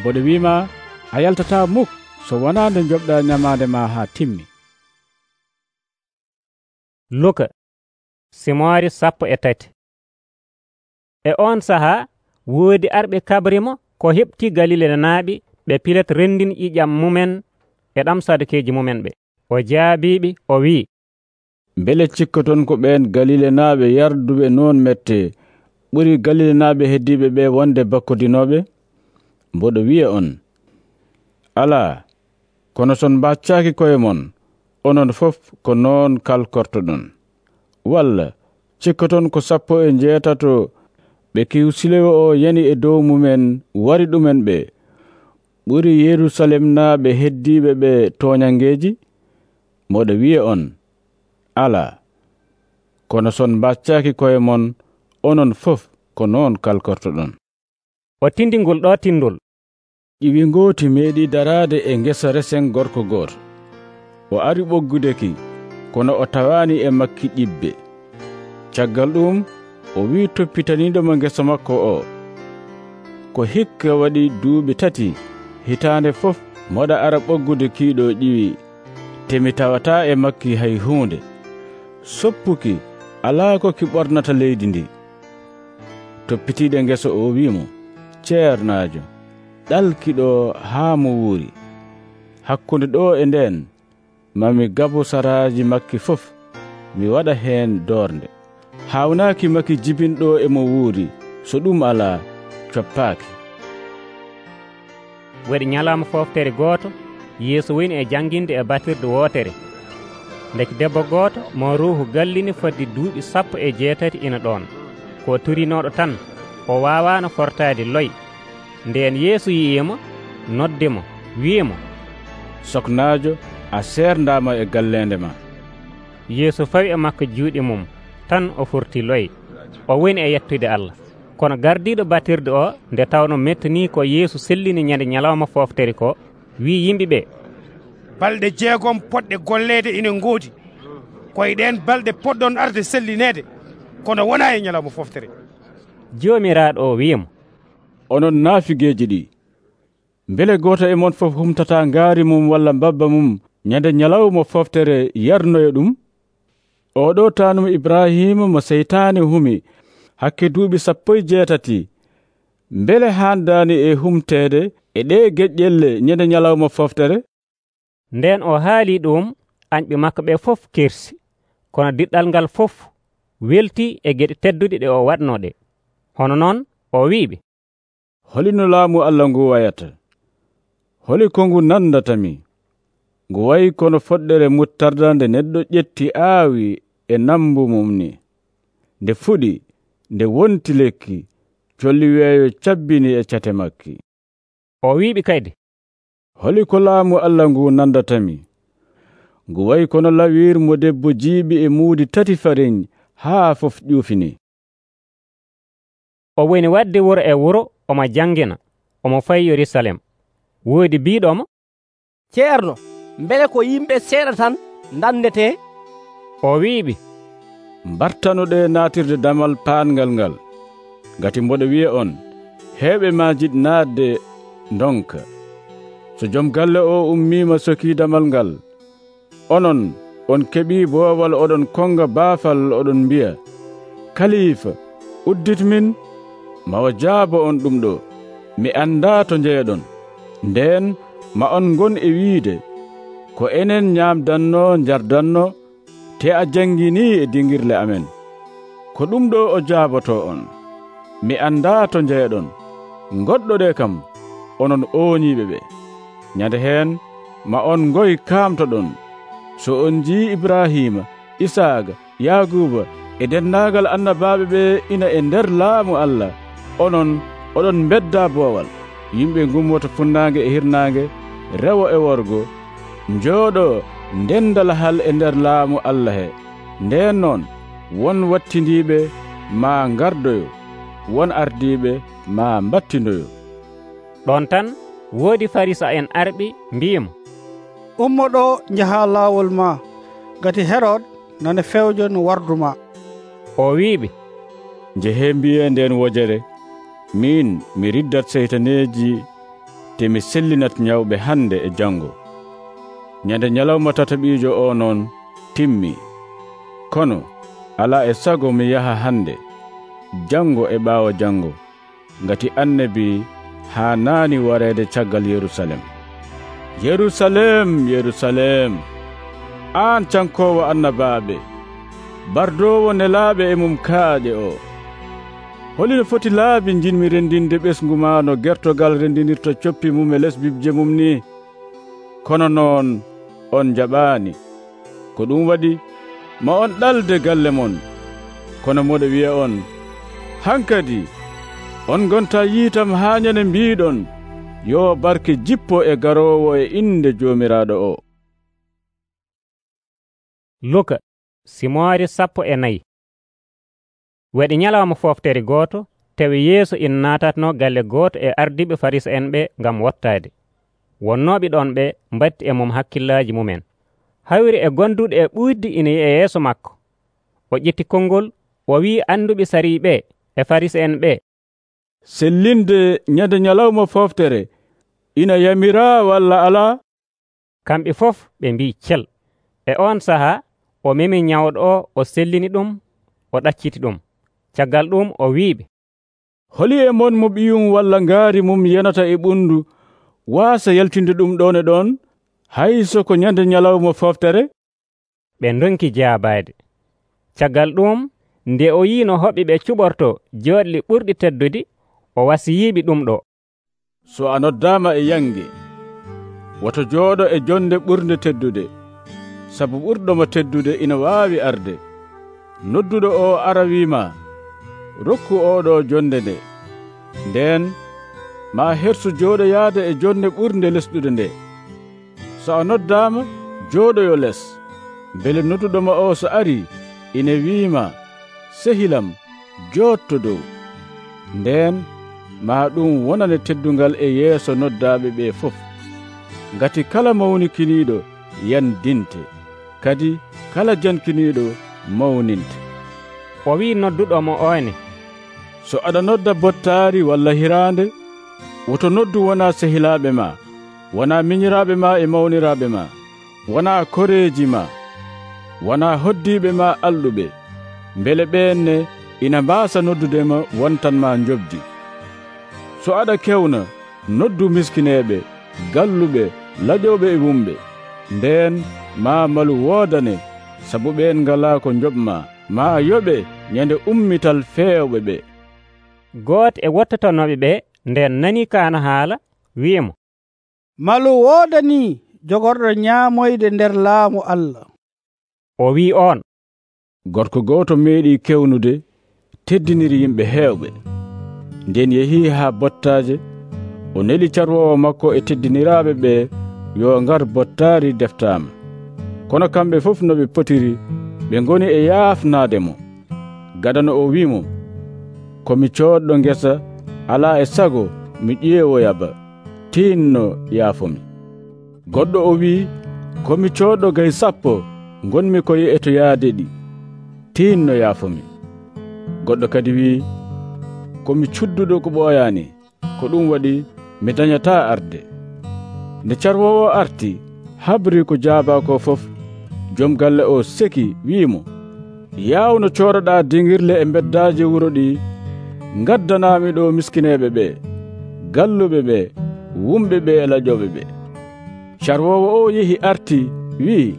Mboɗo wiima a yaltata muk so wonaa nde joɓɗa ñamaande ma haa timmi. Luka simoori sappo e tati. E on sahaa woodi arɓe kabrimo ko heɓti Galile naaɓe ɓe Pilat rendini ƴiƴam mumen e ɗam sadukeeji mumen ɓe. O jaabiɓe o wii, mbele cikkoton ko ɓen Galile naaɓe yarduɓe noon mette ɓuri Galile naaɓe heddiɓe ɓe wonde bakkodinoɓe? Mboɗo wiya on, alaa, kono son mbaccaaki koye mon, onon fof ko noon kalkortoɗon. Walla cikkoton ko sappo e jeetato ɓe Kiwsilewo o yani e dow mumen wari ɗumen ɓe ɓuri Yerusalem naaɓe heddiɓe ɓe toñangeeji? Mboɗo wiya on, alaa, kono son mbaccaaki koye mon, onon fof ko noon kalkortoɗon. O tindi ngol ɗo tindol. Ƴiwi ngooti meeɗi daraade e ngesa resen gorko gooto. O ari ɓoggudeki, kono o tawaani e makki ƴibbe. Caggal ɗum o wii toppitaniiɗomo ngesa makko o, ko hikka waɗi duuɓi tati hitaande fof moɗa ara ɓoggude kiiɗo ƴiwi, te mi tawataa e makki hay huunde. Soppuki alaa ko ki ɓornata leydi ndi. Toppitiiɗo ngesa o wiimo, ceernaajo, ɗalkiɗo haa mo wuuri. Hakkunde ɗo e nden mami gabu saraaji makki fof mi waɗa heen doornde. Hawnaaki makki jibinɗo e mo wuuri, so ɗum alaa coppaaki. Waɗi ñalawma foftere gooto, Yeesu woni e jannginde e batirde wootere. Ndeki debbo gooto mo ruuhu gallini fodde duuɓi sappo e jeetati ina ɗon. Ko turinooɗo tan, o waawaano fortaade loy. Ndeen Yeesu yi'imo, noddimo, wi'imo, soknaajo, a seerndaama e galleende ma. Yeesu fawi e makko juuɗe mum, tan o furti loy. O woni e yettude Allah. Kono gardiiɗo batirde o, nde tawno mettanii ko Yeesu sellini ñande ñalawma foftere ko, wii yimɓe ɓe, balɗe jeegom poɗɗe golleede ina ngoodi, koye ɗen balɗe poɗɗon arde sellineede, kono wonaa e ñalawma foftere. Joomiraaɗo o wi'imo, onon naafigeeji ɗi, mbele gooto e mon fof humtata ngaari mum walla mbabba mum ñande ñalawma foftere yarnoya ɗum? Oɗo taanum Ibrahima mo seytaane humi hakke duuɓi sappo e jeetati, mbele haandaani e humteede e ɗe geƴƴelle ñande ñalawma foftere? Nden o haali ɗum, anƴɓe makko ɓe fof kersi, kono diɗɗal ngal fof welti e geɗe tedduɗe ɗe o waɗno ɗe. Hono noon o wi'iɓe, holino laamu Allah ngu wayata? Holi ko ngu nandatami? Ngu wayi kono foɗɗere muttarda nde neɗɗo ƴetti aawi e nambu mum ni. Nde fuɗi, nde wonti lekki, colli weeyo cabbini e cate makki. O wi'iɓe kayde, holi ko laamu Allah ngu nandatami? Ngu wayi kono lawir mo debbo jiiɓi e muudi tati fariñ haa fof ƴuufini. O woni wadde wuro e wuro omo jangina, omo fayi Yerusalem. Woodi biiɗomo, ceerno, mbele ko yimɓe seeɗa tan ndandete? O wi'iɓe, mbartanoɗe naatirde damal paangal ngal, ngati mboɗo wi'a on, heeɓe maajiɗ naatde ndonka. So joom galle o ummiima sokii damal ngal, onon on keɓii boowal oɗon konga baafal oɗon mbi'a, kaliifa, udditmin, mawa jaabo on ɗum ɗo, mi anndaa to njeeɗon. Ndeen ma on ngon e wiide, ko enen ñaamdanno njardanno, te a jangini e dingirle amen. Ko ɗum ɗo o jaaboto on. Mi anndaa to njeeɗon. Goɗɗo ɗe kam, onon ooñiiɓe ɓe. Nyande heen, ma on ngoy kaamtoɗon. So on jii Ibrahima, Isaaga, Yaguba e dennaagal annabaaɓe ɓe ina e nder laamu Allah, onon oɗon bedda boowal. Yimɓe ngummoto funnaange e hirnaange, rewo e worgo, njooɗo ndendal hal e nder laamu Allah he. Ndeen noon, won wattindiiɓe maa ngardoyo, won ardiiɓe maa mbattindoyo. Ɗon tan woodi Farisa en arɓi mbi'imo, ummo ɗo njaha laawol ma, ngati Herod nane fewjo no wardu ma. O wi'iɓe, njehe mbiye nden wojere, min mi riddat seytaneeji te mi sellinat nyawɓe hande e jango. Nyande nyalawma tataɓiijo o noon timmi. Kono ala e sago mi yaha hande, jango e ɓaawo jango, ngati annabi haa naani wareede caggal Yerusalem. Yerusalem, Yerusalem, aan cankoowo annabaaɓe, bardoowo nelaaɓe e mum kaaƴe o. Holino foti laabi jinmi rendinde ɓesngu ma no gertogal rendinirta coppi mum e les bibje mum ni? Kono noon on jaɓaani. Ko ɗum waɗi ma on ɗalde galle mon. Kono moɗo wi'a on, hankadi on gonta yiitam haa nyane mbiiɗon, yo barke jippo e garoowo e inde Joomiraaɗo o. Luka simoore sappo e nayi. Waɗi nyalawma foftere gooto, tawi Yeesu ina naatatno galle gooto e ardiiɓe Farisa en ɓe ngam wottaade. Wonnooɓe ɗon ɓe mbatti e mum hakkillaaji mumen. Hawri e gonduɗo e ɓuuɗdi ina yi'a yeeso makko. O ƴetti konngol, o wi'i anduɓe sariiɓe e Farisa en ɓe, sellinde nyande nyalawma foftere ina yamiraa walla alaa? Kamɓe fof ɓe mbi'i cel. E on sahaa o memi nyawɗo o, o sellini ɗum, o ɗacciti ɗum. Caggal ɗum o wi'iɓe, holi e mon mo ɓiyum walla ngaari mum yenata e ɓundu waasa yaltinde ɗum ɗon e ɗon, hayso ko nyande nyalawma foftere? Ɓe ndonki jaabaade. Caggal ɗum, nde o yii no hoɓɓe ɓe cuɓorto jooɗli ɓurɗi teddude, o wasiyiiɓe ɗum ɗo. So a noddaama e yange, woto jooɗo e jonde ɓurde teddude, sabu ɓurɗomo teddude ina waawi arde. Nodduɗo o ara wiima, rokku oɗo jonde nde. Nden ma hersu jooɗoyaade e jonde ɓurde lesɗude nde. So a noddaama, jooɗoyo les, bele nodduɗoma o so ari, ina wiima, sehilam, jootto dow. Nden ma ɗum wonane teddungal e yeeso noddaaɓe ɓe fof. Ngati kala mawnikiniiɗo yandinte, kadi kala jankiniiɗo mawninte. O wi nodduɗo mo oyne, so aɗa nodda bottaari walla hiraande, woto noddu wona sehilaaɓe ma, wona miñiraaɓe ma e mawniraaɓe ma, wona koreeji ma, wona hoddiiɓe ma alɗuɓe, mbele ɓeenne ina mbaasa noddudema wontanma njobdi. So aɗa kewna, noddu miskineeɓe, galluɓe, laƴoɓe e wumɓe. Nden maa malu woodane sabu ɓeen ngalaa ko njoɓma, maa yoɓe nyande ummital feewɓe ɓe. Gooto e wottotanoɓe ɓe nden nani kaana haala wi'imo, malu woodani jogorɗo ñaamoyde nder laamu Allah. O wi'i on, gorko gooto meeɗi kewnude teddiniri yimɓe heewɓe. Nden yehii haa bottaaje, o neli carwoowo makko e teddiniraaɓe ɓe yo ngar bottaari deftaama. Kono kamɓe fof no ɓe potiri ɓe ngoni e yaafnaademo. Gadano o wi'imo, ko mi cooɗɗo ngesa alaa e sago mi ƴeewoyaba, tinno yaafomi. Goɗɗo o wi'i, ko mi cooɗɗo gay sappo ngonmi koye etoyaade ɗi, tinno yaafomi. Goɗɗo kadi wi'i, ko mi cudduɗo ko ɓooyaani, ko ɗum waɗi mi dañataa arde. Nde carwoowo arti habri ko jaabaa ko fof, joom galle o seki wi'imo, yaawno cooroɗaa dingirle e beddaaji wuro ɗi, ngaddanaami ɗo miskineeɓe ɓe, galluɓe ɓe, wumɓe ɓe e laƴoɓe ɓe. Carwoowo o yehi arti wi'i,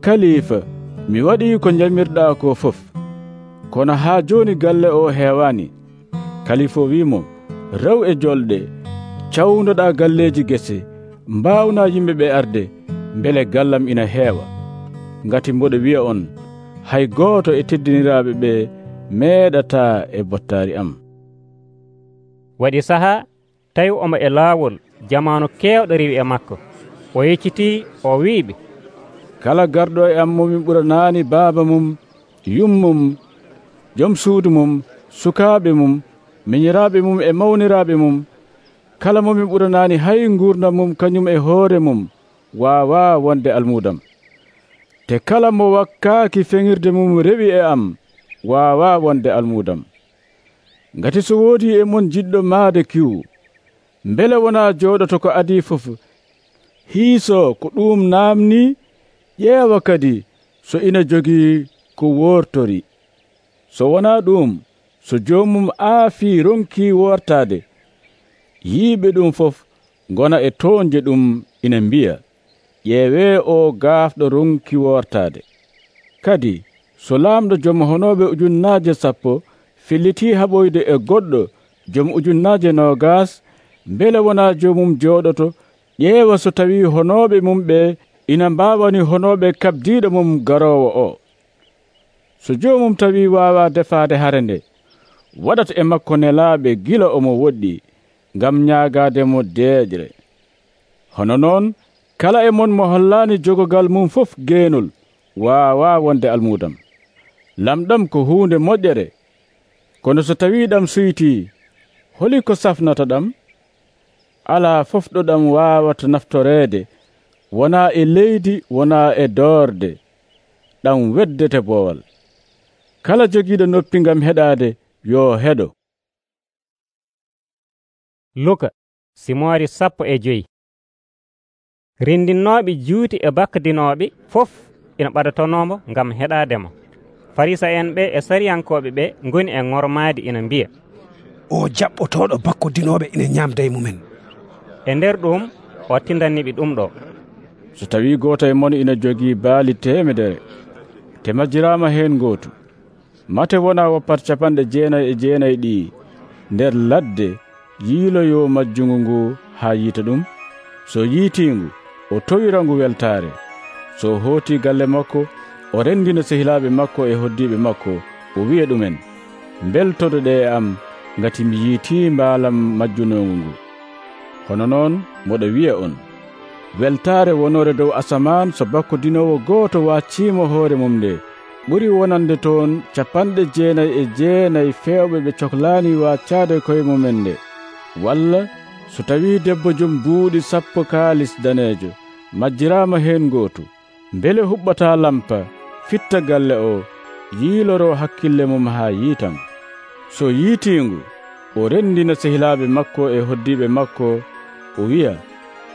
kalifa, mi waɗii ko jalmirɗaa ko fof, kono haa jooni galle o heewaani. Kalifa wi'imo, rew e jolɗe, cawnoɗaa galleeji gese, mbaawnaa yimɓe ɓe arde, mbele gallam ina heewa. Ngati mboɗo wi'a on, hay gooto e teddiniraaɓe ɓe meeɗataa e bottaari am. Waɗi sahaa tawi omo e laawol, jamaanu keewɗo riwi e makko. O yeccitii o wi'iɓe, kala garɗo e am momin ɓuranaani baaba mum, yummum, joom suudu mum, sukaaɓe mum, miñiraaɓe mum e mawniraaɓe mum, kala momin ɓuranaani hay nguurdam mum kañum e hoore mum, waawaa wonde almuudam. Te kala mo wakkaaki feŋirde mum rewi e am, waawaa wonde almuudam. Ngati so woodi e mon jiɗɗo maade kiwu, mbele wonaa jooɗoto ko adii fof, hiisoo ko ɗum naamni, ƴeewa kadi so ina jogii ko woortori. So wonaa ɗum, so joomum aafii ronkii woortaade, yiiɓe ɗum fof ngona e toonje ɗum ina mbiya, ƴeewee o gaafɗo ronki woortaade. Kadi so laamɗo joom honooɓe ujunnaaje sappo fillitii haɓoyde e goɗɗo joom ujunnaaje noogaas, mbele wonaa joomum jooɗoto, ƴeewa so tawii honooɓe mum ɓe ina mbaawani honooɓe kabdiiɗo mum garoowo o. So joomum tawii waawaa defaade hare nde, waɗata e makko nelaaɓe gila omo woɗɗi, ngam ñaagaademo deeƴre. Hono noon, kala e mon mo hollaani jogogal mum fof geenol, waawaa wonde almuudam. Lamɗam ko huunde moƴƴere, kono so tawii ɗam suytii, holi ko safnata ɗam? Alaa fof ɗo ɗam waawata naftoreede, wonaa e leydi, wonaa e doorde, ɗam weddete boowal. Kala jogiiɗo noppi ngam heɗaade, yo heɗo. Luka simoori sappo e joyi. Rindinnooɓe juuti e bakkadinooɓe fof ina ɓadatonoomo ngam heɗaademo. Farisa en ɓe e sariyankooɓe ɓe ngoni e ŋormaadi ina mbiya, o jaɓɓotooɗo bakkodinooɓe ina ñaamda e mumen. E nder ɗum o tindanniɓe ɗum ɗo, so tawii gooto e mon ina jogii baali temedere, te majjiraama heen gootu, mate wonaa woppat capanɗe jeenayi e jeenayi ɗi nder ladde yiiloyo majjungu ngu haa yiita ɗum. So yiitiingu, o towira ngu weltaare. So hootii galle makko, o renndina sehilaaɓe makko e hoddiiɓe makko, o wi'a ɗumen, mbeltodo ɗe e am, ngati mi yiitii mbaalam majjunongu ngu. Hono noon moɗo wi'a on, weltaare wonore dow asamaan so bakkodinoowo gooto wacciimo hoore mum nde, ɓuri wonande toon capanɗe jeenayi e jeenayi feewɓe ɓe cohlaani waccaade koye mumen nde. Walla so tawii debbo jom buuɗi sappo kaalis daneejo majjiraama heen gootu, mbele huɓɓataa lampa, fitta galle o, yiiloro hakkille mum haa yiitam. So yiitiingu, o renndina sehilaaɓe makko e hoddiiɓe makko, o wi'a,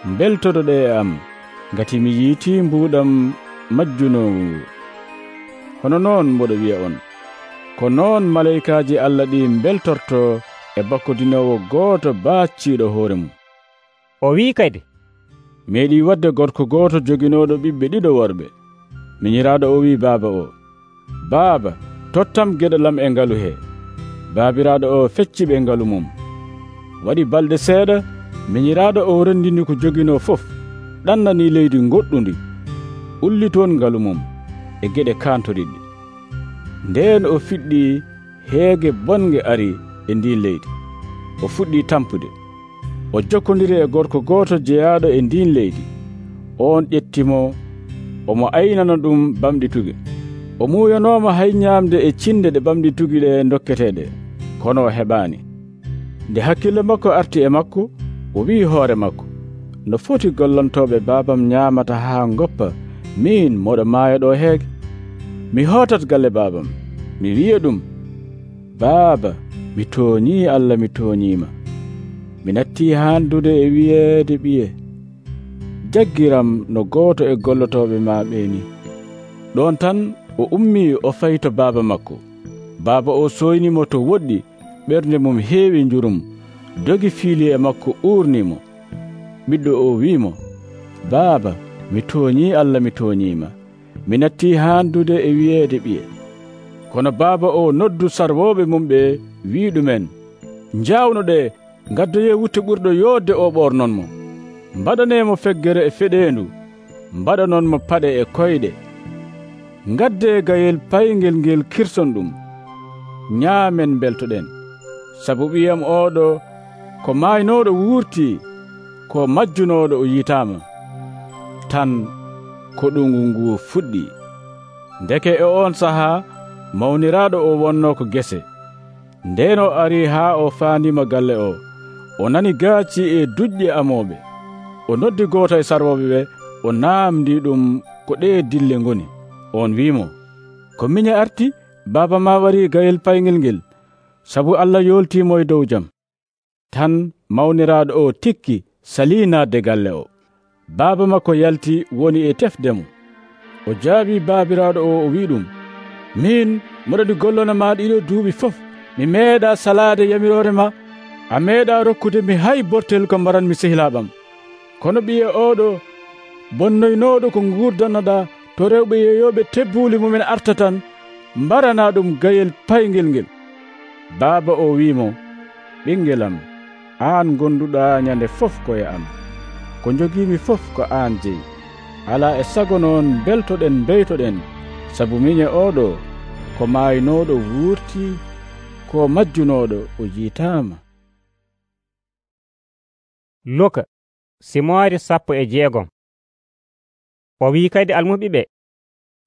mbeltodo ɗe e am, ngati mi yiitii mbuuɗam majjunongu ngu. Hono noon mboɗo wi'a on, ko noon malaykaaji Allah ɗi mbeltorto e bakkodinoowo gooto baacciiɗo hoore mum. O wii kadi, meeɗi wadde gorko gooto joginoɗo ɓiɓɓe ɗiɗo worɓe. Minyiraaɗo o wi baaba o, baaba, tottam geɗalam e ngalu he. Baabiraaɗo o fecci ɓe ngalu mum. Waɗi balɗe seeɗa, minyiraaɗo o rendini ko jogino fof, ɗannani leydi goɗɗundi, ulli toon ngalu mum e geɗe kantoriɗɗe. Ndeen o fiɗɗi heege bonge ari e ndi leydi. O fuɗɗi tampude. O jokkodiri e gorko gooto jeyaaɗo e ndin leydi. On ƴettimo, omo aynana ɗum bamɗituge. O muuyanoomo hay ñaamde e cinde ɗe bamɗitugi ɗe dokketeeɗe, kono o heɓaani. Nde hakkille makko arti e makko, o wi'i hoore makko, no foti gollantooɓe baabam ñaamata haa ngoppa, min moɗo maaya ɗo heege? Mi hootat galle baabam, mi wi'a ɗum, baaba, mi tooñii Allah, mi tooñiima. Mi nattii haandude e wiyeede ɓiye, jaggiram no gooto e gollotooɓe maa ɓeeni. Ɗon tan o ummii o fayi to baaba makko. Baaba o soynimo to woɗɗi, ɓernde mum heewi njurum, dogi fiili e makko uurnimo. Ɓiɗɗo o wiimo, baaba, mi tooñii Allah, mi tooñiima. Mi nattii haandude e wiyeede ɓiye. Kono baaba o noddu sarwooɓe mum ɓe, wii ɗumen, njawno ɗe, ngaddoye wutte ɓurɗo yoodde o ɓornonmo. Mbaɗaneemo feggere e feɗeendu, mbaɗanonmo paɗe e koyɗe. Ngadde gayel payngel ngel kirson ɗum. Ñaamen beltoɗen, sabu ɓiyam oɗo ko maaynoɗo wuurtii, ko majjunoɗo o yitaama. Tan ko ɗungu ngu fuɗɗi. Ndeke e on sahaa mawniraaɗo o wonno ko gese. Nden o arii haa o faandima galle o. O nani gaaci e duƴƴe amooɓe. O noddi gooto e sarwoɓe ɓe, o naamdi ɗum ko ɗe dille ngoni. On wiimo, ko miñe arti, baaba ma warii gayel payngel ngel, sabu Allah yooltiimo e dow jam. Tan mawniraaɗo o tikki salii naatde galle o. Baaba makko yalti woni e tefdemo. O jaabii baabiraaɗo o, o wii ɗum, min moɗoɗi gollona ma ɗiɗo duuɓi fof, mi meeɗa salaade yamiroore ma, a meeɗa rokkude mi hay bortel ko mbaranmi sehilaaɓam. Kono ɓiye oɗo bonnoynooɗo ko nguurdannoɗa to rewɓe yeeyooɓe tebbuuli mumen arta tan, mbarana ɗum gayel payngel ngel. Baaba o wiimo, ɓingelam, aan gonduɗa ñande fof koye am, ko jogiimi fof ko aan jeyi. Alaa e sago noon beltoɗen beytoɗen, sabu miñe oɗo ko maaynooɗo wuurtii, ko majjunooɗo o jiitaama. Luka simoore sappo e jeegom. O wii kadi almuɓiɓe,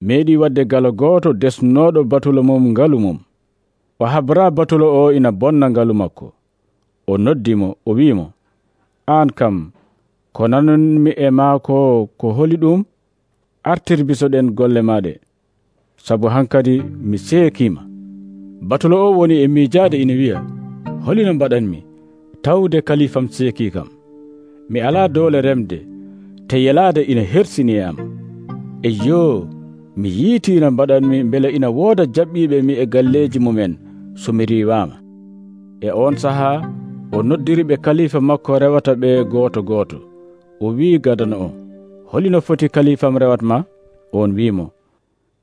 meeɗi wadde galo gooto desnooɗo batulo mum ngalu mum. O habra batulo o ina bonna ngalu makko. O noddimo, o wiimo, aan kam ko nanonmi e maako ko holi ɗum? Artir bisoɗen golle maaɗe, sabu hankadi mi seekiima. Batulo o woni e miijaade ina wiya, holino mbaɗanmi tawde kalifam seekii kam. Mi alaa doole remde, te yelaade ina hersini e am. E yoo, mi yiitiino mbaɗanmi mbele ina wooda jaɓɓiiɓe mi e galleeji mumen so mi riiwaama. E on sahaa o noddiri ɓe kalifa makko rewata ɓe gooto gooto. O wii gadano o, holino foti kalifam rewatma? On wiimo,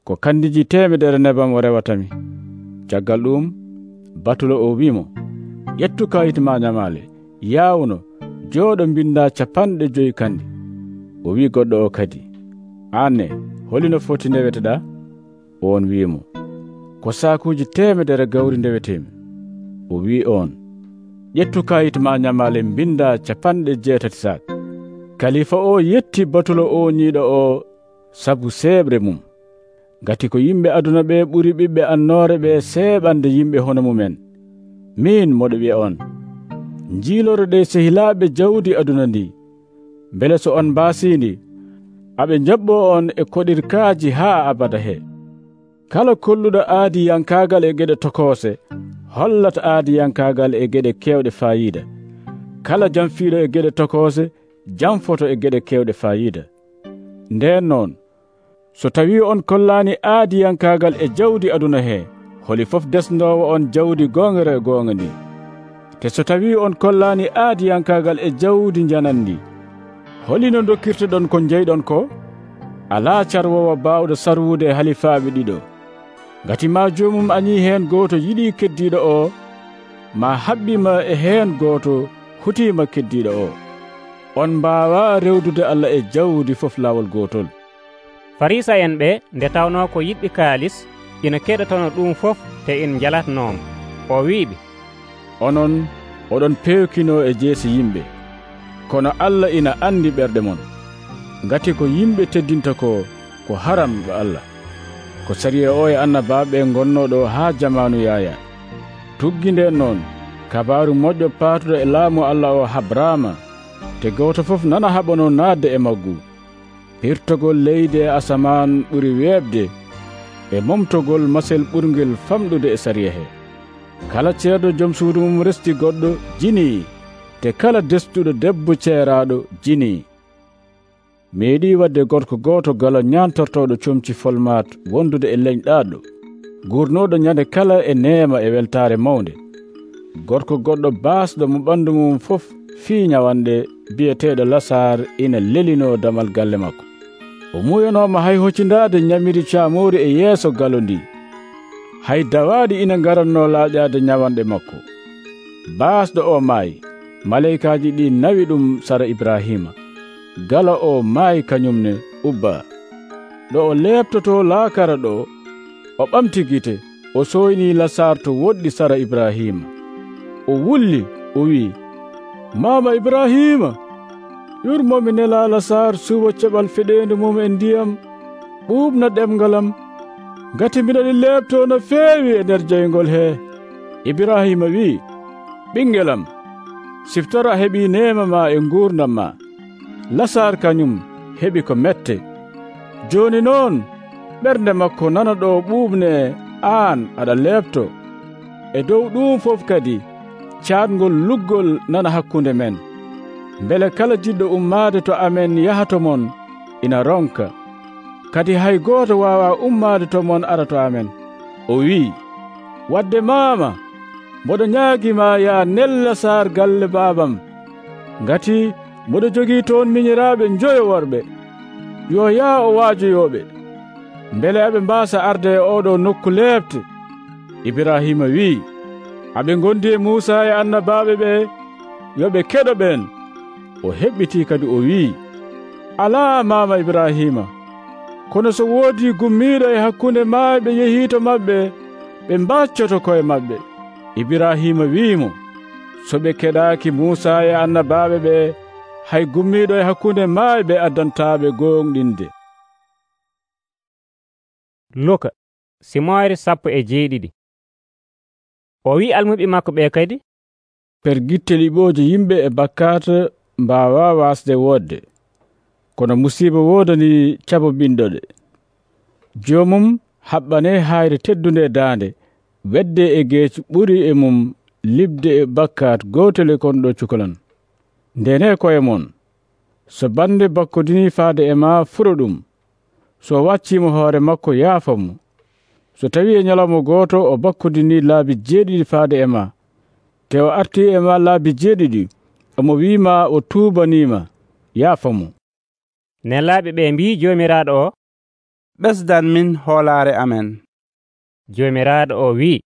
ko kandiji temedere nebam o rewatami. Caggal ɗum batulo o wiimo, ƴettu kayit ma ñamaale, yaawno, jooɗo mbinda capanɗe joyi kandi. O wi goɗɗo o kadi, anne holino foti ndeweteɗa? On wiimo, ko saakuji temedere gawri ndewetemi. O wi on, ƴettu kayit ma ñamaale mbinda capanɗe jeetati sac. Kalifa o yetti batulo o ñiiɗo o sabu seeɓre mum. Gati ko yimɓe aduna ɓe ɓuri ɓiɓɓe annoore ɓe seeɓande yimɓe hono mumen. Min moɗo wi'a on, njiiloro ɗe sehilaaɓe jawdi aduna ndi, mbele so on mbaasindi, aɓe jaɓɓo on e koɗirkaaji haa abada he. Kala kolluɗo aadiyankaagal e geɗe tokoose, hollata aadiyankaagal e geɗe kewɗe fayida. Kala jamfiiɗo e geɗe tokoose, jamfoto e geɗe kewɗe fayida. Nden noon, so tawi on kollaani aadiyankaagal e jawdi aduna he, holi fof desndowo on jawdi gongere e gonga ndi. Te so tawi on kollaani aadiyankaagal e jawdi janandi, holino dokkirteɗon ko jeyɗon ko? Alaa carwowo baawɗo sarwude e halifaaɓe ɗiɗo. Ngati ma joomum añii heen gooto yiɗii keddiiɗo o, ma haɓɓima e heen gooto hutiima keddiiɗo o. On mbaawaa rewdude Allah e jawdi fof laawol gootol. Farisa'en ɓe nde tawnoo ko yiɗɓe kaalis ina keɗotono ɗum fof te in jalatnoom, o wi'iɓe, onon oɗon pewkinoo e jeesi yimɓe, kono Allah ina andi ɓerɗe mon. Ngati ko yimɓe teddinta ko ko haram ga Allah. Ko sariya o e annabaaɓe gonnoɗo haa jamaanu Yaaya. Tuggi nden noon kabaaru moƴƴo paatuɗo e laamu Allah o habraama, te gooto fof nana haɓano naatde e maggu. Hirtogol leydi e asamaan ɓuri weeɓde e momtogol masel ɓurngel famɗude e sariya he. Kala ceerɗo joom suudu mum resti goɗɗo jinii, te kala destuɗo debbo ceeraaɗo jinii. Meeɗi wadde gorko gooto galo ñantortoɗo comci folmat wondude e leñ ɗaɗɗo, gurnoɗo ñande kala e neema e weltare mawnde. Gorko goɗɗo baasɗo mo ɓandu mum fof fii ñawanɗe biyeteɗo Lasar ina lelino damal galle makko. O muyanoma hay hoccindade ñamiri caamori e yeeso galo ndi. Hay dawaɗi ina garanno laaƴade ñawanɗe makko. Baasɗo o maayi, maleykaji ɗi nawi ɗum sara Ibrahima. Gala o maayi kañumne ubba. Ɗo o leeptoto laakara ɗo, o ɓamti gite, o soyni Lasar to woɗɗi sara Ibrahima. O wulli, o wi, Mama Ibrahima, yurmomi nela Lasar suuwa ceɓal feɗendu mum e ndiyam, ɓuuɓna ɗemgalam, ngati mbiɗani leepto no feewi e nder jeyngol he. Ibrahima wi, ɓingelam, siftara heɓi neema ma e ngurdam ma. Lasar kañum heɓi ko mette. Joni noon ɓernde makko nana ɗo ɓuuɓne aan aɗa leepto. E dow ɗum fof kadi caatgol luggol nana hakkunde men. Mbele kala jiɗɗo ummaade to amen yaha to mon ina ronka. Kadi hay gooto waawa ummaade to mon ara to amen. O wii, wadde maama, mboɗo ñaagima ya nel Lasar galle baabam, ngati mboɗo jogii toon miñiraaɓe njoyo worɓe. Yo yaa o waajoyoɓe, mbele aɓe mbaasa arde e oɗo nokku leepte. Ibrahima wii, aɓe gondi e Muusa e annabaaɓe ɓe, yoɓe keɗo ɓen. O heɓɓiti kadi o wii, alaa mama Ibrahima, kono so woodi gummiiɗo e hakkunde maayɓe yehiito maɓɓe, ɓe mbaccoto koye maɓɓe. Ibrahima wiimo, so ɓe keɗaaki Muusa e annabaaɓe ɓe, hay gummiiɗo e hakkunde maayɓe addantaaɓe gonɗinde. Luka simoore sappo e jeeɗiɗi. O wi almuɓe makko ɓe kadi, per gitte liɓooje yimɓe e bakkaata mbaawa waasde woodde, kono musiiba woodani cabo ɓinɗoɗe. Joomum haɓɓane hayre teddunde daande, wedde e geeci ɓuri e mum liɓde e bakkaat gootel e konɗo cukalon. Ndene koye mon, so bande bakkodini faade e ma furo ɗum, so waccimo hoore makko yaafamo. So tawi e ñalawma gooto o bakkodini laabi jeeɗiɗi faade e ma, te o arti e ma laabi jeeɗiɗi, omo wiima o tuubanima, yaafamo. Nelaaɓe ɓe mbi joomiraaɗo o, ɓesdan min hoolaare amen. Joomiraaɗo o wi,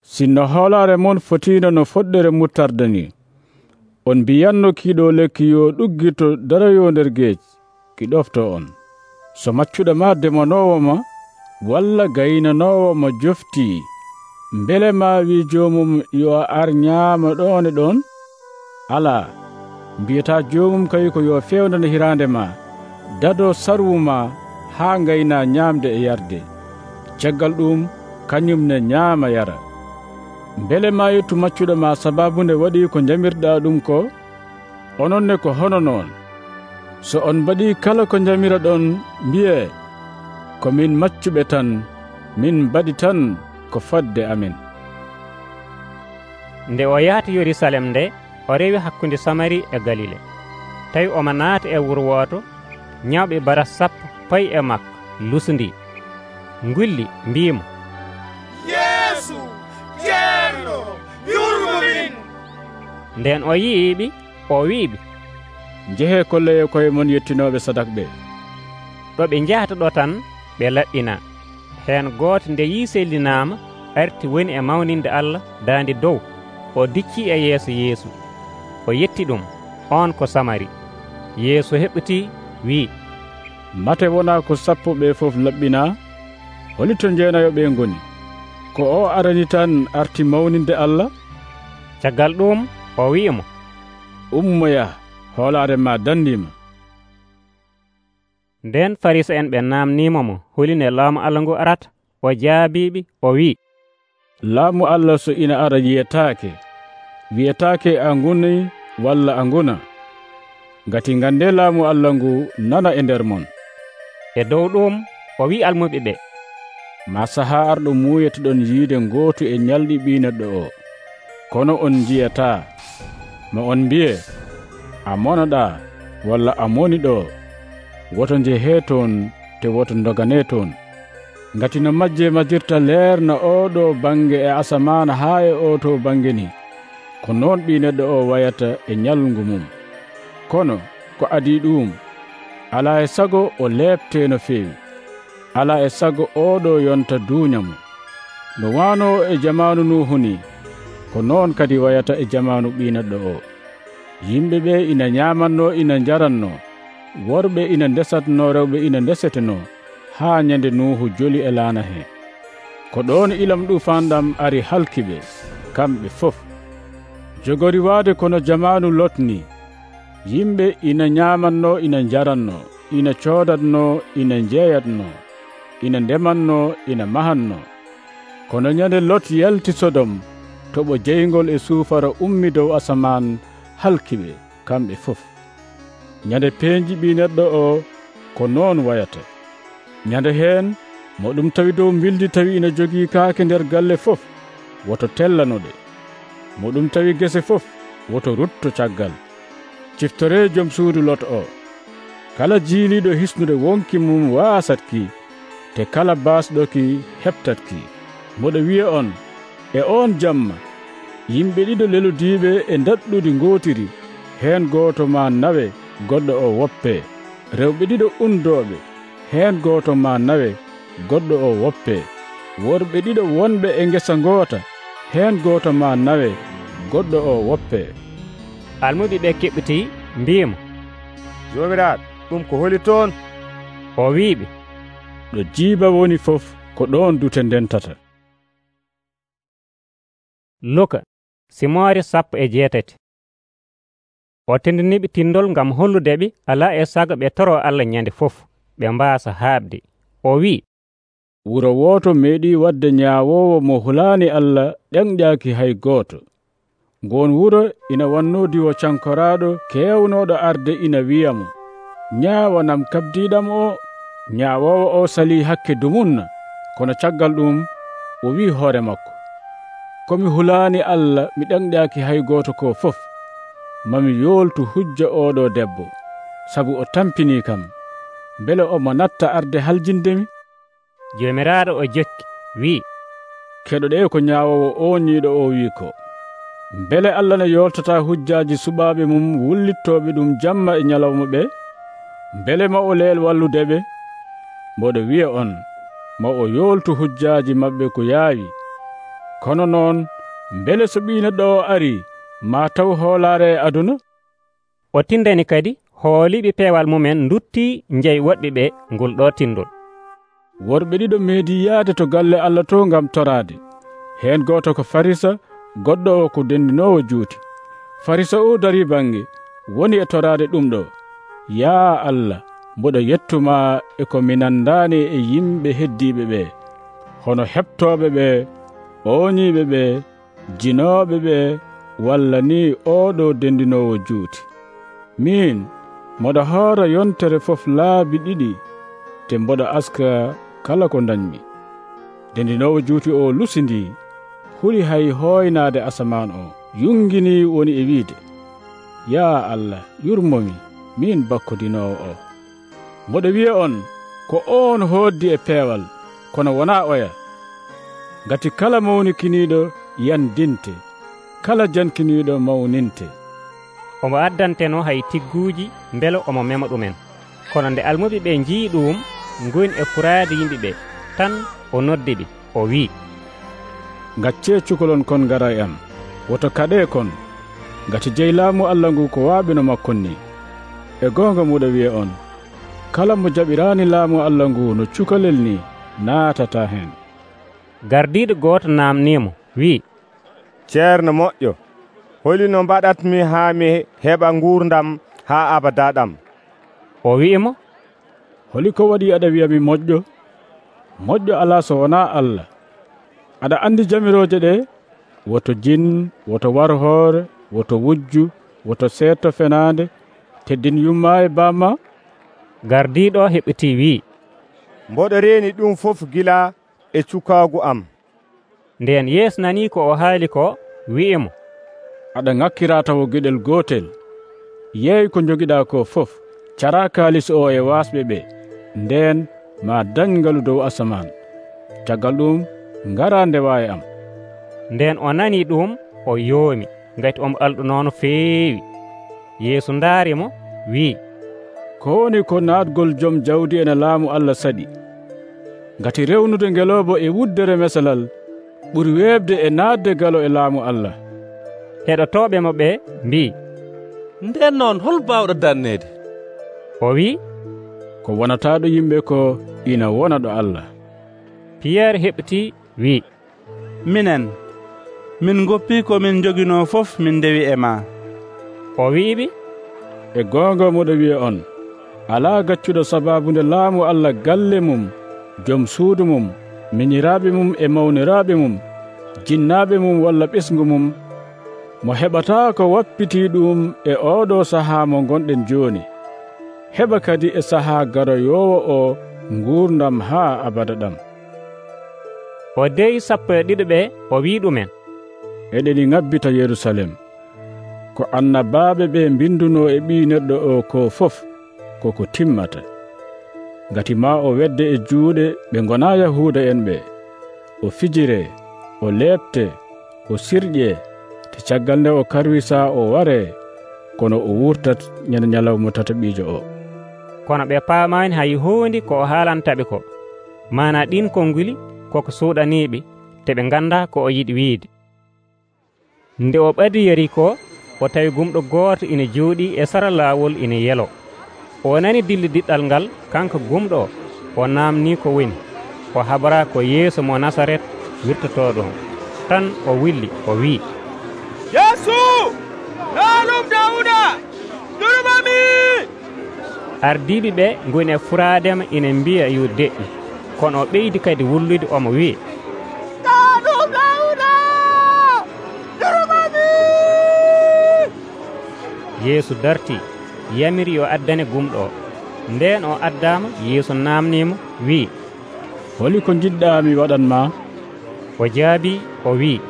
sinno hoolaare mon fotiino no foɗɗere muttarda ni, on mbiyanno kiiɗo lekki yo ɗuggito darayo nder geeci, ki ɗofto on. So maccuɗo ma demanoowo ma, walla gaynanoowo ma joftii, mbele ma wi joomum yo ar ñaama ɗon e ɗon? Alaa, mbiyata joomum kayi ko yo fewnane hiraande ma, dado sarwu ma haa ngayna ñaamde e yarde. Caggal ɗum kañum ne ñaama yara. Mbele ma yettu maccuɗo ma sababu nde waɗi ko jamirɗa ɗum ko? Ononne ko hono noon. So on mbaɗi kala ko jamira ɗon, mbiye, ko min maccuɓe tan, min mbaɗi tan ko fadde amen. Nde o yahata Yerusalem nde, o rewi hakkunde Samari e Galile. Tawi omo naata e wuro woto, ñawɓe bara sappo payi e makko, lusundi, ngulli mbimo, Yeesu, ceerno, yurmo min. Nden o yiiɓi, o wiiɓe, njehe kolleye koye mon yettinoɓe sadak ɓe. ɗo ɓe njahata ɗo tan ɓe laɗɗina. heen gooto nde yii sellinaama arti woni e mawninde Allah daande dow, o dicci e yeeso Yeesu, o yetti ɗum, on ko Samari. Yeesu heɓɓiti wii, mate wona ko sappo ɓe fof laɓɓina? holi to jeenayo ɓe ngoni? ko o arani tan arti mawninde Allah? caggal ɗum o wi'imo, ummoya, hoolaare ma dandima. nden Farisa en ɓe namnimo mo huline laamu Allah ngu arata. o jaabiɓe o wi, laamu Allah so ina ara yiyetaake, wiyetaake a nguni walla a nguna. ngati ngande laamu Allah ngu nana e nder mon. e dow ɗum o wi almuɓe ɓe, ma saha arɗo muuyetoɗon yiide gootu e ñalɗi ɓi neɗɗo o, kono on jiyata. ma on mbiye, a monoɗa walla a moni ɗo, woto njehe toon te woto dogane toon. ngati no majje majjirta leerna oɗo bange e asamana haa e o to bange ni, ko noon ɓi neɗɗo o wayata e ñalngu mum. kono ko adi ɗum, ala e sago o leepte no feewi, ala e sago oɗo yonta duuñamo. no wano e jamanu Nuhu ni, ko noon kadi wayata e jamanu ɓi neɗɗo o. yimɓe ɓe ina ñamanno ina jaranno, worɓe ina ndesatno, rewɓe ina ndeseteno, haa ñande Nuhu joli e laana he. ko ɗon ilam ɗufanɗam ari halkiɓe kamɓe fof. jogori waade kono jamanu Lot ni, yimɓe ina ñamanno ina jaranno, ina coodatno ina jeeyatno, ina ndemanno ina mahanno. kono ñande Lot yalti Sodom, toɓo jeygol e suufara ummi dow asaman halkiɓe kamɓe fof. ñande peenji ɓi neɗɗo o ko noon wayata. ñande heen mo ɗum tawi dow mbildi tawi ina jogii kaake nder galle fof, woto tellanoɗe. mo ɗum tawi gese fof, woto rutto caggal. ciftore joom suudu Lot o. kala jiiliɗo hisnude wonki mum waasatki, te kala baasɗoki heɓtatki. moɗo wiya on, e on jamma yimɓe ɗiɗo lelodiiɓe e daɗɗudi ngootiri, heen gooto ma nawe, goɗɗo o woppe. rewɓe ɗiɗo undooɓe, heen gooto ma nawe, goɗɗo o woppe. worɓe ɗiɗo wonɓe e ngesa ngoota, heen gooto ma nawe, goɗɗo o woppe. almuɓe ɓe keɓɓiti mbimo, jomiraɗo, ɗum ko holi toon? o wiɓe, ɗo jiiba woni fof, ko ɗon dute ndentata. Luka simoore sappo e jeetati. o tindiniɓe tindol ngam holludeɓe ala e sago ɓe toro Allah ñande fof, ɓe mbaasa haɓde. o wi, wuro woto meeɗi wadde ñaawowo mo hulaani Allah ɗenƴaaki hay gooto. ngon wuro ina wanno diwo cankoraɗo kewnoɗo arde ina wiyamo, ñaawanam kabdiɗam o. ñaawowo o sali hakke dumunna, kono caggal ɗum o wi hoore makko, komi hulaani Allah mi ɗenƴaaki hay gooto ko fof, mami yooltu hujja oɗo debbo, sabu o tampini kam, bele omo natta arde haljindemi. jomiraɗo o jokki wi, keɗoɗe ko ñaawowo o ñiiɗo o wi ko, bele Allah ne yoltata hujjaaji suɓaaɓe mum wullittoɓe ɗum jamma e ñalawma ɓe, bele ma o leel walludeɓe. mboɗo wiya on, ma o yoltu hujjaaji maɓɓe ko yaawi. kono noon bele so ɓi neɗɗo o ari, ma taw hoolaare e aduna? o tindani kadi hooliɓe peewal mumen dutti jeyi woɗɓe ɓe ngol ɗo tindol. worɓe ɗiɗo meedi yaade to galle Allah to ngam toraade. heen gooto ko Farisa, goɗɗo o ko dendinowo juuti. Farisa o dari bange, woni e toraade ɗum ɗo. yaa Allah, mboɗo yettuma e ko mi nandaani e yimɓe heddiiɓe ɓe, hono heɓtooɓe ɓe, ooñiiɓe ɓe, jinooɓe ɓe, walla ni oɗo dendinowo juuti. min moɗo hoora yontere fof laabi ɗiɗi, te mboɗo aska kala ko dañmi. dendinowo juuti o lusindi, huri hay hoynaade asaman o, yungini woni e wiide, ya Allah, yurmomi min bakkodinowo o. mboɗo wiya on, ko on hoddi e peewal, kono wona oya. ngati kala mawnikiniiɗo yandinte, kala jankiniiɗo mawninte. omo addanteno hay tigguuji mbele omo mema ɗumen. Kono nde almuɓe ɓe njii ɗum ngoni e furaade yimɓe ɓe tan o noddi ɓe o wi'i, gaccee cukalon kon ngara e am, woto kaɗee kon, ngati jeyi laamu Allah ngu ko waaɓino makkon ni. E goonga muɗa wiya on, kala mo jaɓiraani laamu Allah ngu no cukalel ni naatata heen. Gardiiɗo gooto naamniimo wi'i, ceerno moƴƴo, holino mbaɗatmi haa mi heɓa nguurdam haa abada ɗam? O wi'imo, holi ko waɗi aɗa wi'a mi moƴƴo? Moƴƴo alaa so wonaa Allah. Aɗa andi jamirooje ɗe, woto jin, woto warhoore, woto wujju, woto seetto fenaande, teddin yummaa e baamma? Gardiiɗo heɓitii wi'i, mboɗo reeni ɗum fof gila e cukaagu am. Ndeen Yeesu nanii ko o haali ko, wi'imo, aɗa ŋakkiraa tawo geɗel gootel. Yeey ko jogiɗaa ko fof, caraa kaalis o e waasɓe ɓe, ndeen ma dañ ngalu dow asaman. Caggal ɗum ngaraa ndewaa e am. Ndeen o nanii ɗum, o yoomi, ngati omo alɗunoono feewi. Yeesu ndaarimo, wi'i, ko woni ko naatgol jom jawdi ene laamu Allah saɗi. Ngati rewnude ngelooba e wuddere mesalal ɓuri weebde e naatde galo e laamu Allah. Heɗotooɓe mo ɓe mbi'i, nden noon hol baawɗo darneede? O wi'i, ko wonataaɗo yimɓe ko ina wona ɗo Allah. Piyerre heɓtii wi'i, minen min goppii ko min joginoo fof min ndewi e maa. O wi'iɓe, e goonga moɗo wiya on, alaa gaccuɗo sabaabunde laamu Allah galle mum, jom suudu mum, miñiraaɓe mum e mawniraaɓe mum, jinnaaɓe mum walla ɓesngu mum, mo heɓataa ko wappitii ɗum e ooɗo sahaa mo gonɗen jooni. Heɓa kadi e sahaa garoyoowo o nguurdam haa abada ɗam. O deyi sappo e ɗiɗo ɓe o wi'i ɗumen, eɗeni ŋabbita Yerusalem, ko annabaaɓe ɓe mbindunoo e ɓii neɗɗo o ko fof koko timmata. Ngati maa o wedde e juuɗe ɓe ngonaa Yahuuda en ɓe, o fijiree, o leepte, o sirƴee, te caggal nde o karwisaa o waree, kono o wurtat ñande ñalawma tataɓiijo o. Kono ɓe paamaani hay huunde ko o haalantaɓe ko, maana ɗin konnguli koko suuɗaniiɓe, te ɓe nganndaa ko o yiɗi wiide. Nde o ɓadi Yeriko, o tawi gumɗo gooto ina jooɗii e sara laawol ina yelo. O nani dilli diɗɗal ngal, kanko gumɗo o naamnii ko woni. O habaraa ko Yeesu mo Nasaret wirtotoo ɗon. Tan o willi o wi'i, Yeesu, laalum Dawuda, durmami! Ardiiɓe ɓe ngoni e furaadema ina mbiya yo deƴƴi, kono o ɓeydi kadi wullude omo wi'i, laalum Dawuda, durmami! Yeesu darti, yamiri yo addane gumɗo o. Ndeen o addaama, Yeesu naamniimo wi'i, holi ko jiɗɗaa mi waɗanma? O jaabi o wi'i,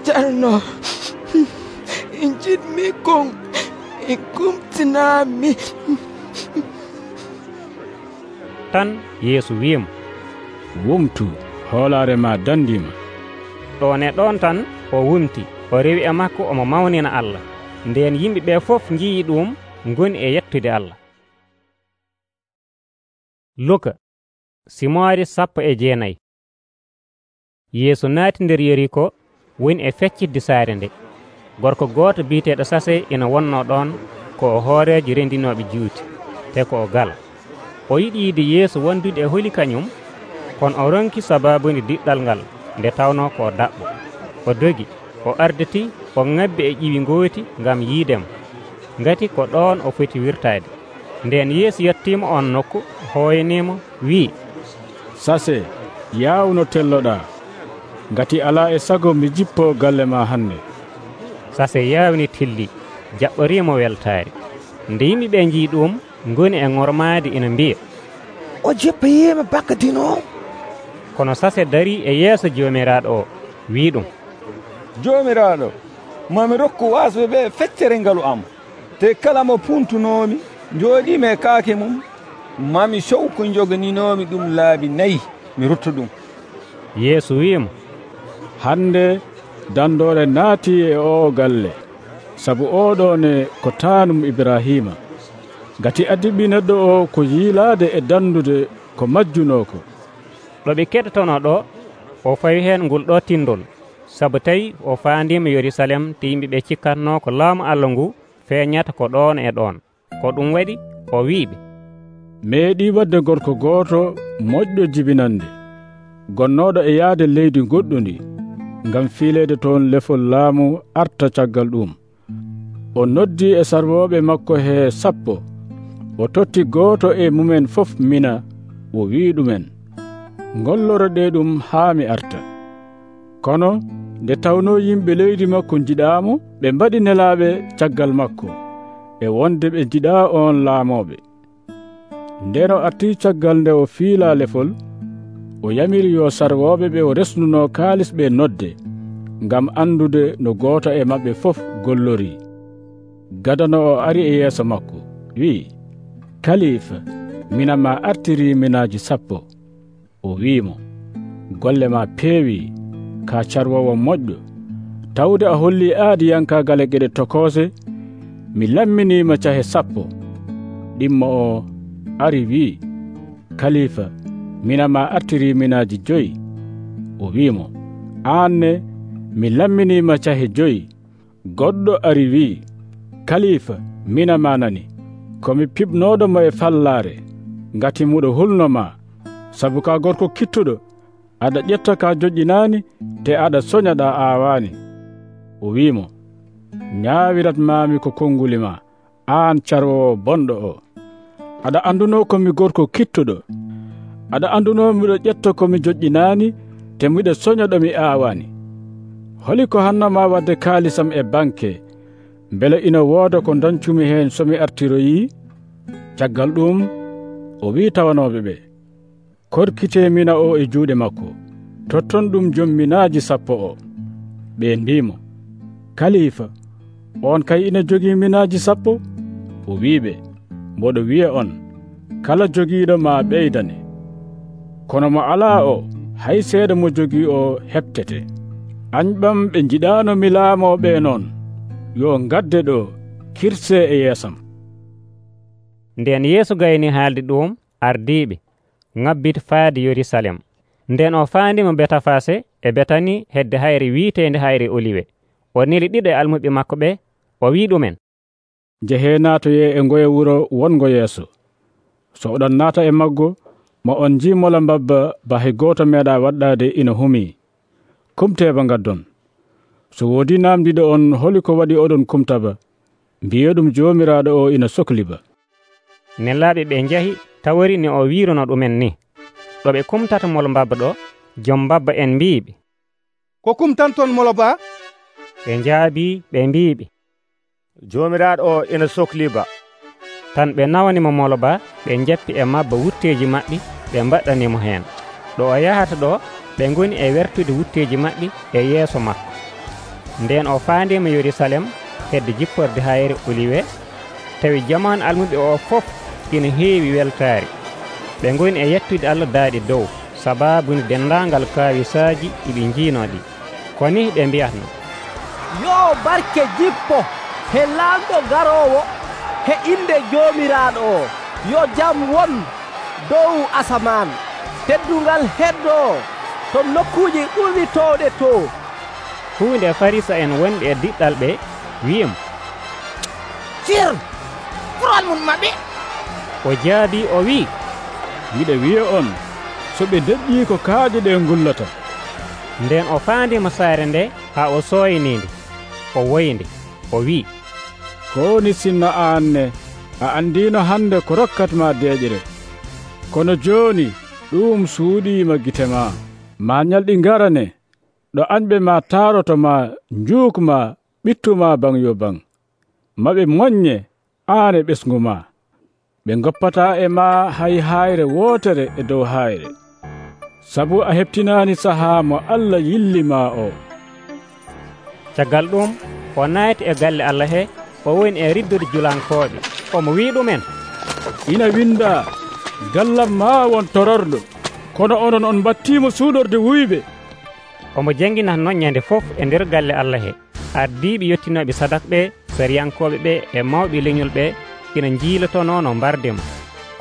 Ceerno, jiɗmi kon e kumtinaami. Tan Yeesu wi'imo, wumtu, hoolaare ma dandiima. ɗon e ɗon tan o wumti, o rewi e makko omo mawnina Allah. Ndeen yimɓe ɓe fof njii ɗum ngoni e yettude Allah. Luka simoore sappo e jeenayi. Yeesu naati nder Yeriko, woni e feccitde saare nde. Gorko gooto biiteeɗo Sase ina wonnoo ɗon ko o hooreejo rendinooɓe juuti, te ko o gala. O yiɗi yiide Yeesu wondude e holi kañum, kono o ronki sabaabude diɗɗal ngal nde tawnoo ko daɓɓo. O dogi, o arditii, o ŋabbi e ƴiwi ngooti ngam yiidemo, ngati ko ɗoon o foti wirtaade. Ndeen Yeesu yettiimo on nokku, hooyaniimo, wi'i, Sase, yaawno telloɗaa, ngati alaa e sago mi jippoo galle ma hannde. Sase yaawni tilli, jaɓɓoriimo weltaare. Nde yimɓe ɓe njii ɗum, ngoni e ŋormaade ina mbiya, o jippiima bakkatino. Kono Sase darii e yeeso joomiraaɗo o, wii ɗum, joomiraaɗo, mami rokku waasɓe ɓe feccere ngalu am, te kala mo puntunoomi jooɗiima e kaake mum, mami sow ko joganinoomi ɗum laabi nayi mi rutta ɗum. Yeesu wi'imo, hannde dandoore naatii e oo galle, sabu oɗone ko taanum Ibrahima gati addi ɓi neɗɗo o ko yiilaade e dandude ko majjunoko. ɗo ɓe keɗotono ɗo o fawi heen ngol ɗo tindol, sabu tawi o faandima Yerusalem te yimɓe ɓe cikkatno ko laamu Allah ngu feeñata ko ɗon e ɗon. Ko ɗum waɗi o wiiɓe, meeɗi wadde gorko gooto moƴƴo jibinande gonnoɗo e yaade leydi goɗɗundi ngam fiileede toon lefol laamu arta caggal ɗum. O noddi e sarwoɓe makko he sappo, o totti gooto e mumen fof mina, o wi ɗumen, ngolloro ɗe ɗum haa mi arta. Kono nde tawno yimɓe leydi makko jiɗaamo, ɓe mbaɗi nelaaɓe caggal makko e wonde ɓe jiɗaa on laamoɓe. Nden o arti caggal nde o fiila lefol, o yamiri yo sarwoɓe ɓe o resnuno kaalis ɓe nodde ngam andude no gooto e maɓɓe fof gollori. Gadano o ari e yeeso makko, wi'i, Kalifa, mina ma artiri minaaji sappo. O wi'imo, golle ma peewi, ka carwowo moƴƴo. Tawde a holli aadiyankagal e geɗe tokoose, mi lamminima cahe sappo. Ɗimmo o ari wi'i, Kalifa, mina ma artiri minaaji joyi. O wi'imo, aanne mi lamminima cahe joyi. Goɗɗo ari wi'i, Kalifa, mina ma nani, komi piɓnoɗo mo e fallaare, ngati muɗo hulnoma, sabu ka gorko kittuɗo, aɗa ƴetta ka joƴƴinaani, te aɗa soñaɗa aawaani. O wi'imo, ñaawirat maami ko konnguli ma, aan carwowo bonɗo o. Aɗa anduno komi gorko kittuɗo, aɗa anduno miɗo ƴetta komi joƴƴinaani, te miɗo soñaɗo mi aawaani. Holi ko hannama wadde kaalisam e banke, mbele ina wooda ko dancumi heen so mi artiroyi? Caggal ɗum o wi tawanoɓe ɓe, korkite mina o e juuɗe makko, totton ɗum jom minaaji sappo o. Ɓe mbimo, Kalifa, on kay ina jogii minaaji sappo? O wiɓe, mboɗo wiya on, kala jogiiɗo ma ɓeydane. Kono mo alaa o, hay seeɗa mo jogii o heɓtete. Añɓam ɓe jiɗaano mi laamoɓe noon, yo gadde ɗo kirse e yeesam. Nden Yeesu gayni haalde ɗum, ardiiɓe ŋabbiti faade Yerusalem. Nden o faandima Betafase e Betani hedde hayre wiiteende hayre Oliwe. O neli ɗiɗo e almuɓe makko ɓe, o wi ɗumen, jehe naatoye e ngoye wuro wongo yeeso. So oɗon naata e maggo, mo on jiimola mbabba ba hay gooto meeɗa waɗɗaade ina humii. Kumteeba ngaddon. So woodi namdiɗo on holi ko waɗi oɗon kumtaba, mbiye ɗum joomiraaɗo o ina sohliba. Nellaaɓe ɓe njahi tawori ne o wiirono ɗumen ni. Ɗo ɓe kumtata molo mbabba ɗo, jom mbabba en mbiiɓe, ko kumtanton molo ba? Ɓe njaabi ɓe mbiiɓe, joomiraaɗo o ina sohliba. Tan ɓe nawanimo molo ba, ɓe njappi e mabba wutteeji maɓɓe, ɓe mbaɗɗanimo heen. Ɗo o yahata ɗo, ɓe ngoni e wertude wutteeji maɓɓe e yeeso makko. Nden o faandima Yerusalem hedde jipporde hayre Oliwe, tawi jamanu almuɓe o fof ina heewi weltaari. Ɓe ngoni e yettude Allah daaɗi dow, sabaabude dendaangal kaawisaaji iɓe njiinoɗi. Koni ɓe mbiyatno, yo barke jippo he laamɗo garoowo he inde joomiraaɗo o, yo jam won dow asaman, teddungal heddoo to nokkuuji ɗuɗitooɗe to. Huunde Farisa en wonɓe e diɗɗal ɓe wiyimo, sir fural mum maɓɓe. O jaabi o wi, miɗe wiya on, so ɓe deƴƴii ko kaaƴe ɗe ngullata. Nden o faandima saare nde haa o sooyniinde, o woyinde, o wi, ko ni sinno aanne a andiino hannde ko rokkatma deeƴere, kono jooni ɗum suuɗiima gite ma. Ma ñalɗi ngarane, ɗo añɓe ma taaroto ma njuukma ɓittuma baŋ yo baŋ. Maɓe moƴƴe aan e ɓesngu ma. Ɓe goppata e ma hay hayre wootere e dow hayre, sabu a heɓtinaani sahaa mo Allah yillima o. Caggal ɗum o naati e galle Allah he, o woni e riddude julankooɓe. Omo wi ɗumen, ina winda, gallam ma won tororɗo, kono onon on battimo suuɗorde wuyɓe. Omo jangginata noon ñande fof e nder galle Allah he. Ardiiɓe yottinoɓe sadak ɓe sariyankoɓe ɓe e mawɓe leñol ɓe ina jiilotono no mbardemo,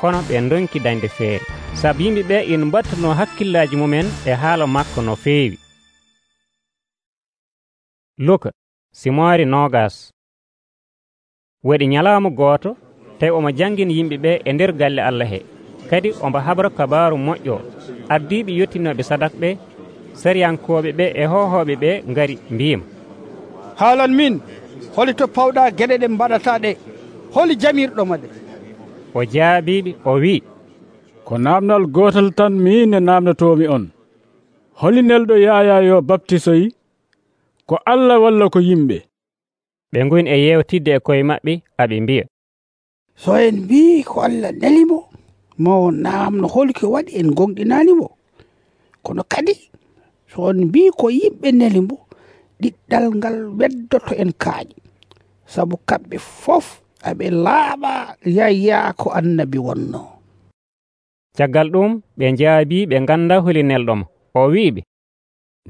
kono ɓe donki dañde feere, sabu yimɓe ɓe ina mbattuno hakkillaji mumen e haala makko no feewi. Luka simoore nogas. Waɗi ñalawma gooto tawi omo jangina yimɓe ɓe e nder galle Allah he, kadi omo habra kabaru moƴƴo. Ardiɓe yettinoɓe sadak ɓe, sariyankoɓe ɓe e hohoɓe ɓe ngari mbima, haalan min holi to pawɗa geɗe ɗe mbaɗata ɗe, holi jamirɗoma ɗe? O jaabiɓe o wi, ko namdal gotal tan min e namdotomi on. Holi nelɗo Yaya yo baptisoyi, ko Allah walla ko yimɓe? Ɓe ngoni e yewtidde e koye maɓɓe aɓe mbiya, so en mbi ko Allah nelimo, ma o namno holi ko waɗi en gonɗinanimo. Kono kadi so on mbi ko yimɓe nelimo, ɗiɗɗal ngal weddoto en kaaƴi, sabu kamɓe fof aɓe laaɓa Yaya ko annabi wonno. Caggal ɗum ɓe njaabi ɓe ganda holi nelɗomo. O wiɓe,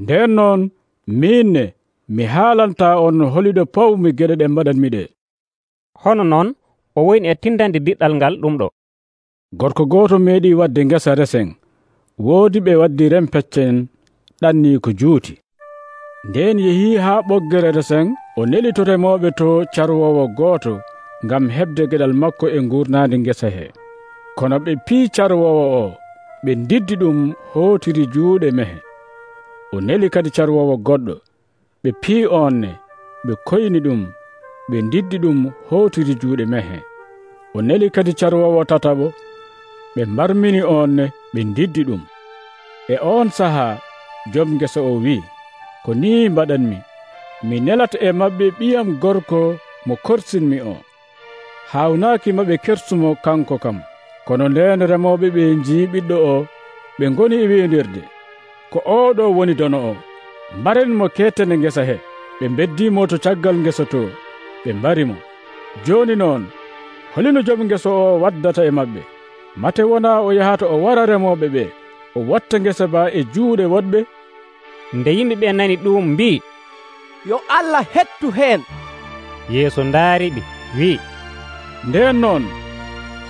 nden noon minne mi haalanta on holiɗo pawmi geɗe ɗe mbaɗanmi ɗe. Hono noon o woni e tindande diɗɗal ngal ɗum ɗo. Gorko gooto meeɗi wadde ngesa resen, woodi ɓe waddi rempeccen ɗanni ko juuti. Nden yehi haa ɓoggere resen, o neli to remoɓe to carwowo gooto ngam heɓde geɗal makko e ngurnandi ngesa he. Kono ɓe pii carwowo o, ɓe ndiddi ɗum hootiri juuɗe mehe. O neli kadi carwowo goɗɗo, ɓe pii onne, ɓe koyni ɗum, ɓe ndiddi ɗum hootiri juuɗe mehe. O neli kadi carwowo tataɓo, ɓe mbarmini onne, ɓe ndiddi ɗum. E on sahaa joom ngesa o wi, ko ni mbaɗanmi, mi nelata e maɓɓe ɓiyam gorko mo korsinmi o. Hawnaaki maɓe kersumo kanko kam. Kono nden remoɓe ɓe njii ɓiɗɗo o, ɓe ngoni e wiindirde, ko oɗo woni dono o. Mbaren mo kettene ngesa he. Ɓe beddimo to caggal ngesa to, ɓe mbarimo. Joni noon holino joom ngesa o waddata e maɓɓe? Mate wona o yahata o wara remoɓe ɓe, o watta ngesa ba e juuɗe woɗɓe? Nde yimɓe ɓe nani ɗum mbi, yo Allah hettu heen. Yeesu ndaariɓe wi, nden noon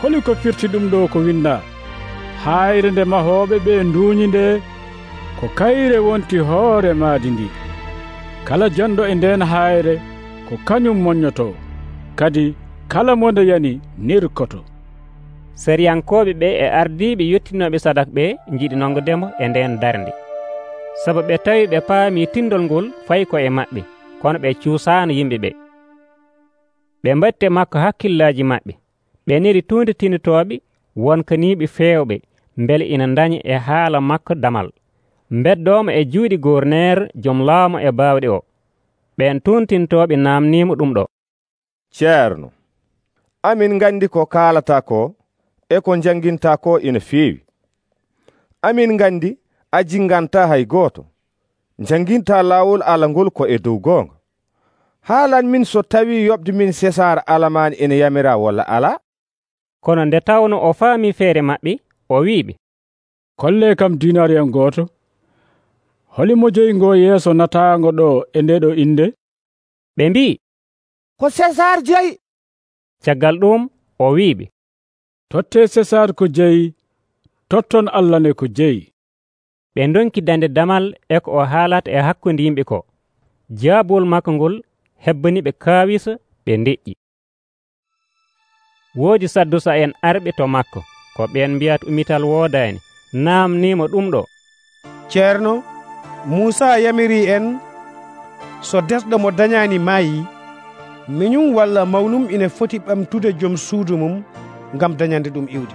holi ko firti ɗum ɗo ko winda, hayre nde mahoɓe ɓe nduuñi nde ko kayre wonti hoore maadi ndi. Kala jonɗo e nden hayre ko kañum moññoto, kadi kala mo nde yani nirkoto. Sariyankoɓe ɓe e ardiɓe yettinoɓe sadak ɓe jiiɗi nongodemo e nden darnde, sabu ɓe tawi ɓe paami tindol ngol fayi ko e maɓɓe, kono ɓe cuusaano yimɓe ɓe. Ɓe mbatte makko hakkillaji maɓɓe, ɓe neri tuunde tinitoɓe wonkaniɓe feewɓe, mbele ina daña e haala makko damal. Beddomo e juuɗi gouverneur joom laamu e baawɗe o. Ɓen tuntintoɓe namnimo ɗum ɗo, ceerno, amin gandi ko kaalata ko e ko janginta ko ina feewi. Amin gandi a jinganta hay gooto, janginta laawol Allah ngol ko e dow goonga. Haalan min so tawi yoɓde min César alamani ene yamira walla ala? Kono nde tawno o faami feere maɓɓe, o wiɓe, kolle kam dinariyan gooto. Holi mo joyingo yeeso nataango ɗo e nde ɗo inde? Ɓe mbi, ko César jeyi. Caggal ɗum o wiɓe, totte César ko jeyi, totton Allah ne ko jeyi. Ɓe donki dande damal e ko o haalata e hakkunde yimɓe ko. Jaabol makko ngol hebbani ɓe kaawisa, ɓe ndeƴƴi. Woodi Saddusa en arɓe to makko, ko ɓen mbiyata umital woodaani, naamnimo ɗum ɗo, ceerno, Muusa yamiri en so desɗo mo dañaani maayi, miñum walla mawnum ine foti ɓamtude joom suudu mum ngam dañande ɗum iwde.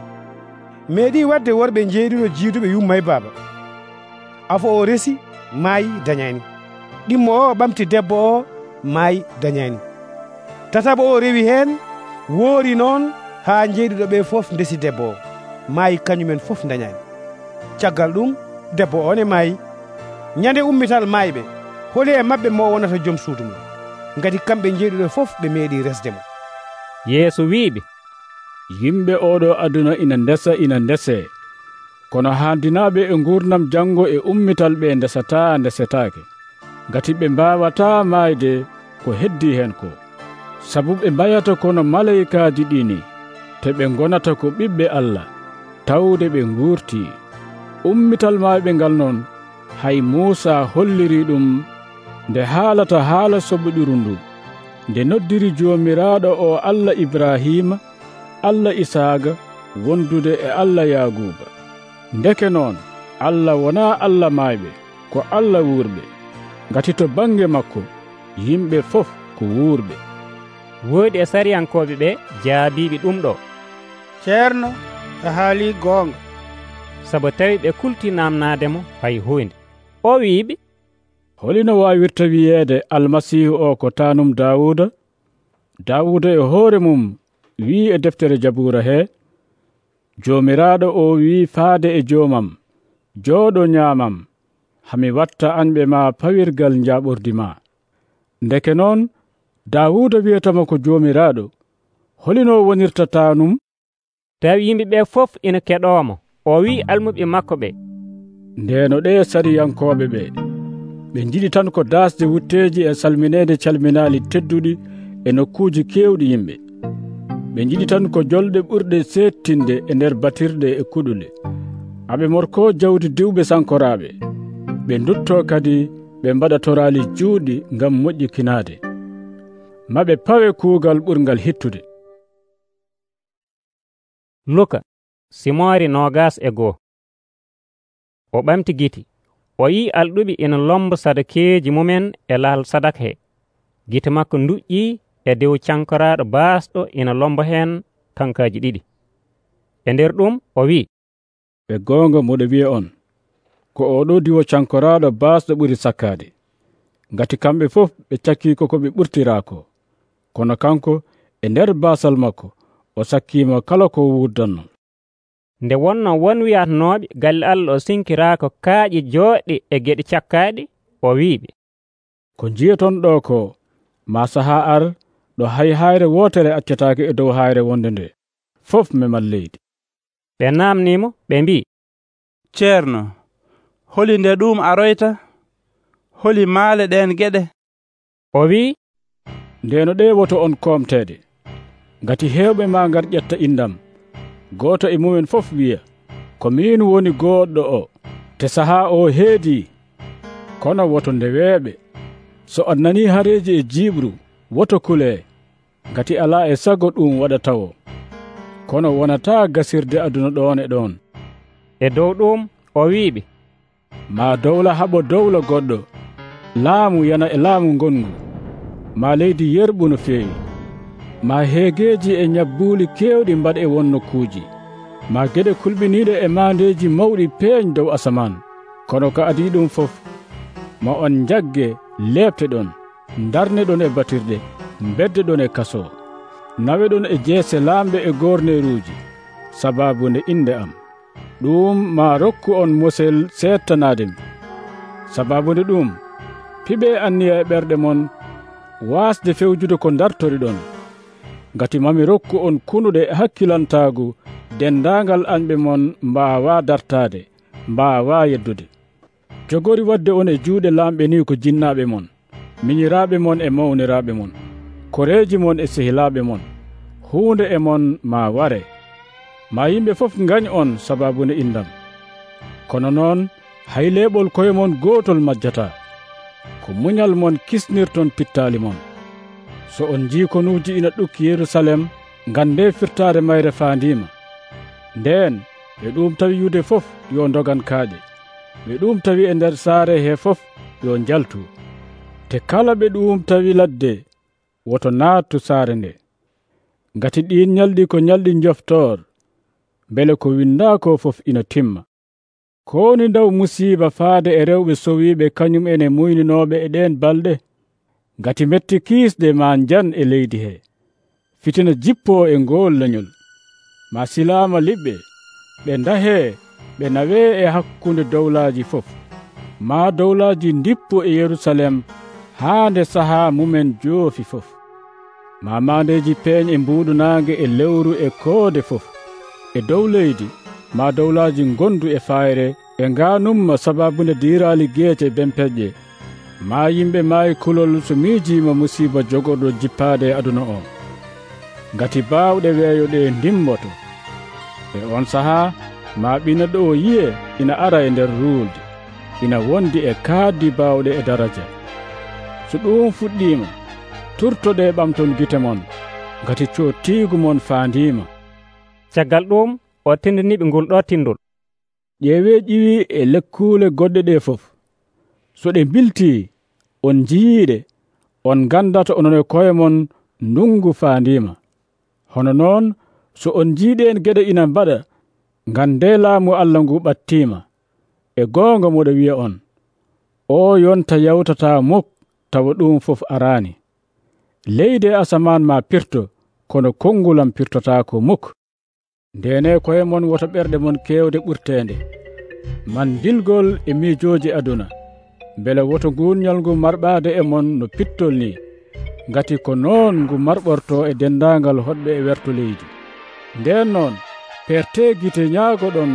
Meeɗi wadde worɓe jeeɗiɗo jiiduɓe yumma e baaba. Afo o resi maayi dañaani. Ɗimmo o ɓamti debbo o maayi dañaani. Tataɓo o rewi heen, woori noon haa jeeɗiɗo ɓe fof ndesi debbo o maayi, kañumen fof dañaani. Caggal ɗum debbo o ne maayi. Ñande ummital maayɓe, holi e maɓɓe mo wonata joom suudu mum, ngati kamɓe jeeɗiɗo fof ɓe meeɗi resdemo. Yeesu wiiɓe, yimɓe oɗo aduna ina ndesa ina ndese, kono handinaɓe e gurdam janngo e ummital ɓe ndesata ndesetaake, ngati ɓe mbawata maayde ko heddi hen ko. sabu ɓe mbayata kono malayikaaji ɗini te ɓe gonata ko ɓiɓɓe Allah tawde ɓe nguurti. Ummital maɓɓe ngal non hay Muusa holliri ɗum nde haalata haala soɓoɗiru ndu, nde noddiri Joomiraaɗo o Allah Ibrahima, Allah Isaaga wondude e Allah Yaaguba. Ndeke noon Allah wonaa Allah mayɓe, ko Allah wuurɓe, ngati to bange makko yimɓe fof ko wuurɓe. Woodi e sariyankoɓe ɓe jaabiɓe ɗum ɗo. ceerno e haali goonga, sabu tawi ɓe kulti namnaademo hay hunde. O wiiɓe, holino waawirta wiyeede almasihu o ko taanum Daawuda? Daawuda e hoore mum wii e deftere Jabuura he, Joomiraaɗo o wii faade e joomam, jooɗo nyaamam, hami watta anɓe ma pawirgal njaaɓordi ma. Ndeke noon Daawuda wiyatamo ko Joomiraaɗo, holino wonirta taanum? Tawi yimɓe ɓe fof ina keɗoomo, o wii almuɓe makko ɓe. Ndeeno ɗe sariyankoɓe ɓe ɓe jiɗi tan ko daasde wutteeji e salmineede calminaali tedduɗi e nokkuuji keewɗi yimɓe. Ɓe jiɗi tan ko jolɗe ɓurɗe seettinde e nder batirɗe e kuɗule. Aɓe morko jawdi diwɓe sankoraaɓe. Ɓe ndutto kadi ɓe mbaɗa toraali juuɗi ngam moƴƴikinaade. Maɓe pawe kuugal ɓurgal hittude. Luka simoori nogas e goo. O ɓamti giti, o yii alɗuɓe ina lomba sadakeeji mumen e lahal sadak he. Gite makko nduƴƴii e dow cankoraaɗo baasɗo ina lomba heen kankaaji ɗiɗi. E nder ɗum o wii, ɓe goonga moɗo wiya on ko oɗo diwo cankoraaɗo baasɗo ɓuri sakkaade, ngati kamɓe fof ɓe cakkii ko ɓe ɓurtiraako, kono kanko e nder baasal makko o sakkiima kala ko wurdanno. Nde wonno won wiyatanooɓe galle Allah o sinkiraako kaaƴe jooɗɗe e geɗe cakkaaɗe, o wiiɓe, ko njiyaton ɗo ko ma sahaa ar ɗo hay hayre wootere accataake e dow hayre wonde nde fof memal leydi. Ɓe naamniimo ɓe mbi, ceerno, holi nde ɗum aroyta? Holi maale ɗen geɗe? O wii, ndeeno ɗe woto on koomteede, ngati heewɓe ma ngar ƴetta indam. Gooto e mumen fof wiya, ko min woni gooɗɗo o, te sahaa o heedii. Kono woto nde weeɓe, so on nanii hareeji e jiibru, woto kulee, ngati alaa e sago ɗum waɗa tawo. Kono wonataa gasirde aduna ɗoon e ɗoon. E dow ɗum o wiiɓe, ma dowla haɓo dowla goɗɗo, laamu yana e laamu ngongu, ma leydi yerɓu no feewi, ma heegeeji e ñabbuuli keewɗi mbaɗ e won nokkuuji, ma geɗe kulɓiniiɗe e maandeeji mawɗi peeñ dow asaman. Kono ko adii ɗum fof, ma on njagge leeɓte ɗon, darne ɗon e batirɗe, bedde ɗon e kaso, nawe ɗon e jeese laamɓe e gorneeruuji, sabaabu nde inde am. Ɗum ma rokku on mosel seettanaademi. Sabaabu nde ɗum, piɓe anniya e ɓerɗe mon waasde fewjude ko dartori ɗon, ngati mami rokku on kunuɗe hakkilantaagu dendaangal anɓe mon mbaawa dartaade, mbaawa yeddude. Jogori wadde on e juuɗe laamɓe ni ko jinnaaɓe mon, miñiraaɓe mon e mawniraaɓe mon, koreeji mon e sehilaaɓe mon. Huunde e mon ma ware, ma yimɓe fof ngañ on sabaabu nde indam. Kono noon hay leeɓol koye mon gootol majjataa, ko muñal mon kisnirton pittaali mon. So on njii konuuji ina ɗukki Yerusalem, ngande firtaade mayre faandiima. Ndeen ɓe ɗum tawi yude fof yo ndogan kaaƴe, ɓe ɗum tawi e nder saare he fof yo njaltu, te kala ɓe ɗum tawi ladde woto naattu saare nde. Ngati ɗin ñalɗi ko ñalɗi njoftoor, mbele ko windaako fof ina timma. Ko woni ndaw musiiba faade e rewɓe sowiiɓe kañum ene muyninooɓe e ɗeen balɗe, ngati metti kiisɗe ma njan e leydi he, fitina jippoo e ngool leñol. Ma silaama liɓɓe, ɓe ndahee ɓe nawee e hakkunde dowlaaji fof. Ma dowlaaji ndippo e Yerusalem haa nde sahaa mumen joofi fof. Ma maandeeji peeñ e mbuuɗu naange e lewru e koode fof. E dow leydi ma dowlaaji ngondu e fayre e ngaanumma sabaabu nde diiraali geece bempeƴƴe. maa yimɓe maayi kulol so miijiima musiiba jogorɗo jippaade e aduna o, ngati baawɗe weeyo ɗe ndimmoto. E on sahaa maa ɓii neɗɗo o yi'e ina ara e nder ruulde, ina wondi e kaaddi baawɗe e daraja. So ɗum fuɗɗiima, turtoɗe ɓamton gite mon, ngati cootiigu mon faandiima. Caggal ɗum o tindiniɓe ngol ɗo tindol. ƴeewee ƴiwi e lekkuule goɗɗe ɗe fof. So ɗe mbiltii, on njiyiiɗe, on ngandata onon e koye mon ndungu faandiima. Hono noon so on njiiɗeen geɗe ina mbaɗa, ngandee laamu Allah ngu ɓattiima. E goonga moɗo wi'a on, o yonta yawtataa muk tawa ɗum fof araani. Leydi e asamaan ma pirto, kono kongulam pirtotaako muk. Ndene koye mon woto ɓerɗe mon keewde ɓurteende, man dilgol e miijooji aduna, mbele woto nguuñal ngu marɓaade e mon no pittol ni, ngati ko noon ngu marɓorto e dendaangal hoɗɓe e werto leydi. Nden noon pertee gite ñaagoɗon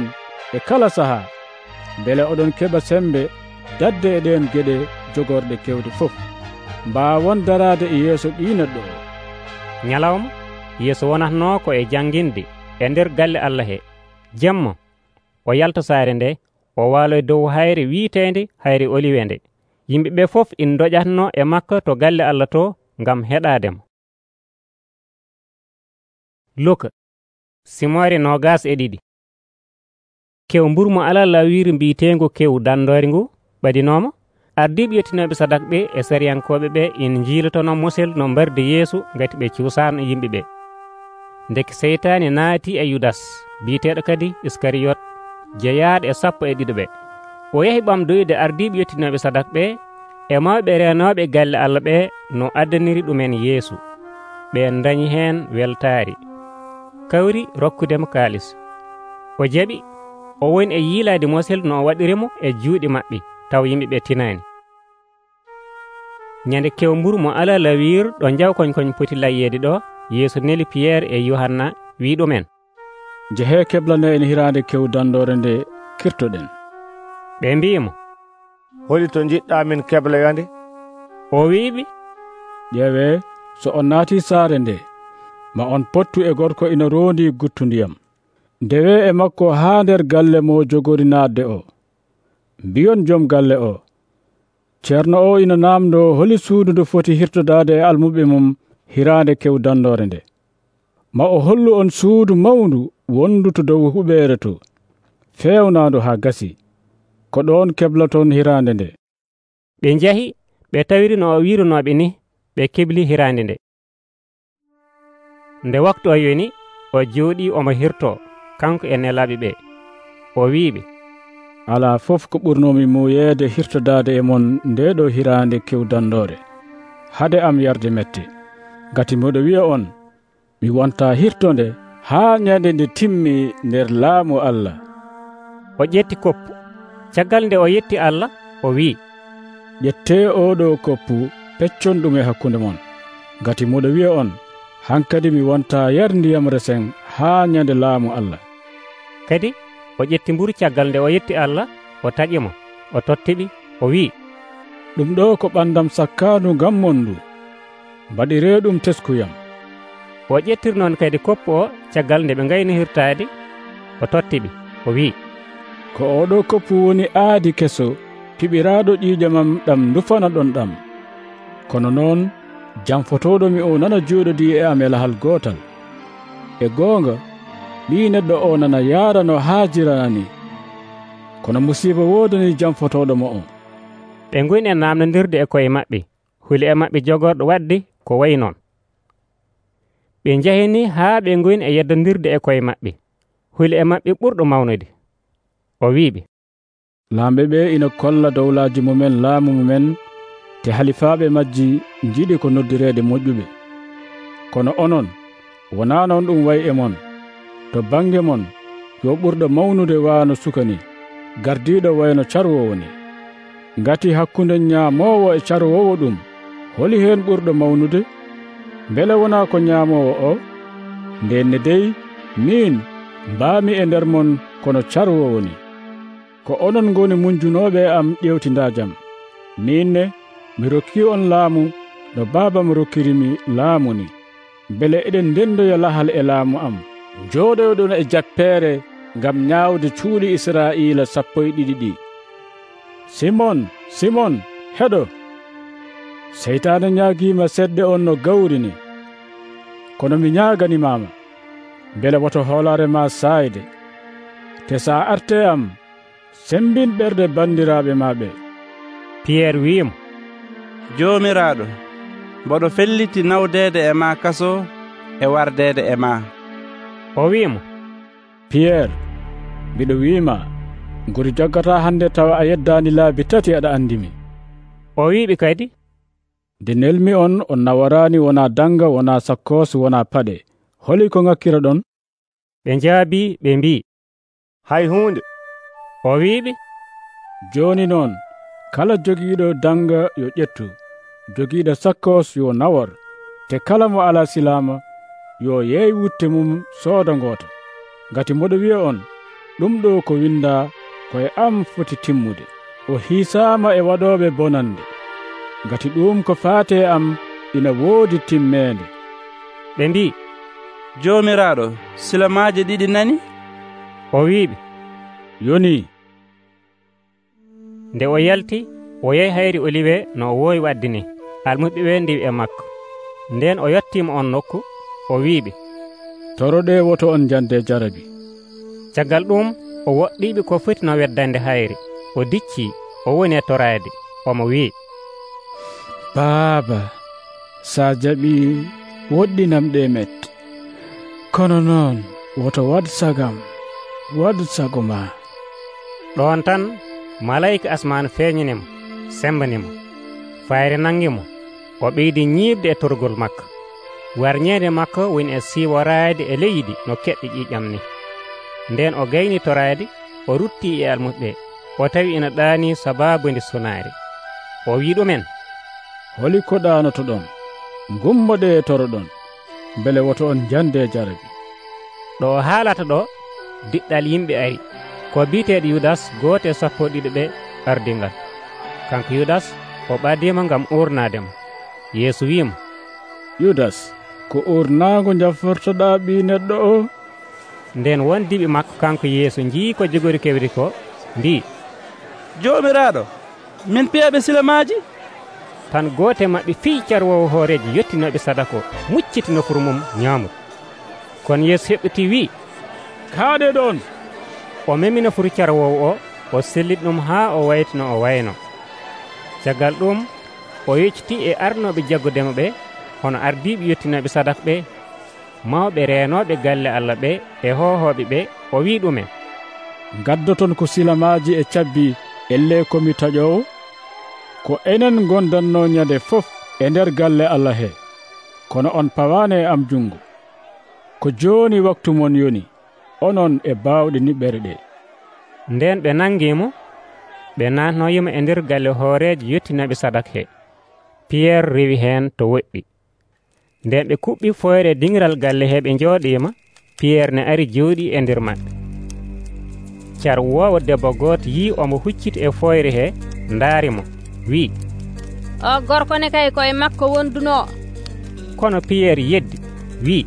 e kala sahaa, mbele oɗon keɓa sembe dadde e ɗeen geɗe jogorɗe kewde fof, mbaawon daraade e yeeso ɓii neɗɗo o. Ñalawma Yeesu wonatnoo ko e jannginde e nder galle Allah he. Jemma o yalta saare nde, o waalo dow hayre wiiteende hayre oliwende. Yimɓe ɓe fof ina ndoƴatno e makko to galle Allah to ngam heɗaademo. Luka simoore nogas e ɗiɗi. Kew mburu mo alaa laawiri mbiyeteengo kew dandoore ngu ɓadinooma. Ardiiɓe yettinooɓe sadak ɓe e sariyankooɓe ɓe ina njiilotono musel no mbarde Yeesu ngati ɓe cuusaano yimɓe ɓe. Ndeke seytaane naatii e Yudas biyeteeɗo kadi Iskariyot, jeyaaɗo e sappo e ɗiɗo ɓe. O yahi ɓamdoyde ardiiɓe yettinooɓe sadak ɓe e mawɓe reenooɓe galle Allah ɓe no addaniri ɗumen Yeesu. Ɓen dañi heen weltaari, kawri rokkudemo kaalis. O jaɓi, o woni e yiilaade mosel no o waɗirimo e juuɗe maɓɓe, taw yimɓe ɓe tinaani. Ñande kew mburu mo alaa laawir ɗo jaw koñ koñ poti layyeede ɗo, Yeesu neli Piyerre e Yohanna wi ɗumen, jehee keblane en hiraande kew dandoore nde kirtoɗen. Ɓe mbi'imo, holi to jiɗɗa min kebloyande? O wi'iɓe, ƴeewee, so on naatii saare nde, ma on pottu e gorko ina roondi guttu ndiyam. Ndewe e makko haa nder galle mo jogori naatde o. Mbiyon jom galle o, ceerno o ina naamdo holi suudu ndu foti hirtodaade e almuɓe mum hiraande kew dandoore nde. Ma o hollu on suudu mawndu wondu to dow huɓeere to, feewnaandu haa gasi, ko ɗoon keblaton hiraande nde. Ɓe njahi, ɓe tawiri no o wiiranooɓe ni, ɓe kebli hiraande nde. Nde waktu o yoni, o jooɗii omo hirtoo, kanko e nelaaɓe ɓe. O wi'iɓe, alaa fof ko ɓurnoomi muuyeede hirtodaade e mon nde ɗo hiraande kew dandoore, hade am yarde mette, ngati moɗo wi'a on, mi wontaa hirtonde haa ñande nde timmi nder laamu Allah. O ƴetti koppu. Caggal nde o yetti Allah, o wi'i, ƴettee oɗo koppu peccon ɗum e hakkunde mon, ngati moɗo wi'a on, hankadi mi wontaa yar ndiyam resen haa ñande laamu Allah. Kadi o ƴetti mburu caggal nde o yetti Allah, o taƴimo, o tottiɓi, o wi'i, ɗum ɗo ko ɓandam sakkaandu ngam mon ndu, mbaɗiree ɗum teskuyam. O ƴettir noon kadi koppu o caggal nde ɓe ngayni hirtaade, o tottiɓi, o wi'i, ko oɗo koppu woni aadi keso piɓiraaɗo ƴiiƴamam ɗam ndufana ɗon ɗam. Kono noon jamfotoɗomi o nana jooɗodii e am e lahal gootal. E goonga ɓii neɗɗo o nana yaara no haajirani, kono musiiba woodani jamfotoɗomo o. Ɓe ngoni e naamnondirde e koye maɓɓe, huli e maɓɓe jogorɗo waɗde ko wayi noon. Ɓe njahini haa ɓe ngoni e yeddondirde e koye maɓɓe, huli e maɓɓe ɓurɗo mawnude. O wi'iɓe, laamɓe ɓe ina kolla dowlaaji mumen laamu mumen, te halifaaɓe majji njiɗi ko noddireede moƴƴuɓe. Kono onon wonaa noon ɗum wayi e mon. To baŋnge mon yo ɓurɗo mawnude waano sukani, gardiiɗo wayno carwowo ni. Ngati hakkunde ñaamoowo e carwowo ɗum, holi heen ɓurɗo mawnude? Mbele wonaa ko ñaamoowo o? Ndenne dey min mbaami e nder mon kono carwowo ni. Ko onon ngoni munjunooɓe am ƴewtindaa jam. Min ne mi rokki on laamu no baabam rokkirimi laamu ni, bele eɗen ndendoya lahal e laamu am, jooɗoyɗon e jappeere ngam ñaawde cuuli Israa'iila sappo e ɗiɗi ɗi. Simon, Simon, heɗo! Seytaane ñaagiima seɗɗe on no gawri ni. Kono mi ñaaganimaama, bele woto hoolare ma saayde. Te saa arte am, sembin ɓerɗe bandiraaɓe maaɓe. Piyerre wi'imo, Joomiraaɗo, mboɗo felliti nawdeede e ma kaso e wardeede e ma. O wi'imo, Piyerre, mbiɗo wiima, ngori joggata hande tawa a yeddaani laabi tati aɗa andimi. O wi'iɓe kadi, nde nelmi on on nawaraani wonaa danga, wonaa sakkoosi, wonaa paɗe. Holi ko ngakkira ɗon? Ɓe njaabi ɓe mbi, hay huunde. O wi'iɓe, jooni noon kala jogiiɗo danga yo ƴettu, jogiiɗo sakkoos yo nawor, te kala mo alaa silaama yo yeey wutte mum sooda ngoota. Ngati mboɗo wi'a on, ɗum ɗo ko windaa koye am foti timmude. O hiisaama e waɗooɓe bonande, ngati ɗum ko faate am ina woodi timmeende. Ɓe mbi, Joomiraaɗo, silamaaje ɗiɗi nani? O wi'iɓe, yoni. Nde o yalti, o yehi hayri Oliwe no o woowi wadde ni. Almuɓe ɓe ndiwi e makko. Nden o yettiima on nokku, o wi'iɓe, toroɗe woto on jande jarabi. Caggal ɗum o woɗɗiiɓe ko foti no weddande hayri. O diccii, o woni e toraade, omo wi'i, Baaba, sa jaɓi woɗɗinam ɗe mette. Kono noon woto wad sagam, wad sago ma. Ɗon tan malayika asman feeñinimo, sembanimo. Fayre nangimo, o ɓeydi ñiibde e torgol makko. Warñeede makko woni e siiworaade e leydi no keɗɗi ƴiiƴam ni. Nden o gayni toraade, o ruttii e almuɓe, o tawi ina ɗaani sabaabude sunaare. O wi ɗumen, holi ko ɗaanoto ɗon, gummoɗe e toroɗon, bele woto on jande jarabi. Ɗo o haalata ɗo, diɗɗal yimɓe ari, ko biiteeɗo Yudas, gooto e sappo ɗiɗi ɓe ardingal. Kanko Yudas o ɓadiima ngam uurnaademo. Yeesu wiimo, Yudas, ko uurnaago jaffortoɗaa ɓii neɗɗo o? Nden wondiɓe makko kanko Yeesu njii ko jogori kewri ko, mbi, Joomiraaɗo, min piyaɓe silamaaji? Tan gooto e maɓɓe fii carwowo hooreji yettinoɓe sadako mucciti nofuru mum ñaamude. Kono Yeesu heɓɓiti wii, kaaɗe ɗon. O memi nofuru carwowo o, o selliti ɗum haa o wayti no o wayno. Caggal ɗum o yeccitii e arnoɓe jaggudemo ɓe, hono ardiiɓe yettinoɓe sadaka ɓe, mawɓe reenooɓe galle Allah ɓe e hohooɓe ɓe. O wii ɗumen, gaddoton ko silamaaji e cabbi elle komi taƴowo, ko enen gondanno ñande fof e nder galle Allah he, kono on pawaane e am jungo. Ko jooni waktu mon yoni, onon e baawɗe niɓɓere ɗe. Nden ɓe nangiimo, ɓe naatnoyimo e nder galle hooreejo yettinoɓe sadaka he. Piyerre rewi heen to woɗɗi. Nden ɓe kuɓɓi foyre dingiral galle he ɓe njooɗiima, Piyerre ne ari jooɗii e nder maɓɓe. Car woowo debbo gooto yii omo hucciti e foyre he, ndaarimo, wii, o gorko ne kay koye makko wondunoo. Kono Piyerre yeddi, wii,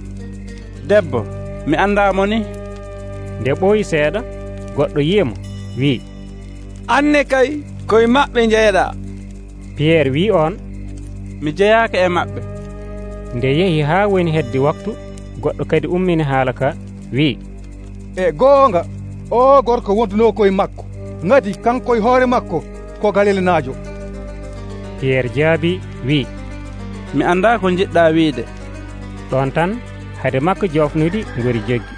debbo, mi anndaamo ni. Nde ɓooyi seeɗa, goɗɗo yi'imo, wii, anne kay koye maɓɓe jeeɗaa. Piyerre wii on, mi jeyaaka e maɓɓe. Nde yehi haa woni heddi waktu, goɗɗo kadi ummini haala ka, wii, e goonga o gorko wondunoo koye makko, ngati kanko e hoore makko ko Galilanaajo. Piyerre jaabi, wii, mi anndaa ko jiɗɗaa wiide. Ɗon tan hade makko joofnude ngori joggi.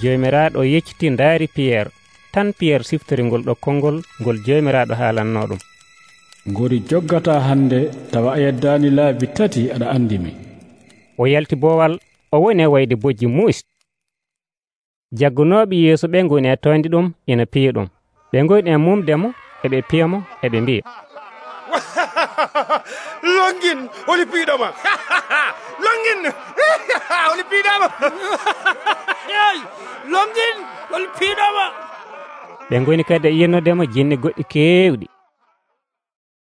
Joomiraaɗo yecciti ndaari Piyerre, tan Piyerre siftori ngol ɗokkol ngol ngol joomiraaɗo haalanno ɗum. Ngori joggata hande tawa a yeddaani laabi tati aɗa andimi. O yalti boowal, o woni e wayde bojji muusi. Jaggunooɓe Yeesu ɓe ngoni e toonde ɗum ina piya ɗum. Ɓe ngoni e mumdemo eɓe piyamo eɓe mbiya, longin holi piiɗoma. Longin holi piiɗoma. Longin holi piiɗoma. Ɓe ngoni kadi e yennodemo jinne goɗɗi keewɗi.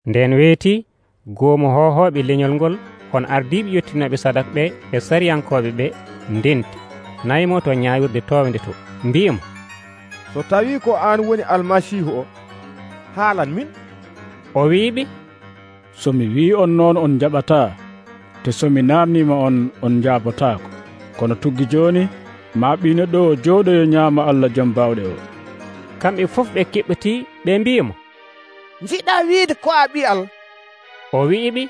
Nden weeti, goomu hohooɓe leñol ngol hono ardiiɓe yettinoɓe sadak ɓe e sariyankooɓe ɓe ndenti nayimo to ñaawirde toowde to mbi'imo, so tawi ko an woni almasihu o, haalan min. O wi'iɓe, so mi wi on noon on jaɓataa, te so mi namnima on on jaabotaako. Kono tuggi joni ma ɓii neɗɗo o jooɗoyo ñaama Allah Jom Bawɗe o. Kamɓe fof ɓe keɓɓiti ɓe mbiyimo, njiɗa wiide ko a ɓi Allah? O wi'iɓe,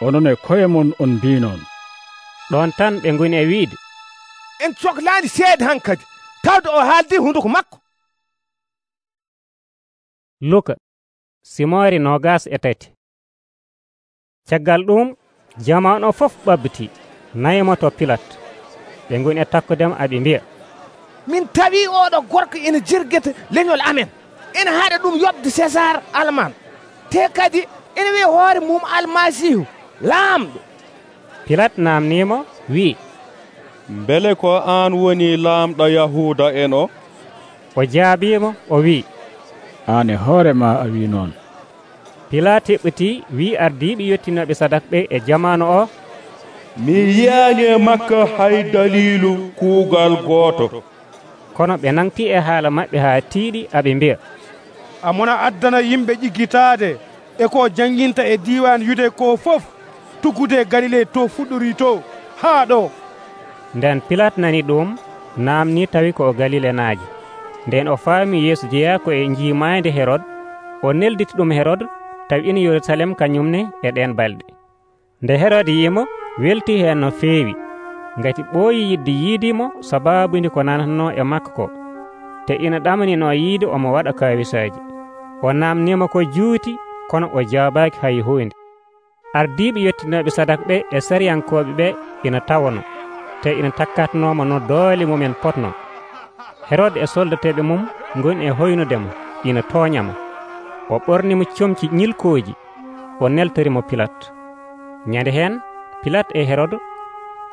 onon e koye mon on mbi noon. Ɗon tan ɓe ngoni e wiide, en cohlaani seede han kadi tawde o haaldi hunduko makko. Luka simoore nogas e tati. Caggal ɗum jamanu o fof ɓabbiti nayimo to Pilat. Ɓe ngoni e takkudema aɓe mbiya, min tawi oɗo gorko ina jirguete leñol amen, ina haɗa ɗum yobde César alman, te kadi ina wiya hoore mum almasihu laamɗo. Pilat namnimo wi, mbele ko an woni laamɗo Yahuda en o? O jaabimo o wi, an e hoore ma a wi noon. Pilat heɓɓiti wi ardiiɓe yettinoɓe sadak ɓe e jamanu o, mi yiyaani e makko hay dalilu kuugal gooto. Kono ɓe nangti e haala maɓɓe haa tiiɗi aɓe mbiya, amona addana yimɓe ƴiggitaade e ko janginta e diwan yude ko fof tuggude Galile to fuɗɗori to haa ɗo. Nden Pilat nani ɗum namni tawi ko o Galile naaji. Nden o faami Yeesu jeya ko e njiimaande Herod, o nelditi ɗum Herod tawi ina Yerusalem kañumne e ɗen balɗe. Nde Herod yimo welti heen no feewi, ngati ɓooyi yidde yiidimo sabaabude ko nanatno e makko ko, te ina ɗamanino yiide omo waɗa kawisaaji. O namnima ko juuti, kono o jaabaaki hay huunde. Ardiiɓe yettinoɓe sadak ɓe e sariyankooɓe ɓe ina tawano, te ina takkatnoma no doole mumen potno. Herod e soldateɓe mum ngoni e hoynudemo ina tooñamo. O ɓornimo comci ñilkooji, o neltorimo Pilat. Ñande heen Pilat e Herod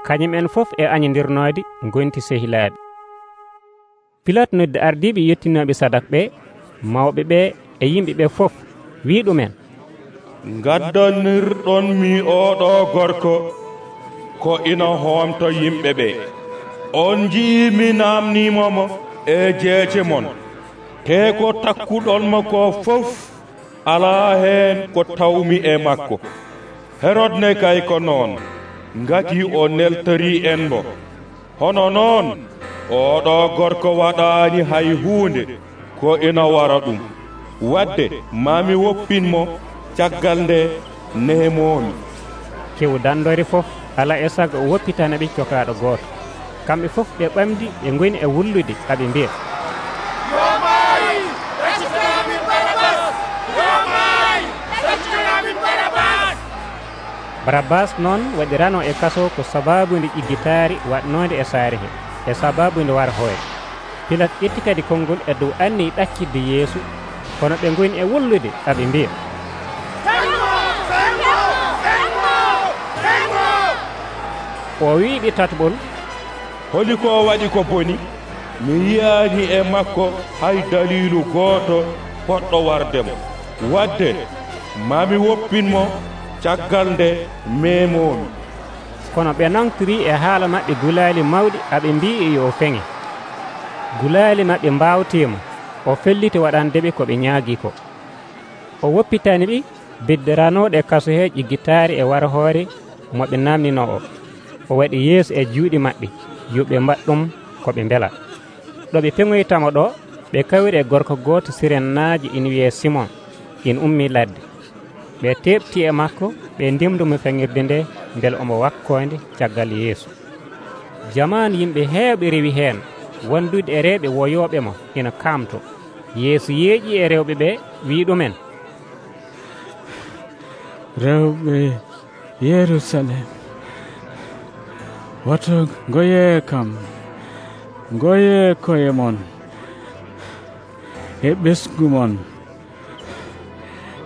kañum en fof e añodirnoode gonti sehilaaɓe. Pilat noddi ardiiɓe yettinoɓe sadak ɓe, mawɓe ɓe e yimɓe ɓe fof, wi ɗumen, gaddanirɗon mi oɗo gorko ko ina hoomto yimɓe ɓe. On jii mi namnimomo e jeece mon, te ko takkuɗonmo ko fof alaa heen ko tawmi e makko. Herod ne kay ko noon, ngati o neltori en mo. Hono noon oɗo gorko waɗaani hay huunde ko ina wara ɗum. Wadde mami woppinmo caggal nde nemomi. Kew dandori fof ala e sago o woppitana ɓe cokaaɗo gooto. Kamɓe fof ɓe ɓamdi ɓe ngoni e wullude aɓe mbiya, Barabas noon waɗirano e kaso ko sababude ƴiggitaari waɗnode e saare he e sababude war hoore. Pilat ƴetti kadi konngol e dow anni ɗakkidde Yeesu, kono ɓe ngoni e wullude aɓe mbiya, o wiiɓe tatɓol, holi ko waɗi ko boni? Mi yiyaani e makko hay dalilu gooto poɗɗo wardemo. Wadde mami woppinmo caggal nde memomi. Kono ɓe nangtori e haala maɓɓe gulaali mawɗi aɓe mbii yo feŋe. Gulaali maɓɓe mbawtima, o felliti waɗandeɓe ko ɓe ñaagi ko. O woppitani ɓe beddaranoɗe kaso he ƴiggitaari e wara hoore mo ɓe namnino o. O waɗi yeeso e juuɗe maɓɓe yo ɓe mbaɗ ɗum ko ɓe mbela. ɗo ɓe peŋoytamo ɗo ɓe kawri e gorko gooto sirennaaji ina wiye Simon, ina ummi ladde. ɓe teɓti e makko ɓe ndemdumo feŋirde nde mbele omo wakkoonde caggal Yeesu. Jamanu yimɓe heewɓe rewi heen wondude e rewɓe woyooɓe mo ina kaamto. Yeesu yeeƴi e rewɓe ɓe wi ɗumen, rewɓe Yerusalem, woto ngoye kam, ngoye koye mon e ɓesgu mon,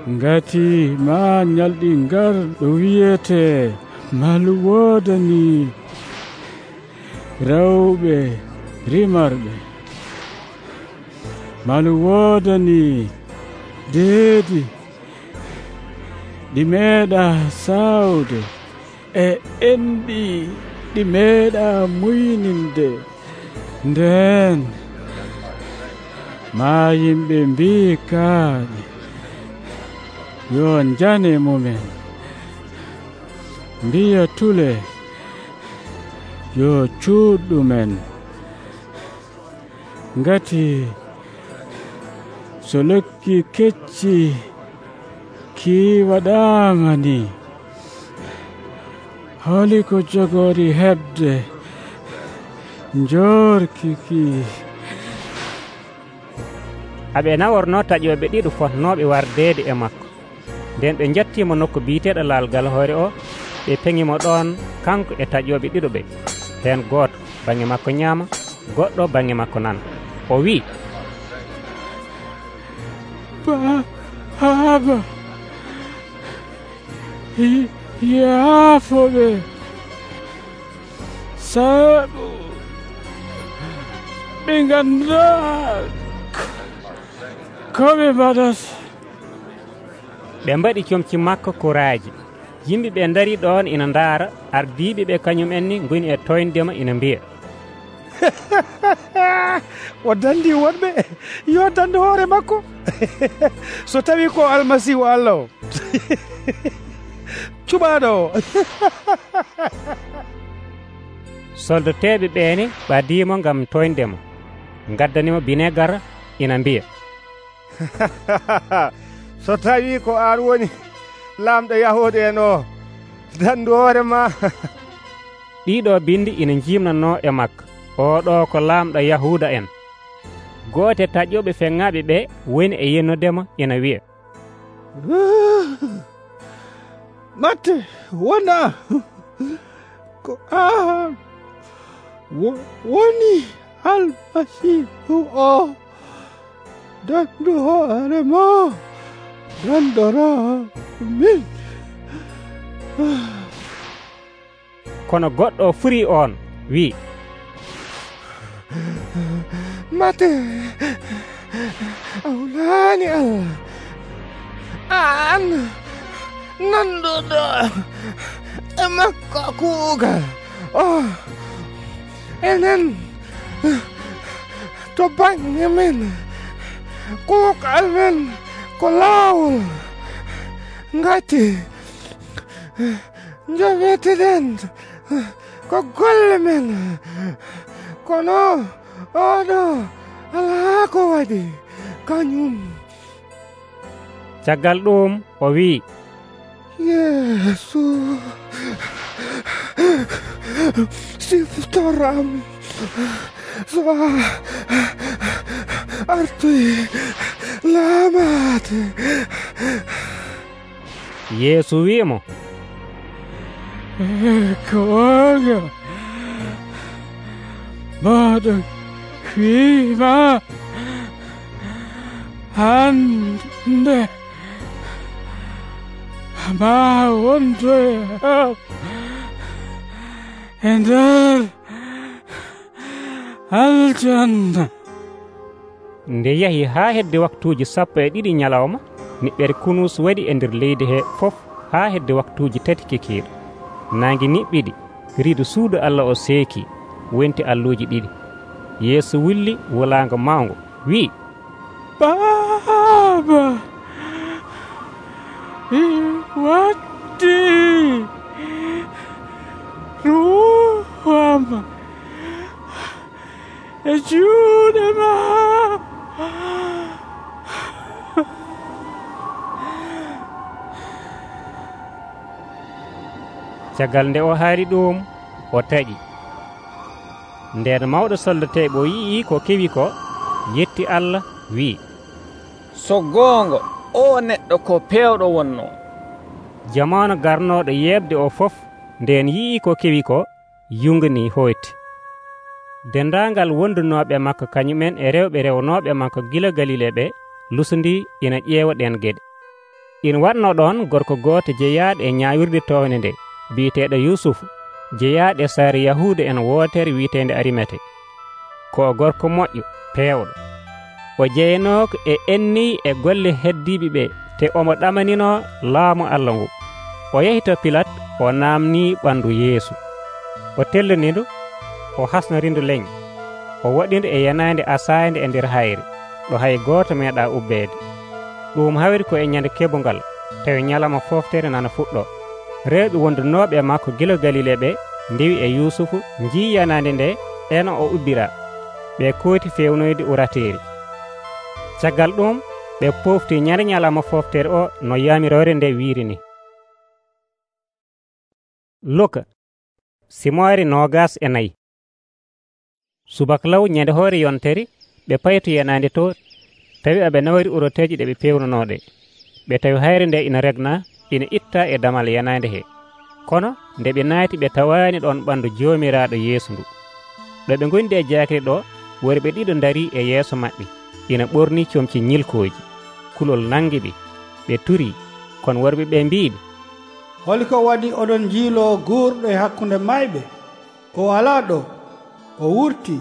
ngati ma ñalɗi ngar ɗo wiyete malu woodani rewɓe rimarɓe, malu woodani deedi ɗi meeɗa sawde e enɗi ɗi meeɗa muyninde. Nden maa yimɓe mbii kaaɗi yo njane mumen, mbiya tule yo cuuɗɗumen, ngati so lekki kecci kii waɗaama ni, holi ko jogori heɓde njorkiki. aɓe naworno taƴoɓe ɗiɗo fotnoɓe wardeede e makko. nden ɓe jettimo nokku biiteɗo laalgal hoore o, ɓe peŋimo ɗon kanko e taƴoɓe ɗiɗo ɓe, heen gooto bange makko ñaama, goɗɗo bange makko nana. O wi, Baaba, yaafoɓe, sabu ɓe nganndaa ko ɓe mbaɗata. ɓe mbaɗi comci makko kuraaji. yimɓe ɓe ndari ɗon ina ndaara, ardiiɓe ɓe kañum en ni ngoni e toyndema ina mbiya, o dandi wonɓe yo dande hoore makko so tawi ko almasihu Allah o cuɓaɗo o. soldateɓe ɓeene ɓadimo ngam toyndemo, gaddanimo binegar, ina mbiya, so tawi ko an woni lamɗo yahude en o, dandu hoore ma. ɗiɗo bindi ina jimnano e makko, oɗo ko lamɗo yahuda en. goote taƴoɓe feŋŋaɓe ɓe woni e yennudemo, ina wiya, matte wona ko an woni almasihu o, dandu hoore ma dandora min. kono goɗɗo furi on wi, mate awlaani Allah, an nanduɗo e makko kuugal o, enen to bange men kuugal men ko laawol, ngati joweteden ko golle men, kono oɗo alaa ko waɗi kañum. caggal ɗum o wi, Yeesu, siftoram so a artoy laamate. Yeesu wi'imo, koga maɗa wiima hande ma wondoya e nder aljanna. nde yahi haa hedde waktuuji sappo e ɗiɗi ñalawma, niɓɓere kunus waɗi e nder leydi he fof haa hedde waktuuji tati kekiiɗo. naangi niɓɓiɗi, riidu suudu Allah o seeki, wonti alluuji ɗiɗi. Yeesu wulli wulaango mawngo wi, Baaba, mi waddi ruham e juuɗe ma. caggal nde o haali ɗum, o taƴi. nden mawɗo soldateɓe o yii ko kewi ko, yetti Allah wi, so goonga o neɗɗo ko pewɗo wonno. jamanu garnoɗo yebde o fof nden yii ko kewi ko, yungani hoyti. dendaangal wondunoɓe makko kañumen e rewɓe rewnoɓe makko gila Galile ɓe lusundi ina ƴeewa ɗen geɗe. ina watno ɗon gorko gooto jeyaɗo e ñaawirde towne nde, biyeteɗo Yusufu, jeyaɗo e saare Yahuuda en wootere wiitende Arimete, ko gorko moƴƴo peewɗo. o jeyanoko e enni e golle heddiɓe ɓe te omo ɗamanino laamu Allah ngu. O yehi to Pilat o naamni ɓandu Yeesu. O tellonindu, o hasnorindu leñ, o waɗindu e yanande asayde e nder hayre ɗo hay gooto meeɗa ubbeede. Ɗum hawri ko e ñande keɓungal, tawi ñalawma foftere nana fuɗɗo. Rewɓe wondunooɓe e makko gila Galile ɓe ndewi e Yusufu njii yanande nde eno o ubbira. Ɓe kooti fewnoyde urateeri. Caggal ɗum ɓe pofti ñande ñalawma foftere o no yamirore nde wiiri ni. Luka simoore nogas e nayi. Subaka law ñande hoore yontere ɓe payto yanande to tawi aɓe nawari uroteeji ɗe ɓe pewnanooɗe. Ɓe tawi hayre nde ina regna, ina itta e damal yanande he. Kono nde ɓe naati ɓe tawaani ɗon ɓandu Joomiraaɗo Yeesu ndu. Ɗo ɓe ngondi e jaakiri ɗo, worɓe ɗiɗo ndarii e yeeso maɓɓe, ina ɓornii comci ñilkooji. Kulol nangi ɓe, ɓe turii, kono worɓe ɓe mbiiɓe, holi ko waɗi oɗon jiiloo guurɗo e hakkunde mayɓe? O alaa ɗo, o wurtii.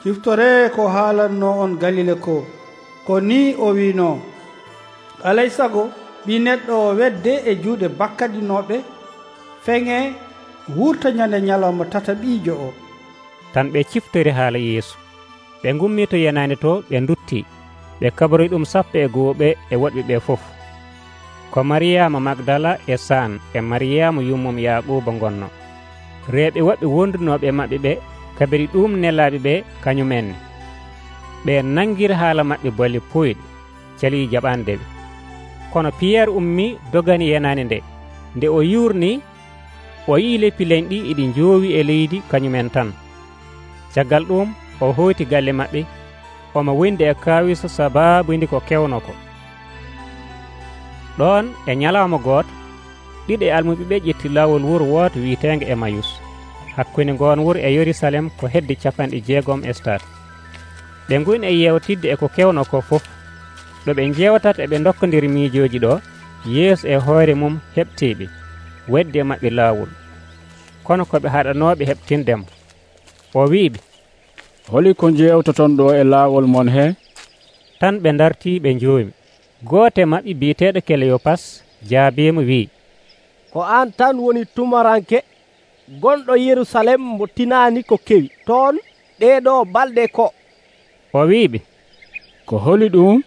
Ciftoree ko haalanno on Galile ko, ko ni o wiino, alay sago ɓii neɗɗo o wedde e juuɗe bakkadinooɓe, feŋe wurta ñande ñalawma tataɓiijo o. Tan ɓe ciftori haala Yeesu. Ɓe ngummii to yanande to ɓe nduttii, ɓe kabaroyi ɗum sappo e goo ɓe e woɗɓe ɓe fof. Ko Mariyama Magdala e San e Mariyama yummum Yaquba gonno. Reeɓe woɓɓe wondunooɓe maɓɓe ɓe kabiri ɗum nelaaɓe ɓe kañumenne. Ɓe nangiri haala maɓɓe bolle poyɗe, calii jaɓande ɓe. Kono Piyerre ummii dogani yenande nde. Nde o yuurnii, o yii leppi leñ ɗi iɗi njoowi e leydi kañumen tan. Caggal ɗum o hoyti galle maɓɓe, omo wondi e kaawiso sabaabundi ko kewno ko. Ɗon e ñalawma gooto, ɗiɗo e almuɓe ɓe ƴetti laawol wuro wooto wiiteenge Emayus, hakkunde ngoon wuro e Yerusalem ko hedde capanɗe jeegom e stat. Ɓe ngoni e yewtidde e ko kewno ko fof. Ɗo ɓe njewtata e ɓe dokkodiri miijooji ɗo, Yeesu e hoore mum heɓtiiɓe, weddi e maɓɓe laawol. Kono ko ɓe haɗanooɓe heɓtindemo. O wiiɓe, holi ko jewtoton ɗo e laawol mon he? Tan ɓe dartii ɓe njoomi. Gooto e maɓɓe biyeteeɗo Keleyopas jaabiimo wi'i, ko aan tan woni tumaranke gonɗo Yerusalem mo tinaani ko kewi toon ɗeeɗo balɗe ko. O wiiɓe, ko holi ɗum?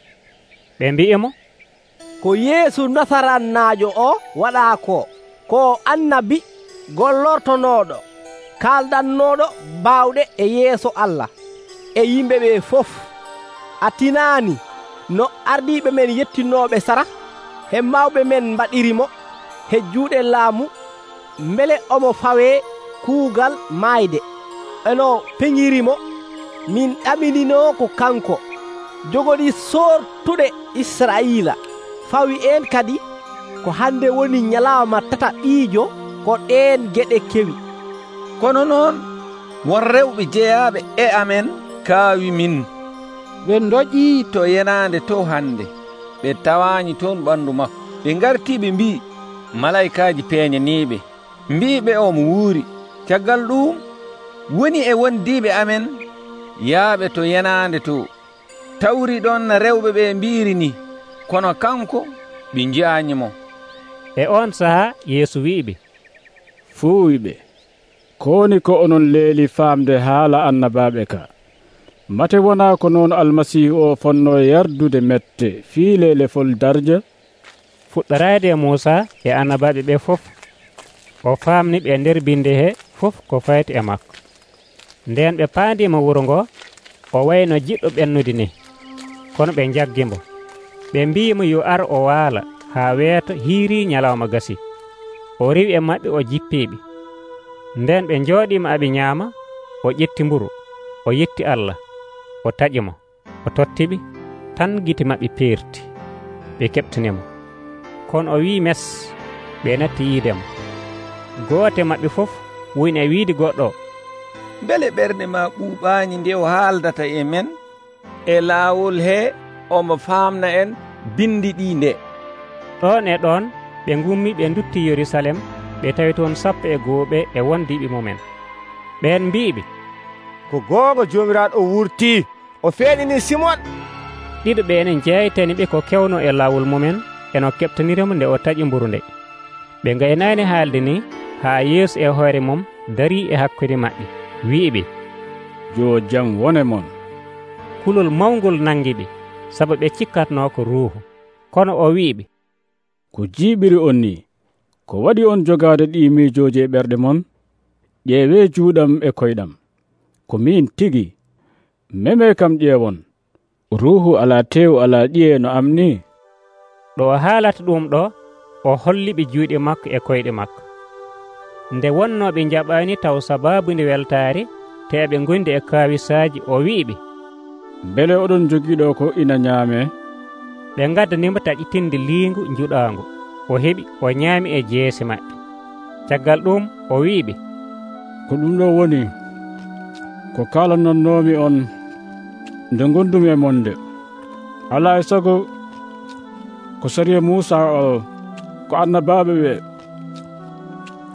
Ɓe mbi'imo, ko Yeesu Nasaranaajo o waɗaa ko, ko annabi gollortonooɗo, kaalɗannooɗo baawɗe e yeeso Allah e yimɓe ɓe fof. A tinaani no ardiiɓe men yettinooɓe sara he mawɓe men mbaɗirimo he juuɗe laamu, mbele omo fawee kuugal maayde. eno peñirimo min ɗaminino ko kanko jogoɗi sortuɗe Israila. Fawi en kadi ko hande woni ñalawma tataɓiijo ko ɗeen geɗe kewi. Kono noon won rewɓe jeyaɓe e amen kaawi min. Ɓe ndoƴii to yenande to hande, ɓe tawaani toon ɓandu makko. Ɓe ngarti ɓe mbi malaikaji peeñaniɓe, mbiɓe omo wuuri. Caggal ɗum woni e wondiɓe amen yaaɓe to yenande to, tawri ɗon rewɓe ɓe mbiri ni, kono kanko ɓe jiyañimo. E on saha Yeesu wi'iɓe, fuuwiɓe, koni ko onon leeli faamde haala annabaɓe ka. Mate wona ko noon almasihu o fonno yardude mette fii lelefol darja? Fuɗɗorade e Muusa e annabaɓe ɓe fof, o faamni ɓe nder binde he fof ko fayti e makko. Nden ɓe paandima wuro ngo, o wayno jiɗɗo ɓennude ni, kono ɓe jaggimo. Ɓe mbimo yo ar o waala haa weeto hiiri ñalawma gasi. O rewi e maɓɓe o jippiɓe. Nden ɓe njooɗima aɓe ñaama, o ƴetti mburu, o yetti Allah, o taƴimo, o tottiɓe, tan gite maɓɓe peerti. Ɓe keɓtinimo. Kono o wi mes, ɓe natti yiidemo. Goote maɓɓe fof woni e wiide goɗɗo, mbele ɓernde ma ɓuuɓaani nde o haaldata e men e laawol he omo faamna en bindi ɗi nde. Ɗon e ɗon ɓe ngummi ɓe dutti Yerusalem, ɓe tawi toon sappo e gooɓe e wondiɓe mumen. Ɓen mbiɓe, ko goonga Joomiraaɗo o wurtii, o feeñini Simon. Ɗiɗo ɓe enen jeytani ɓe ko kewno e laawol mumen, eno keɓtanirimo nde o taƴi mburu nde. Ɓe gaynaani haalde ni haa Yeesu e hoore mum darii e hakkunde maɓɓe, wi'iɓe, yo jam wone mon. kulol mawngol nangi ɓe, sabu ɓe cikkatnoo ko ruuhu. Kono o wi'iɓe, ko jiiɓiri on ni, ko waɗi on jogaade ɗi miijooji e ɓerɗe mon? ƴeewee juuɗam e koyɗam, ko min tigi. Meme kam ƴeewon, ruuhu alaa teewu alaa ƴiye no am ni. ɗo o haalata ɗum ɗo, o holliɓe juuɗe makko e koyɗe makko. Nde wonnoo ɓe jaɓaani taw sabaabude weltaare, te ɓe ngondi e kaawisaaji, o wi'iɓe, mbele oɗon jogiiɗo ko ina ñaamee? ɓe ngaddanimo taƴitinde liingu njuɗaangu. O heɓi, o ñaami e jeese maɓɓe. Caggal ɗum o wi'iɓe, ko ɗum ɗo woni ko kaalanonnoomi on nde gondumi e mon nde. Alaa e sago ko sariya Muusa o ko annabaaɓe ɓe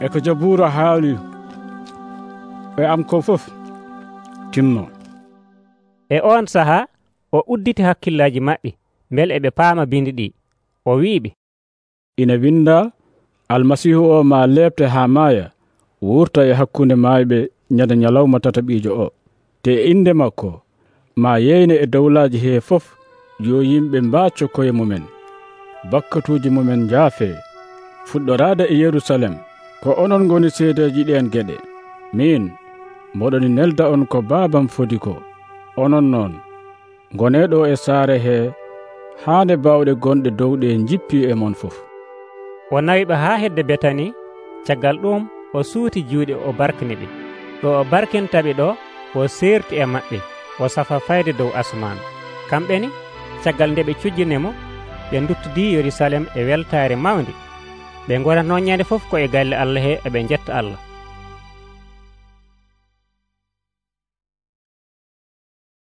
e ko Jabuura haali e am ko fof timno. E on sahaa o udditi hakkillaaji maɓɓe mbele eɓe paama bindi ɗi. O wi'iɓe, ina winda, almasihu o ma leɓte haa maaya, wurta e hakkunde maayɓe ñande ñalawma tataɓiijo o. Te inde makko ma yeyne e dowlaaji hee fof, yo yimɓe mbacco koye mumen, bakkatuuji mumen njaafe, fuɗɗoraade e Yerusalem. Ko onon ngoni seedeji ɗen geɗe. Min moɗoni nelda on ko baabam fodi ko. Onon noon ngoneɗo e saare he haande bawɗe gonɗe dow ɗe jippi e mon fof. O nawiɓe haa hedde Betani. Caggal ɗum o suuti juuɗe o barkini ɓe. ɗo o barkintaɓe ɗo o seerti e maɓɓe, o safa fayde dow asman. Kamɓe ni caggal nde ɓe cujjinemo, ɓe duttudi Yerusalem e weltaare mawde. Ɓe gonatno ñande fof ko e galle Allah he eɓe jetta Allah.